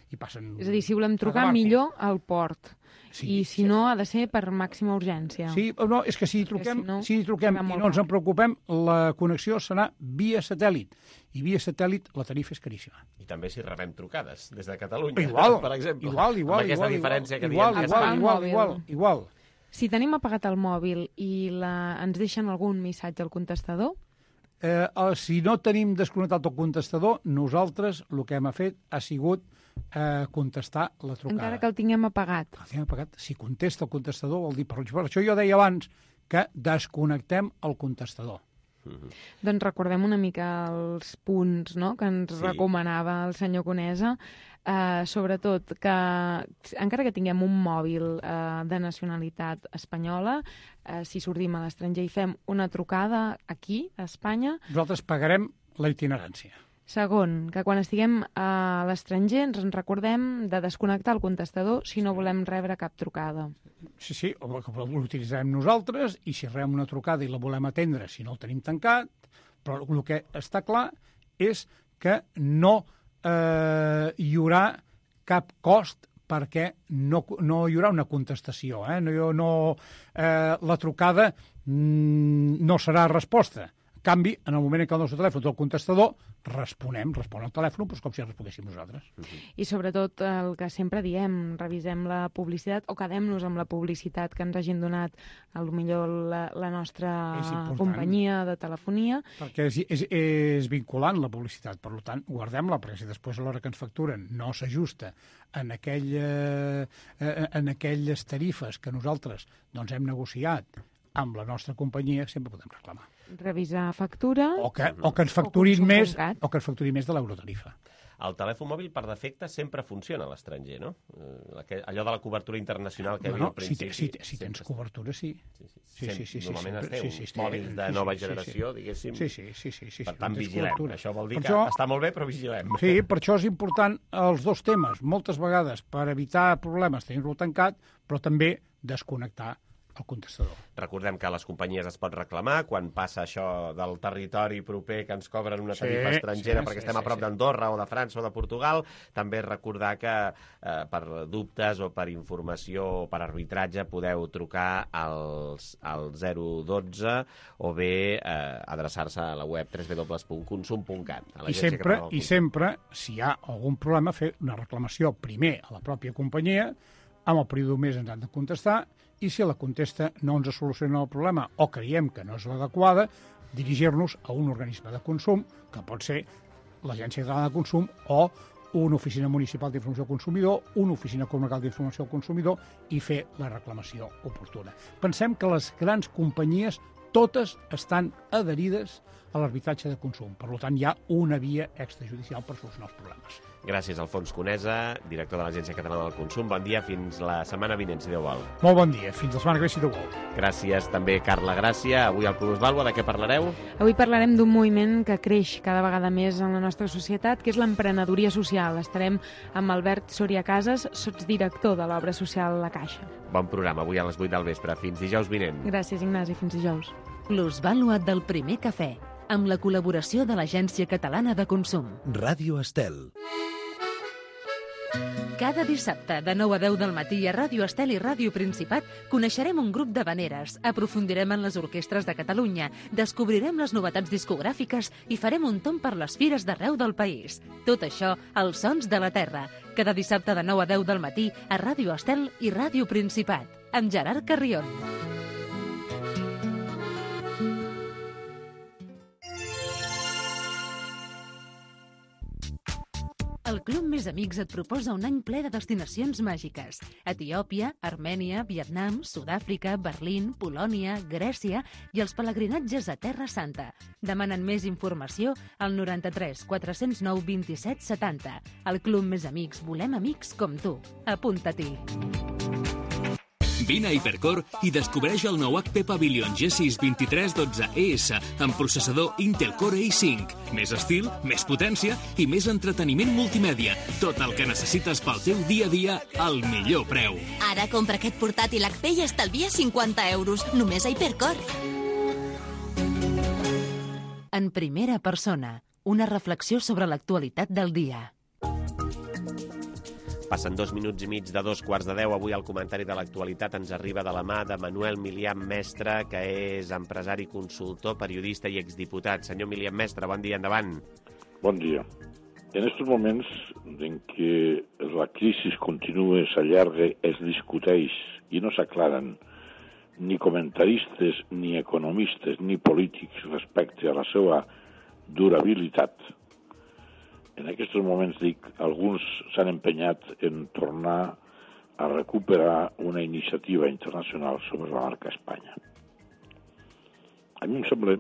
hi passen... És a dir, si volem trucar, millor al port. Sí, I si sí. no, ha de ser per màxima urgència. Sí, no, és que si hi truquem, si no, si hi truquem i no ens en preocupem, la connexió serà via satèl·lit. I via satèl·lit la tarifa és caríssima. I també si rebem trucades des de Catalunya, igual, per exemple. Igual, igual, amb aquesta igual, diferència que igual, diem. Igual, igual, igual, igual. Si tenim apagat el mòbil i la... ens deixen algun missatge al contestador... Eh, si no tenim desconnectat el contestador, nosaltres el que hem fet ha sigut eh, contestar la trucada. Encara que el tinguem apagat. El tinguem apagat. Si contesta el contestador vol dir... Per això jo deia abans que desconnectem el contestador. Mm-hmm. Doncs recordem una mica els punts, no?, que ens sí. recomanava el senyor Conesa, eh, sobretot que encara que tinguem un mòbil eh, de nacionalitat espanyola, eh, si sortim a l'estranger i fem una trucada aquí, a Espanya... Nosaltres pagarem la itinerància. Segon, que quan estiguem a l'estranger ens en recordem de desconnectar el contestador si no volem rebre cap trucada. Sí, sí, l'utilitzarem nosaltres i si rebem una trucada i la volem atendre, si no el tenim tancat, però el que està clar és que no eh, hi haurà cap cost perquè no, no hi haurà una contestació. Eh? No, no, eh, la trucada mm, no serà resposta. En canvi, en el moment en què el nostre telèfon té el contestador, responem, respon al telèfon, doncs com si responguéssim nosaltres. I sobretot el que sempre diem, revisem la publicitat o quedem-nos amb la publicitat que ens hagin donat potser la, la nostra companyia de telefonia. Perquè és, és, és vinculant la publicitat, per tant, guardem-la, perquè si després a l'hora que ens facturen no s'ajusta en, aquell, eh, en aquelles tarifes que nosaltres doncs, hem negociat amb la nostra companyia, sempre podem reclamar. Revisar factura... O que, o que ens facturin més o que ens facturin més de l'eurotarifa. El telèfon mòbil, per defecte, sempre funciona a l'estranger, no? Allò de la cobertura internacional que hi havia no, no, al principi. Si, si, si tens cobertura, sí. Sí, sí, sí. sí, sí, sí Normalment sí, es té sí, sí, uns mòbils de nova sí, sí, generació, sí, diguéssim. Sí, sí, sí. sí, sí per tant, vigilem. Cobertura. Això vol dir per que això, està molt bé, però vigilem. Sí, per això és important els dos temes. Moltes vegades, per evitar problemes, tenir-lo tancat, però també desconnectar el contestador. Recordem que a les companyies es pot reclamar quan passa això del territori proper que ens cobren una tarifa sí, estrangera sí, perquè sí, estem sí, a prop sí. d'Andorra o de França o de Portugal. També recordar que eh, per dubtes o per informació o per arbitratge podeu trucar als, al zero dotze o bé eh, adreçar-se a la web w w w punt consum punt cat. I sempre, I sempre, si hi ha algun problema, fer una reclamació primer a la pròpia companyia, amb el període d'un mes ens han de contestar, i si la contesta no ens soluciona el problema o creiem que no és l'adequada, dirigir-nos a un organisme de consum, que pot ser l'Agència Catalana de Consum o una oficina municipal d'informació al consumidor, una oficina comarcal d'informació al consumidor i fer la reclamació oportuna. Pensem que les grans companyies totes estan adherides a l'arbitratge de consum. Per tant, hi ha una via extrajudicial per solucionar els problemes. Gràcies, Alfons Conesa, director de l'Agència Catalana del Consum. Bon dia, fins la setmana vinent, si Déu vol. Molt bon dia, fins la setmana que ve, si Déu vol. Gràcies també, Carla Gràcia. Avui al Plusvàlua, de què parlareu? Avui parlarem d'un moviment que creix cada vegada més en la nostra societat, que és l'emprenedoria social. Estarem amb Albert Soria Casas, sotsdirector de l'obra social La Caixa. Bon programa, avui a les vuit del vespre. Fins dijous vinent. Gràcies, Ignasi. Fins dijous. Plusvàlua del primer cafè, amb la col·laboració de l'Agència Catalana de Consum. Ràdio Estel. Cada dissabte, de nou a deu del matí a Ràdio Estel i Ràdio Principat, coneixerem un grup d'havaneres, aprofundirem en les orquestres de Catalunya, descobrirem les novetats discogràfiques i farem un tomb per les fires d'arreu del país. Tot això, als Sons de la Terra. Cada dissabte de nou a deu del matí a Ràdio Estel i Ràdio Principat, amb Gerard Carrion. El Club Més Amics et proposa un any ple de destinacions màgiques. Etiòpia, Armènia, Vietnam, Sud-àfrica, Berlín, Polònia, Grècia i els pelegrinatges a Terra Santa. Demanen més informació al noranta-tres quatre-cents nou vint-i-set setanta. El Club Més Amics, volem amics com tu. Apunta-t'hi. Vine a Hipercor i descobreix el nou H P Pavilion G sis vint-i-tres dotze E S amb processador Intel Core i cinc. Més estil, més potència i més entreteniment multimèdia. Tot el que necessites pel teu dia a dia al millor preu. Ara compra aquest portàtil H P i estalvia cinquanta euros, només a Hipercor. En primera persona, una reflexió sobre l'actualitat del dia. Passen dos minuts i mig de dos quarts de deu. Avui el comentari de l'actualitat ens arriba de la mà de Manuel Milián Mestre, que és empresari, consultor, periodista i exdiputat. Senyor Milián Mestre, bon dia, endavant. Bon dia. En estos moments en què la crisi continua, s'allarga, es discuteix i no s'aclaren ni comentaristes, ni economistes, ni polítics respecte a la seva durabilitat. En aquests moments, dic, alguns s'han empenyat en tornar a recuperar una iniciativa internacional sobre la marca Espanya. A mi em sembla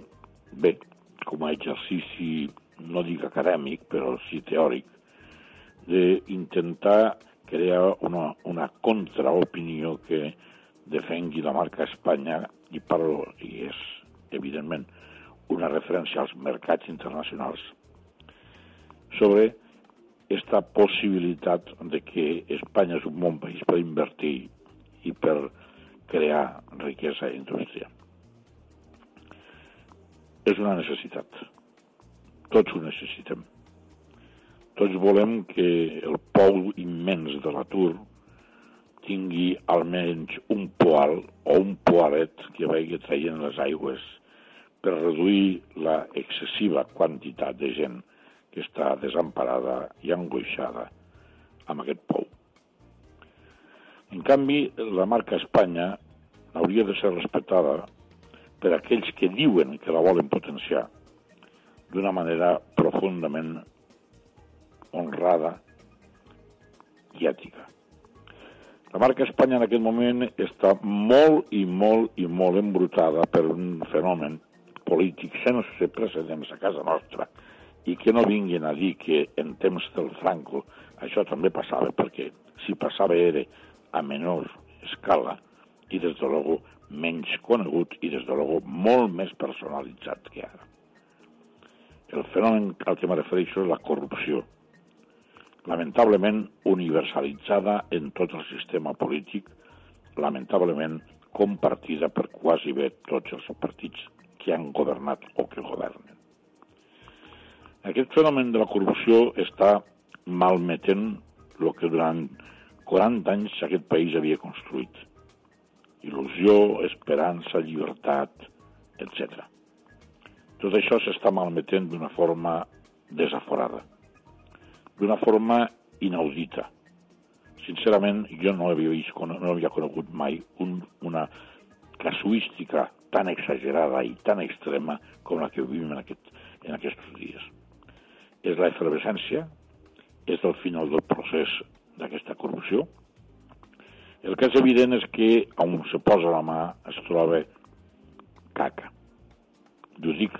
bé, com a exercici, no dic acadèmic, però sí teòric, d'intentar crear una, una contraopinió que defengui la marca Espanya, i parlo, i és, evidentment, una referència als mercats internacionals, sobre aquesta possibilitat de que Espanya és un bon país per invertir i per crear riquesa i indústria. És una necessitat. Tots ho necessitem. Tots volem que el pou immens de l'atur tingui almenys un poal o un poalet que vagi traient les aigües per reduir la excessiva quantitat de gent que està desemparada i angoixada amb aquest pou. En canvi, la marca Espanya hauria de ser respectada per aquells que diuen que la volen potenciar d'una manera profundament honrada i ètica. La marca Espanya en aquest moment està molt i molt i molt embrutada per un fenomen polític sense precedents a casa nostra i que no vinguin a dir que en temps del Franco això també passava, perquè si passava era a menor escala i des de luego menys conegut i des de luego molt més personalitzat que ara. El fenomen al que me refereixo és la corrupció, lamentablement universalitzada en tot el sistema polític, lamentablement compartida per quasi bé tots els partits que han governat o que governen. Aquest fenomen de la corrupció està malmetent el que durant quaranta anys aquest país havia construït. Il·lusió, esperança, llibertat, etcètera. Tot això s'està malmetent d'una forma desaforada, d'una forma inaudita. Sincerament, jo no havia vist, no havia conegut mai un, una casuística tan exagerada i tan extrema com la que vivim en, aquest, en aquests dies. És la efervescència, és el final del procés d'aquesta corrupció. El que és evident és que on se posa la mà es troba caca. Ho dic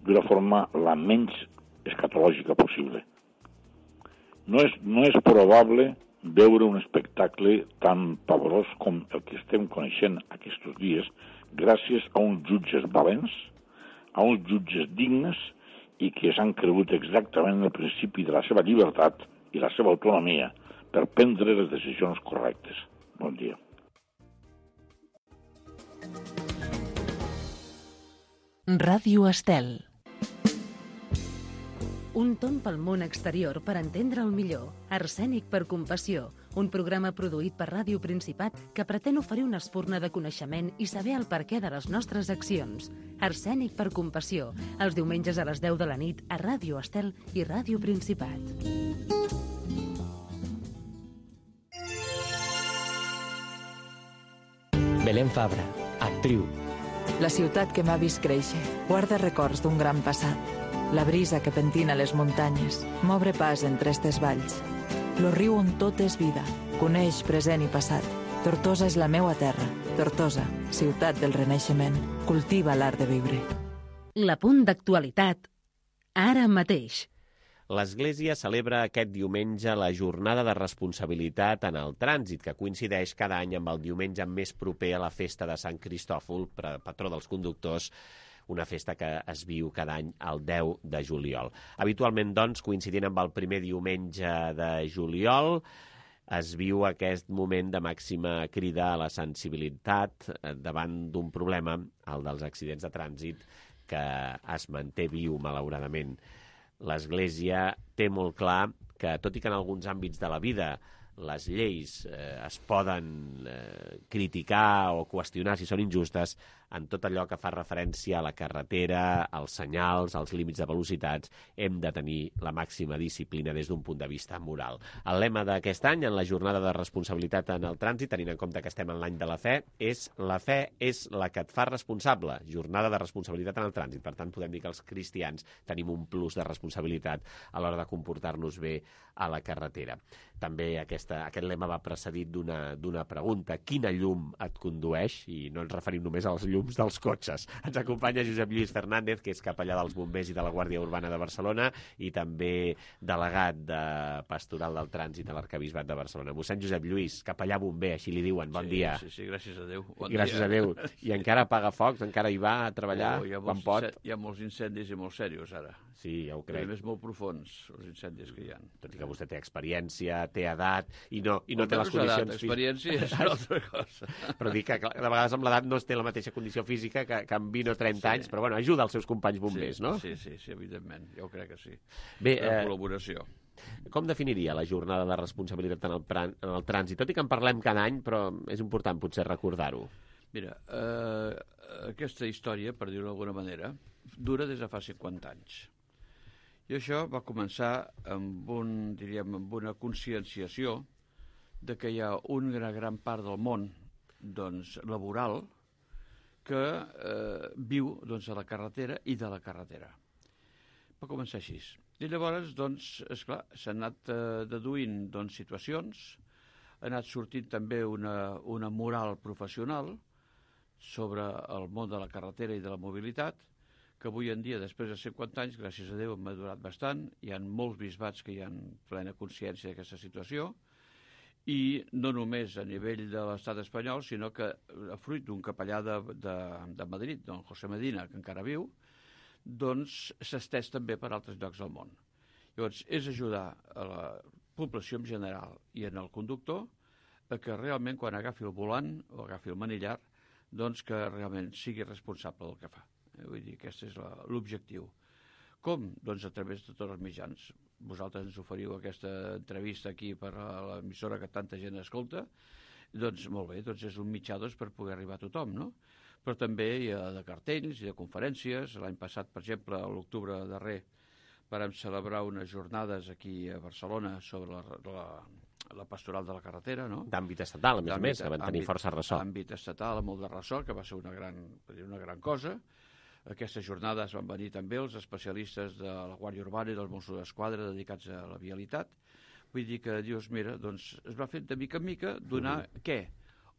d'una forma la menys escatològica possible. No és, no és probable veure un espectacle tan pavorós com el que estem coneixent aquests dies gràcies a uns jutges valents, a uns jutges dignes i que s'han cregut exactament el principi de la seva llibertat i la seva autonomia per prendre les decisions correctes. Bon dia. Ràdio Estel. Un tomb pel món exterior per entendre el millor. Arsènic per compassió, un programa produït per Ràdio Principat que pretén oferir una espurna de coneixement i saber el perquè de les nostres accions. Arsènic per compassió, els diumenges a les deu de la nit a Ràdio Estel i Ràdio Principat. Belén Fabra, actriu. La ciutat que m'ha vist créixer guarda records d'un gran passat. La brisa que pentina les muntanyes m'obre pas entre estes valls. Lo riu on tot és vida, coneix present i passat. Tortosa és la meua terra. Tortosa, ciutat del renaixement, cultiva l'art de viure. La punt d'actualitat, ara mateix. L'Església celebra aquest diumenge la jornada de responsabilitat en el trànsit, que coincideix cada any amb el diumenge més proper a la festa de Sant Cristòfol, patró dels conductors, una festa que es viu cada any el deu de juliol. Habitualment, doncs, coincidint amb el primer diumenge de juliol, es viu aquest moment de màxima crida a la sensibilitat davant d'un problema, el dels accidents de trànsit, que es manté viu, malauradament. L'Església té molt clar que, tot i que en alguns àmbits de la vida les lleis eh, es poden eh, criticar o qüestionar si són injustes, en tot allò que fa referència a la carretera, als senyals, als límits de velocitats, hem de tenir la màxima disciplina des d'un punt de vista moral. El lema d'aquest any, en la jornada de responsabilitat en el trànsit, tenint en compte que estem en l'any de la fe, és la fe és la que et fa responsable. Jornada de responsabilitat en el trànsit. Per tant, podem dir que els cristians tenim un plus de responsabilitat a l'hora de comportar-nos bé a la carretera. També aquesta, aquest lema va precedit d'una pregunta. Quina llum et condueix? I no ens referim només als llums dels cotxes. Ens acompanya Josep Lluís Fernández, que és capellà dels bombers i de la Guàrdia Urbana de Barcelona i també delegat de Pastoral del Trànsit a l'Arquebisbat de Barcelona. Mossèn Josep Lluís, capellà bomber, així li diuen. Bon sí, dia. Sí, sí, gràcies a Déu. Bon gràcies dia. a Déu. I encara apaga focs? Encara hi va a treballar oh, quan pot? Hi ha molts incendis i molt serios, ara. Sí, ja ho crec. I a més molt profuns, els incendis que hi ha. Tot i que vostè té experiència, té edat i no, i no té les edat, condicions... Experiència és una altra cosa. Però dic que de vegades amb l'edat no es té la mateixa condició física que, que amb vint o trenta sí. anys, però bueno, ajuda els seus companys bombers, sí, no? Sí, sí, sí, evidentment, jo crec que sí. Bé, la eh, col·laboració. Com definiria la jornada de responsabilitat en el, pran, en el trànsit? Tot i que en parlem cada any, però és important potser recordar-ho. Mira, eh, aquesta història, per dir-ho d'alguna manera, dura des de fa cinquanta anys. I això va començar amb, un, diríem, amb una conscienciació de que hi ha una gran part del món doncs, laboral que eh, viu doncs, a la carretera i de la carretera. Va començar així. I llavors, doncs, esclar, s'han anat eh, deduint doncs, situacions, ha anat sortint també una, una moral professional sobre el món de la carretera i de la mobilitat, que avui en dia, després de cinquanta anys, gràcies a Déu, hem madurat bastant. Hi ha molts bisbats que hi ha plena consciència d'aquesta situació, i no només a nivell de l'estat espanyol, sinó que, a fruit d'un capellà de, de, de Madrid, don José Medina, que encara viu, doncs s'ha estès també per altres llocs del món. Llavors, és ajudar a la població en general i en el conductor a que realment, quan agafi el volant o agafi el manillar, doncs que realment sigui responsable del que fa. Vull dir, aquest és l'objectiu. Com? Doncs a través de tots els mitjans. Vosaltres ens oferiu aquesta entrevista aquí per a l'emissora que tanta gent escolta, doncs molt bé, doncs és un mitjà doncs, per poder arribar a tothom, no? Però també hi ha de cartells i de conferències. L'any passat, per exemple, a l'octubre darrer, vam celebrar unes jornades aquí a Barcelona sobre la, la, la pastoral de la carretera, no? D'àmbit estatal, a més a més, que van tenir força ressò. D'àmbit estatal, molt de ressò, que va ser una gran, una gran cosa. Aquestes jornades van venir també els especialistes de la Guàrdia Urbana i dels Mossos d'Esquadra dedicats a la vialitat. Vull dir que, dius, mira, doncs es va fer de mica en mica donar uh-huh. què?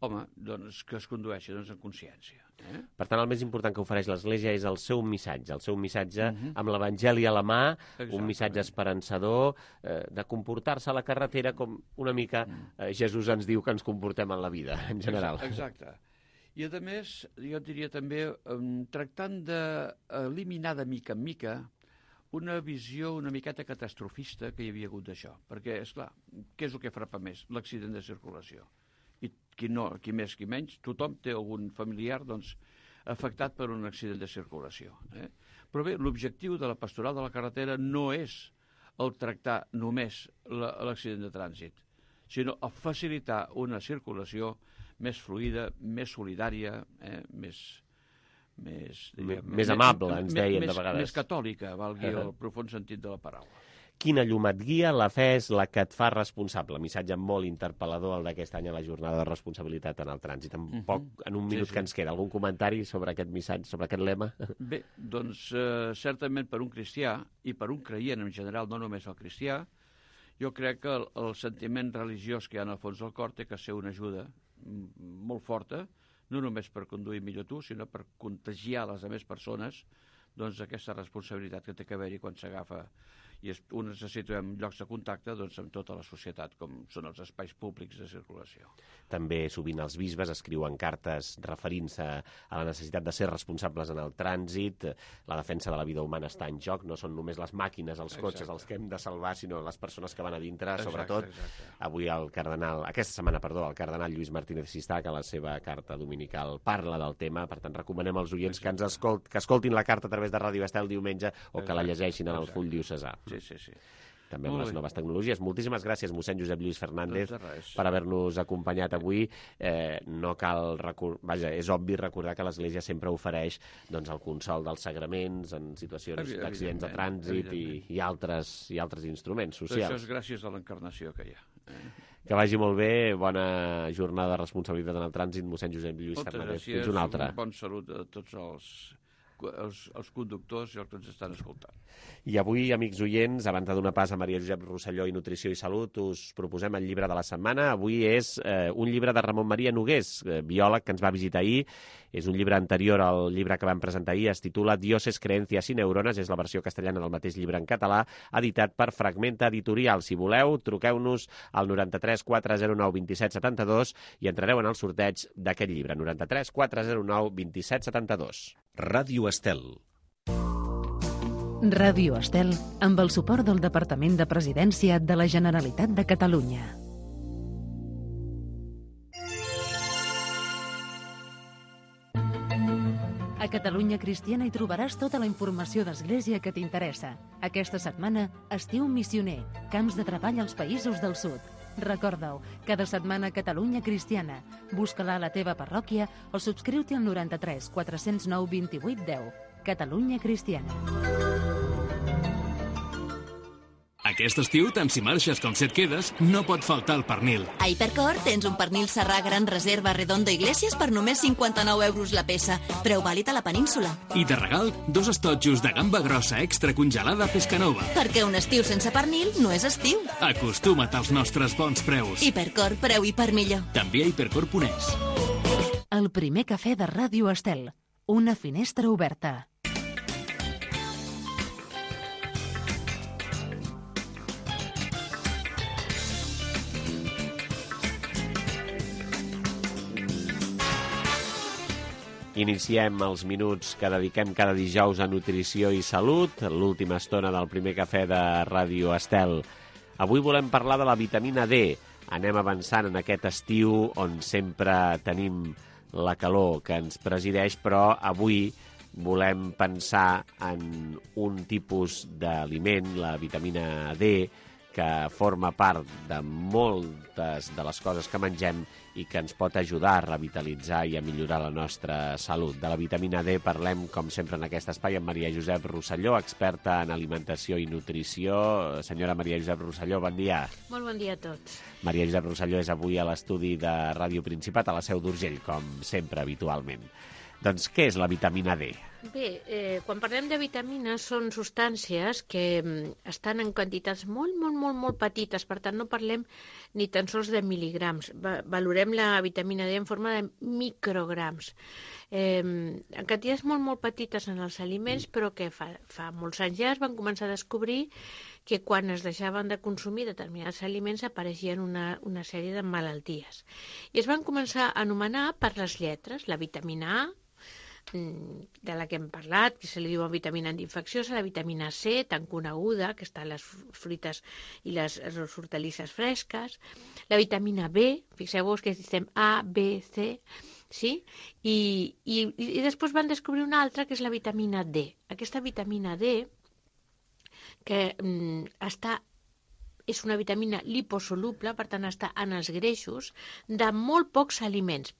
Home, doncs que es condueixi doncs, en consciència. Eh? Per tant, el més important que ofereix l'Església és el seu missatge, el seu missatge uh-huh. amb l'Evangeli a la mà, Exactament. Un missatge esperançador, eh, de comportar-se a la carretera com una mica eh, Jesús ens diu que ens comportem en la vida, en general. Exacte. I, a més, jo diria també, um, tractant d'eliminar de mica en mica una visió una miqueta catastrofista que hi havia hagut d'això. Perquè, esclar, què és el que frapa més? L'accident de circulació. I qui no, qui més, qui menys, tothom té algun familiar doncs, afectat per un accident de circulació. Eh? Però bé, l'objectiu de la pastoral de la carretera no és el tractar només l'accident de trànsit, sinó el facilitar una circulació més fluida, més solidària, eh, més, més, diríem, més amable, ens deien més, de vegades. Més catòlica, valgui uh-huh. el profund sentit de la paraula. Quina llum et guia, la fe és la que et fa responsable. Missatge molt interpel·lador el d'aquest any a la jornada de responsabilitat en el trànsit. En, uh-huh. poc, en un minut sí, sí. que ens queda, algun comentari sobre aquest missatge, sobre aquest lema? Bé, doncs eh, certament per un cristià i per un creient en general, no només el cristià, jo crec que el, el sentiment religiós que hi ha en el fons del cor té que ser una ajuda molt forta, no només per conduir millor tu, sinó per contagiar les altres persones doncs, aquesta responsabilitat que té que haver-hi quan s'agafa. i es, un necessita llocs de contacte doncs, amb tota la societat, com són els espais públics de circulació. També sovint els bisbes escriuen cartes referint-se a la necessitat de ser responsables en el trànsit. La defensa de la vida humana està en joc, no són només les màquines, els cotxes, exacte, els que hem de salvar, sinó les persones que van a dintre, exacte, sobretot. Exacte. Avui el cardenal, aquesta setmana, perdó, el cardenal Lluís Martínez Sistac, a la seva carta dominical, parla del tema, per tant recomanem als oients exacte, que ens escolt, que escoltin la carta a través de Ràdio Estel diumenge o exacte, que la llegeixin en el full diocesà. Sí, sí, sí. També amb les noves tecnologies. Moltíssimes gràcies, mossèn Josep Lluís Fernández, per haver-nos acompanyat avui. Eh, no cal recordar, vaja, és obvi recordar que l'Església sempre ofereix doncs, el consol dels sagraments en situacions d'accidents de trànsit i, i, altres, i altres instruments socials. Això és gràcies a l'encarnació que hi ha. Eh? Que vagi molt bé, bona jornada de responsabilitat en el trànsit, mossèn Josep Lluís Fernández. Fins una altra. Moltes gràcies, bon salut a tots els... Els, els conductors i els que ens estan escoltant. I avui, amics oients, abans de donar pas a Maria Josep Rosselló i Nutrició i Salut, us proposem el llibre de la setmana. Avui és eh, un llibre de Ramon Maria Nogués, eh, biòleg que ens va visitar ahir. És un llibre anterior al llibre que vam presentar ahir, es titula Dioses, Creencias y Neuronas, és la versió castellana del mateix llibre en català, editat per Fragmenta Editorial. Si voleu, truqueu-nos al noranta-tres quatre zero nou vint set setanta-dos i entrareu en el sorteig d'aquest llibre, noranta-tres quatre zero nou vint set setanta-dos. Ràdio Estel. Ràdio Estel, amb el suport del Departament de Presidència de la Generalitat de Catalunya. A Catalunya Cristiana hi trobaràs tota la informació d'Església que t'interessa. Aquesta setmana, Estiu Missioner, camps de treball als països del sud. Recorda-ho, cada setmana Catalunya Cristiana. Busca-la a la teva parròquia o subscriu-t'hi al noranta-tres quatre zero nou vint vuit deu. Catalunya Cristiana. Aquest estiu, tant si marxes com si et quedes, no pot faltar el pernil. A Hipercor tens un pernil serrà gran reserva Redondo Iglesias per només cinquanta-nou euros la peça, preu vàlid a la península. I de regal, dos estotjos de gamba grossa extra congelada Pescanova. Perquè un estiu sense pernil no és estiu. Acostuma't als nostres bons preus. Hipercor, preu i per millor. També a hipercor punt es. El primer cafè de Ràdio Estel. Una finestra oberta. Iniciem els minuts que dediquem cada dijous a Nutrició i Salut, l'última estona del primer cafè de Ràdio Estel. Avui volem parlar de la vitamina D. Anem avançant en aquest estiu on sempre tenim la calor que ens presideix, però avui volem pensar en un tipus d'aliment, la vitamina D, que forma part de moltes de les coses que mengem i que ens pot ajudar a revitalitzar i a millorar la nostra salut. De la vitamina D parlem, com sempre, en aquest espai amb Maria Josep Rosselló, experta en alimentació i nutrició. Senyora Maria Josep Rosselló, bon dia. Molt bon dia a tots. Maria Josep Rosselló és avui a l'estudi de Ràdio Principat, a la Seu d'Urgell, com sempre, habitualment. Doncs què és la vitamina D? Bé, eh, quan parlem de vitamines són substàncies que estan en quantitats molt, molt, molt, molt petites, per tant no parlem ni tan sols de mil·ligrams. Va, valorem la vitamina D en forma de micrograms. Eh, en quantitats molt, molt petites en els aliments, però que fa, fa molts anys ja es van començar a descobrir que quan es deixaven de consumir determinats aliments apareixien una, una sèrie de malalties. I es van començar a anomenar per les lletres, la vitamina A, de la que hem parlat, que se li diu vitamina antiinfecciosa, la vitamina C, tan coneguda, que està en les fruites i les, les hortalisses fresques, la vitamina B, fixeu-vos que diem A, B, C, sí? I, i, i després van descobrir una altra, que és la vitamina D. Aquesta vitamina D, que mm, està és una vitamina liposoluble, per tant està en els greixos, de molt pocs aliments.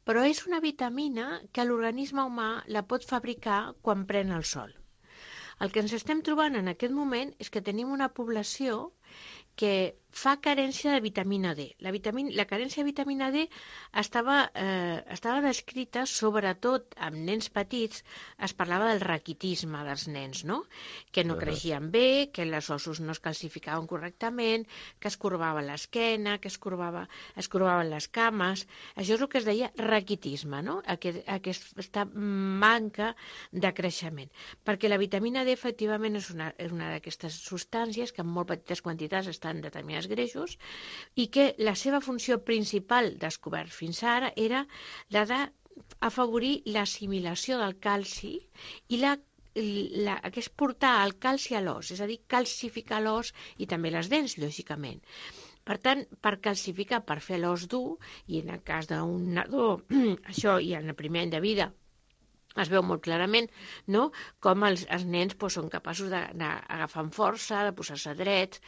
Però és una vitamina que l'organisme humà la pot fabricar quan pren el sol. El que ens estem trobant en aquest moment és que tenim una població que fa carència de vitamina D. La, vitamina, la carència de vitamina D estava, eh, estava descrita sobretot amb nens petits, es parlava del raquitisme dels nens, no? Que no creixien bé, que els ossos no es calcificaven correctament, que es corbava l'esquena, que es, corbava, es corbaven les cames. Això és el que es deia raquitisme, no? Aquest, aquesta manca de creixement. Perquè la vitamina D efectivament és una, és una d'aquestes substàncies que en molt petites quantitats estan determinades greixos i que la seva funció principal descobert fins ara era la d'afavorir l'assimilació del calci i la, la, que és portar el calci a l'os, és a dir, calcificar l'os i també les dents, lògicament. Per tant, per calcificar, per fer l'os dur, i en el cas d'un nadó, això i en el primer any de vida, es veu molt clarament, no?, com els, els nens doncs, són capaços d'agafar amb força, de posar-se drets,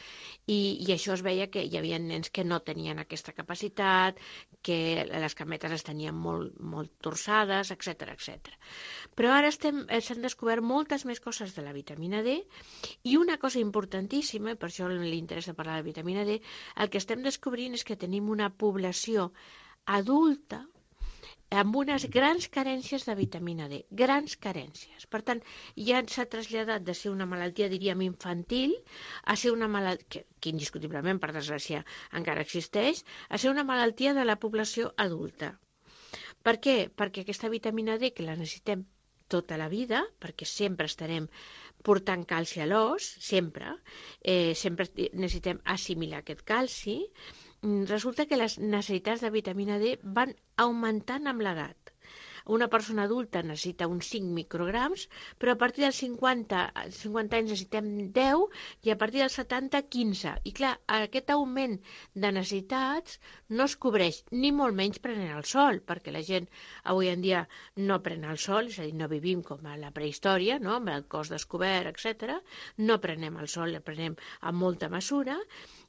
i, i això es veia que hi havia nens que no tenien aquesta capacitat, que les cametes es tenien molt, molt torçades, etcètera, etcètera. Però ara s'han descobert moltes més coses de la vitamina D, i una cosa importantíssima, i per això li interessa parlar de vitamina D, el que estem descobrint és que tenim una població adulta amb unes grans carències de vitamina D, grans carències. Per tant, ja s'ha traslladat de ser una malaltia, diríem, infantil, a ser una malaltia, que, que indiscutiblement, per desgràcia, encara existeix, a ser una malaltia de la població adulta. Per què? Perquè aquesta vitamina D, que la necessitem tota la vida, perquè sempre estarem portant calci a l'os, sempre, eh, sempre necessitem assimilar aquest calci, resulta que les necessitats de vitamina D van augmentant amb l'edat. Una persona adulta necessita uns cinc micrograms, però a partir dels cinquanta, cinquanta anys necessitem deu i a partir dels setanta, quinze. I clar, aquest augment de necessitats no es cobreix ni molt menys prenent el sol, perquè la gent avui en dia no pren el sol, és a dir, no vivim com a la prehistòria, no?, amb el cos descobert, etcètera. No prenem el sol, el prenem amb molta mesura,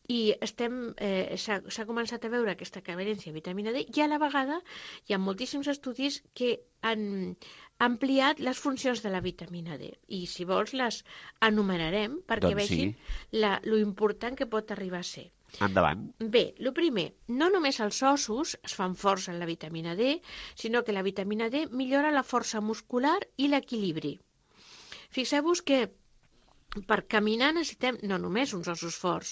i estem, eh, s'ha començat a veure aquesta carència de vitamina D i a la vegada hi ha moltíssims estudis que han ampliat les funcions de la vitamina D i si vols les enumerarem perquè doncs vegin sí. la, lo important que pot arribar a ser. Endavant. Bé, el primer, no només els ossos es fan força en la vitamina D, sinó que la vitamina D millora la força muscular i l'equilibri. Fixeu-vos que per caminar necessitem no només uns ossos forts,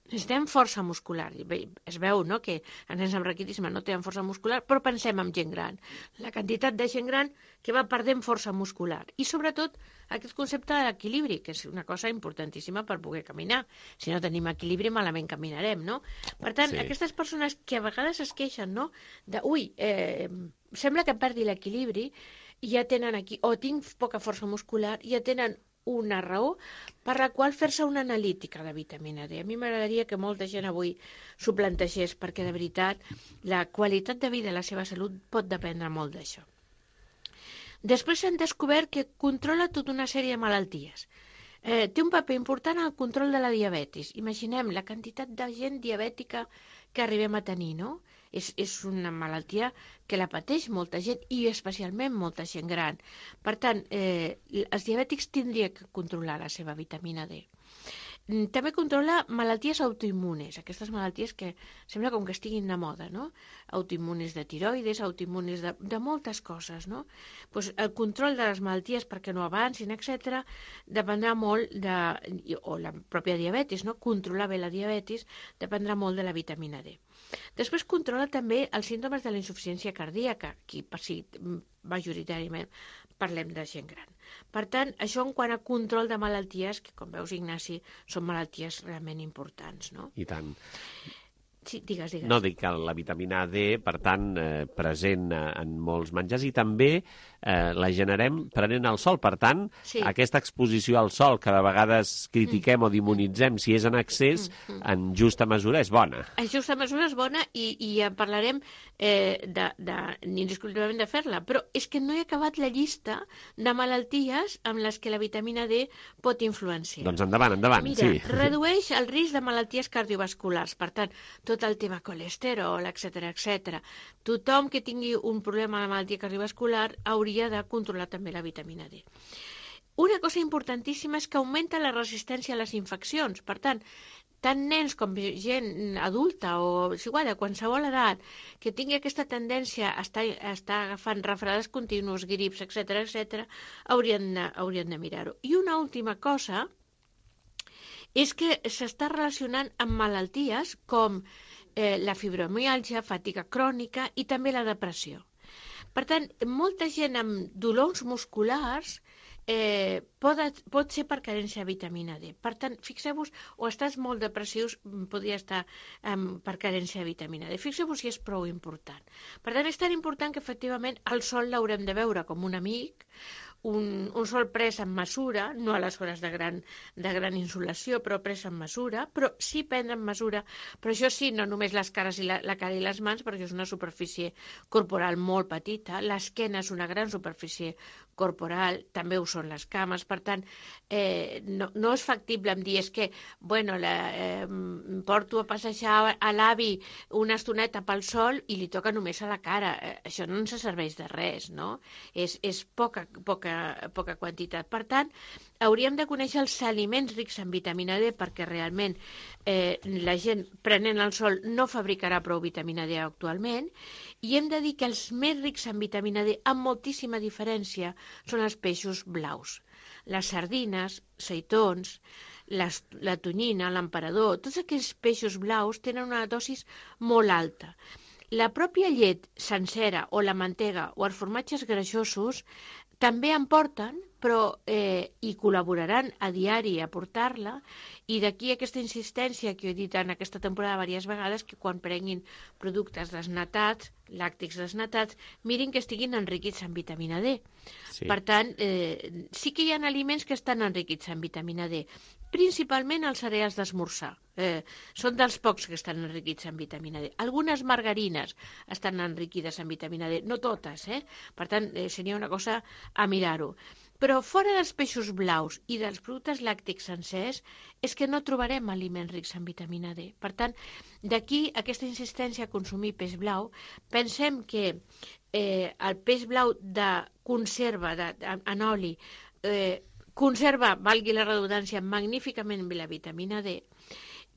necessitem força muscular. Bé, es veu, no?, que els nens amb raquitisme no tenen força muscular, però pensem en gent gran. La quantitat de gent gran que va perdent força muscular. I sobretot aquest concepte de l'equilibri, que és una cosa importantíssima per poder caminar. Si no tenim equilibri, malament caminarem, no? Per tant, sí. Aquestes persones que a vegades es queixen, no?, de, ui, eh, sembla que perdi l'equilibri, i ja tenen aquí, o tinc poca força muscular, ja tenen una raó per la qual fer-se una analítica de vitamina D. A mi m'agradaria que molta gent avui s'ho plantegés, perquè de veritat la qualitat de vida i la seva salut pot dependre molt d'això. Després s'han descobert que controla tota una sèrie de malalties. Eh, té un paper important en el control de la diabetis. Imaginem la quantitat de gent diabètica que arribem a tenir, no? És, és una malaltia que la pateix molta gent i especialment molta gent gran. Per tant, eh, els diabètics tindrien que controlar la seva vitamina D. També controla malalties autoimmunes, aquestes malalties que sembla com que estiguin de moda, no? Autoimmunes de tiroides, autoimmunes de, de moltes coses, no? Pues el control de les malalties perquè no avancin, etcètera, dependrà molt de, o la pròpia diabetis, no? Controlar bé la diabetis dependrà molt de la vitamina D. Després controla també els símptomes de la insuficiència cardíaca, aquí per si majoritàriament parlem de gent gran. Per tant, això en quant a control de malalties, que com veus, Ignasi, són malalties realment importants, no? I tant. Sí, digues, digues. No, dic que la vitamina D, per tant, eh, present en molts menjars i també eh, la generem prenent el sol. Per tant, sí. Aquesta exposició al sol que de vegades critiquem mm. o demonitzem si és en excés, mm. en justa mesura és bona. En justa mesura és bona i, i en parlarem eh, de, de, indiscutiblement de fer-la, però és que no he acabat la llista de malalties amb les que la vitamina D pot influenciar. Doncs endavant, endavant. Mira, sí. redueix el risc de malalties cardiovasculars, per tant, tot el tema colesterol, etcètera, etcètera. Tothom que tingui un problema de malaltia cardiovascular hauria de controlar també la vitamina D. una cosa importantíssima és que augmenta la resistència a les infeccions. Per tant, tant nens com gent adulta o és igual, de qualsevol edat, que tingui aquesta tendència a estar, a estar agafant refredats continus, grips, etcètera, etcètera, haurien de, haurien de mirar-ho. I una última cosa és que s'està relacionant amb malalties com eh, la fibromiàlgia, fatiga crònica i també la depressió. Per tant, molta gent amb dolors musculars eh, pot, pot ser per carència de vitamina D. Per tant, fixeu-vos, o estàs molt depressius, podria estar eh, per carència de vitamina D. Fixeu-vos si és prou important. Per tant, és tan important que efectivament el sol l'haurem de veure com un amic, un, un sol pres en mesura, no a les hores de gran, de gran insolació, però pres en mesura, però sí prendre en mesura, però això sí, no només les cares i la, la cara i les mans, perquè és una superfície corporal molt petita, l'esquena és una gran superfície corporal, també ho són les cames, per tant, eh, no, no és factible em dir, és que, bueno, la, eh, porto a passejar a l'avi una estoneta pel sol i li toca només a la cara, eh, això no ens serveix de res, no? És, és poca, poca poca quantitat. Per tant, hauríem de conèixer els aliments rics en vitamina D perquè realment eh, la gent prenent el sol no fabricarà prou vitamina D actualment i hem de dir que els més rics en vitamina D, amb moltíssima diferència, són els peixos blaus. Les sardines, seitons, les, la tonyina, l'emperador, tots aquells peixos blaus tenen una dosis molt alta. La pròpia llet sencera o la mantega o els formatges greixosos també en porten, però eh, hi col·laboraran a diari a portar-la i d'aquí aquesta insistència que he dit en aquesta temporada diverses vegades que quan prenguin productes desnatats, làctics desnatats, mirin que estiguin enriquits en vitamina D. Sí. Per tant, eh, sí que hi ha aliments que estan enriquits en vitamina D, principalment els cereals d'esmorzar. Eh, són dels pocs que estan enriquits en vitamina D. Algunes margarines estan enriquides en vitamina D, no totes, eh? Per tant, eh, seria una cosa a mirar-ho. Però fora dels peixos blaus i dels productes làctics sencers és que no trobarem aliments rics en vitamina D. Per tant, d'aquí aquesta insistència a consumir peix blau. Pensem que eh, el peix blau de conserva de, de, en oli eh, conserva, valgui la redundància, magníficament bé la vitamina D.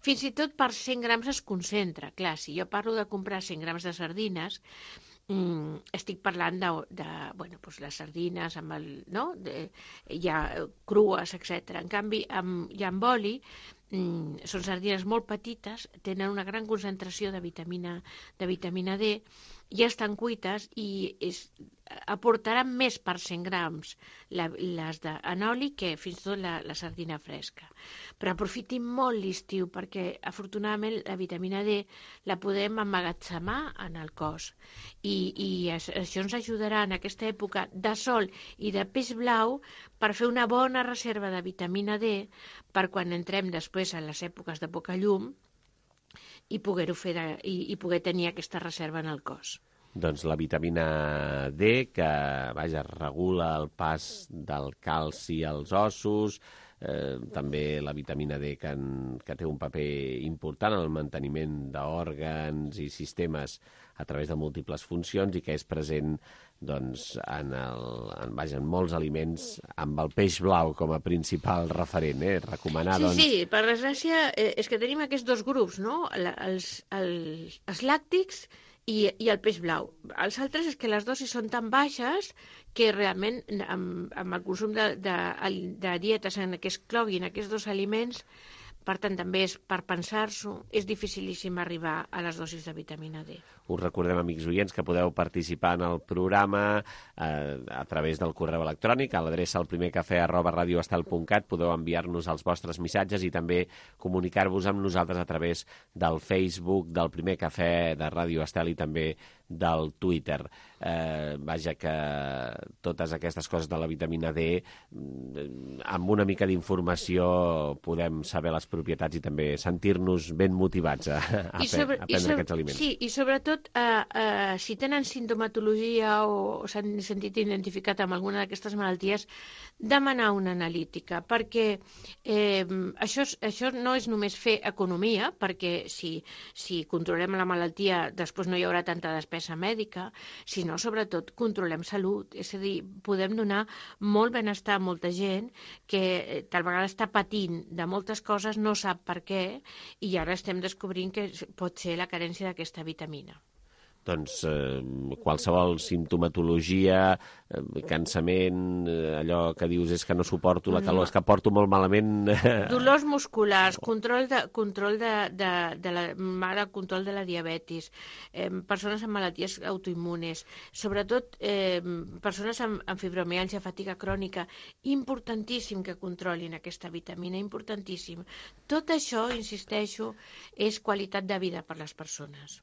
Fins i tot per cent grams es concentra. Clar, si jo parlo de comprar cent grams de sardines, Mm, estic parlant de, de bueno, doncs les sardines amb el, no? de, ja crues, etcètera. En canvi, amb, ja amb oli, mm, són sardines molt petites, tenen una gran concentració de vitamina, de vitamina D, ja estan cuites i és, aportaran més per cent grams la, les de, en oli que fins i tot la, la sardina fresca. Però aprofitin molt l'estiu perquè afortunadament la vitamina D la podem emmagatzemar en el cos i, i això ens ajudarà en aquesta època de sol i de peix blau per fer una bona reserva de vitamina D per quan entrem després a les èpoques de poca llum i poder-ho fer de, i, i poder tenir aquesta reserva en el cos. Doncs la vitamina D, que vaja, regula el pas del calci als ossos, eh, també la vitamina D que, en, que té un paper important en el manteniment d'òrgans i sistemes a través de múltiples funcions i que és present doncs, en, el, en, vaja, en molts aliments amb el peix blau com a principal referent. Eh? Recomanar, sí, doncs... sí, per desgràcia eh, és que tenim aquests dos grups, no? Els, els, els làctics I, i el peix blau. Els altres és que les dosis són tan baixes que realment amb, amb el consum de, de, de dietes en què es cloguin aquests dos aliments, per tant també és per pensar-s'ho, és dificilíssim arribar a les dosis de vitamina D. Us recordem, amics oients, que podeu participar en el programa eh, a través del correu electrònic, a l'adreça al primer cafè arroba radioestel punt cat, podeu enviar-nos els vostres missatges i també comunicar-vos amb nosaltres a través del Facebook del Primer Cafè de Ràdio Estel i també del Twitter. Eh, vaja, que totes aquestes coses de la vitamina D, amb una mica d'informació podem saber les propietats i també sentir-nos ben motivats a, a, I sobre, a prendre i sobre, aquests aliments. Sí, i sobretot sobretot, eh, eh, si tenen sintomatologia o, o s'han sentit identificat amb alguna d'aquestes malalties, demanar una analítica, perquè eh, això, això no és només fer economia, perquè si, si controlem la malaltia després no hi haurà tanta despesa mèdica, sinó sobretot controlem salut, és a dir, podem donar molt benestar a molta gent que tal vegada està patint de moltes coses, no sap per què, i ara estem descobrint que pot ser la carència d'aquesta vitamina. Doncs eh, qualsevol simptomatologia, eh, cansament, eh, allò que dius és que no suporto la calor, no. És que porto molt malament... Dolors musculars, control de, control de, de, de la mare, control de la diabetis, eh, persones amb malalties autoimmunes, sobretot eh, persones amb, amb fibromialgia, fatiga crònica, importantíssim que controlin aquesta vitamina, importantíssim. Tot això, insisteixo, és qualitat de vida per les persones.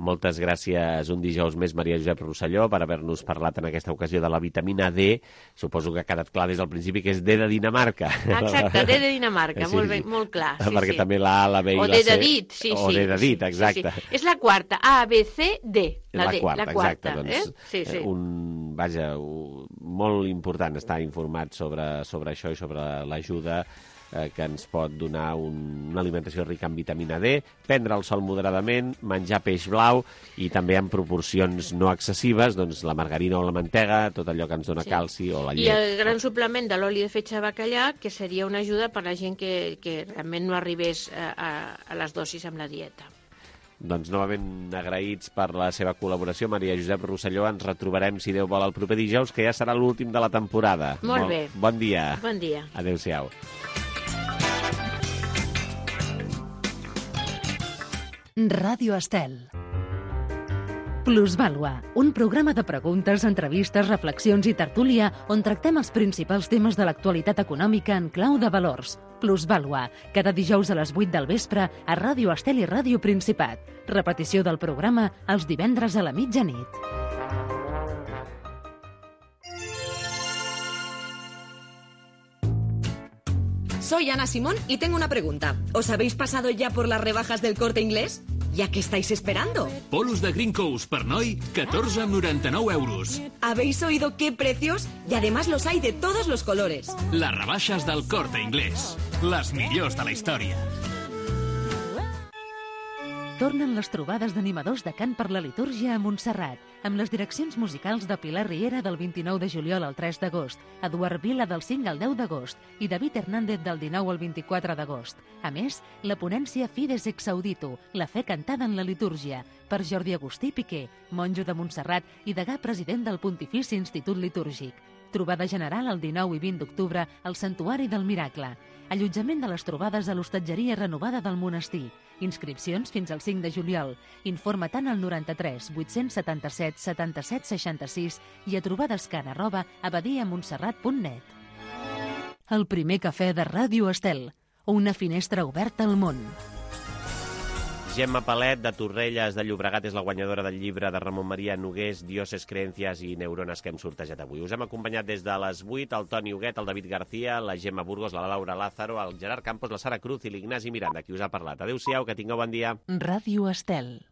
Moltes gràcies un dijous més, Maria Josep Rosselló, per haver-nos parlat en aquesta ocasió de la vitamina D. Suposo que ha quedat clar des del principi que és D de Dinamarca. Exacte, D de Dinamarca, sí, molt, bé, molt clar. Sí, perquè sí. també la A, la B i o la C... O D de dit, sí, o sí. O D de dit, exacte. Sí, sí. És la quarta, A, B, C, D. La, la D, quarta, la quarta. exacte. Doncs, eh? sí, sí. Un, vaja, un, molt important estar informat sobre, sobre això i sobre l'ajuda que ens pot donar un, una alimentació rica en vitamina D, prendre el sol moderadament, menjar peix blau i també en proporcions no excessives, doncs la margarina o la mantega, tot allò que ens dona sí. calci o la llet. I el gran suplement de l'oli de fetge de bacallà, que seria una ajuda per a la gent que, que realment no arribés a, a, a les dosis amb la dieta. Doncs novament agraïts per la seva col·laboració, Maria Josep Rosselló. Ens retrobarem, si Déu vol, el proper dijous, que ja serà l'últim de la temporada. Molt, Molt bé. Bon dia. Bon dia. Adéu-siau. Ràdio Estel. Plusvàlua, un programa de preguntes, entrevistes, reflexions i tertúlia on tractem els principals temes de l'actualitat econòmica en clau de valors. Plusvàlua, cada dijous a les vuit del vespre a Ràdio Estel i Ràdio Principat. Repetició del programa els divendres a la mitjanit. Soy Ana Simón y tengo una pregunta. ¿Os habéis pasado ya por las rebajas del Corte Inglés? ¿Ya qué estáis esperando? Polos de Green Coast per noi, catorze amb noranta-nou euros. ¿Habéis oído qué precios? Y además los hay de todos los colores. Les rebaixes del Corte Inglés. Les millors de la història. Tornen les trobades d'animadors de cant per la litúrgia a Montserrat, amb les direccions musicals de Pilar Riera del vint-i-nou de juliol al tres d'agost, Eduard Vila del cinc al deu d'agost i David Hernández del dinou al vint-i-quatre d'agost. A més, la ponència Fides ex Audito, la fe cantada en la litúrgia, per Jordi Agustí Piqué, monjo de Montserrat i degà president del Pontifici Institut Litúrgic. Trobada general el dinou i vint d'octubre al Santuari del Miracle. Allotjament de les trobades a l'hostatgeria renovada del monestir. Inscripcions fins al cinc de juliol. Informa tant al noranta-tres vuit-cents setanta-set setanta-set seixanta-sis i a trobadescan arroba abadiamontserrat punt net. El primer cafè de Ràdio Estel. Una finestra oberta al món. Gemma Palet, de Torrelles de Llobregat, és la guanyadora del llibre de Ramon Maria Nogués, Dioses, Creencias i Neurones, que hem sortejat avui. Us hem acompanyat des de les vuit, el Toni Huguet, el David García, la Gemma Burgos, la Laura Lázaro, el Gerard Campos, la Sara Cruz i l'Ignasi Miranda, qui us ha parlat. Adéu-siau, que tingueu bon dia. Ràdio Estel.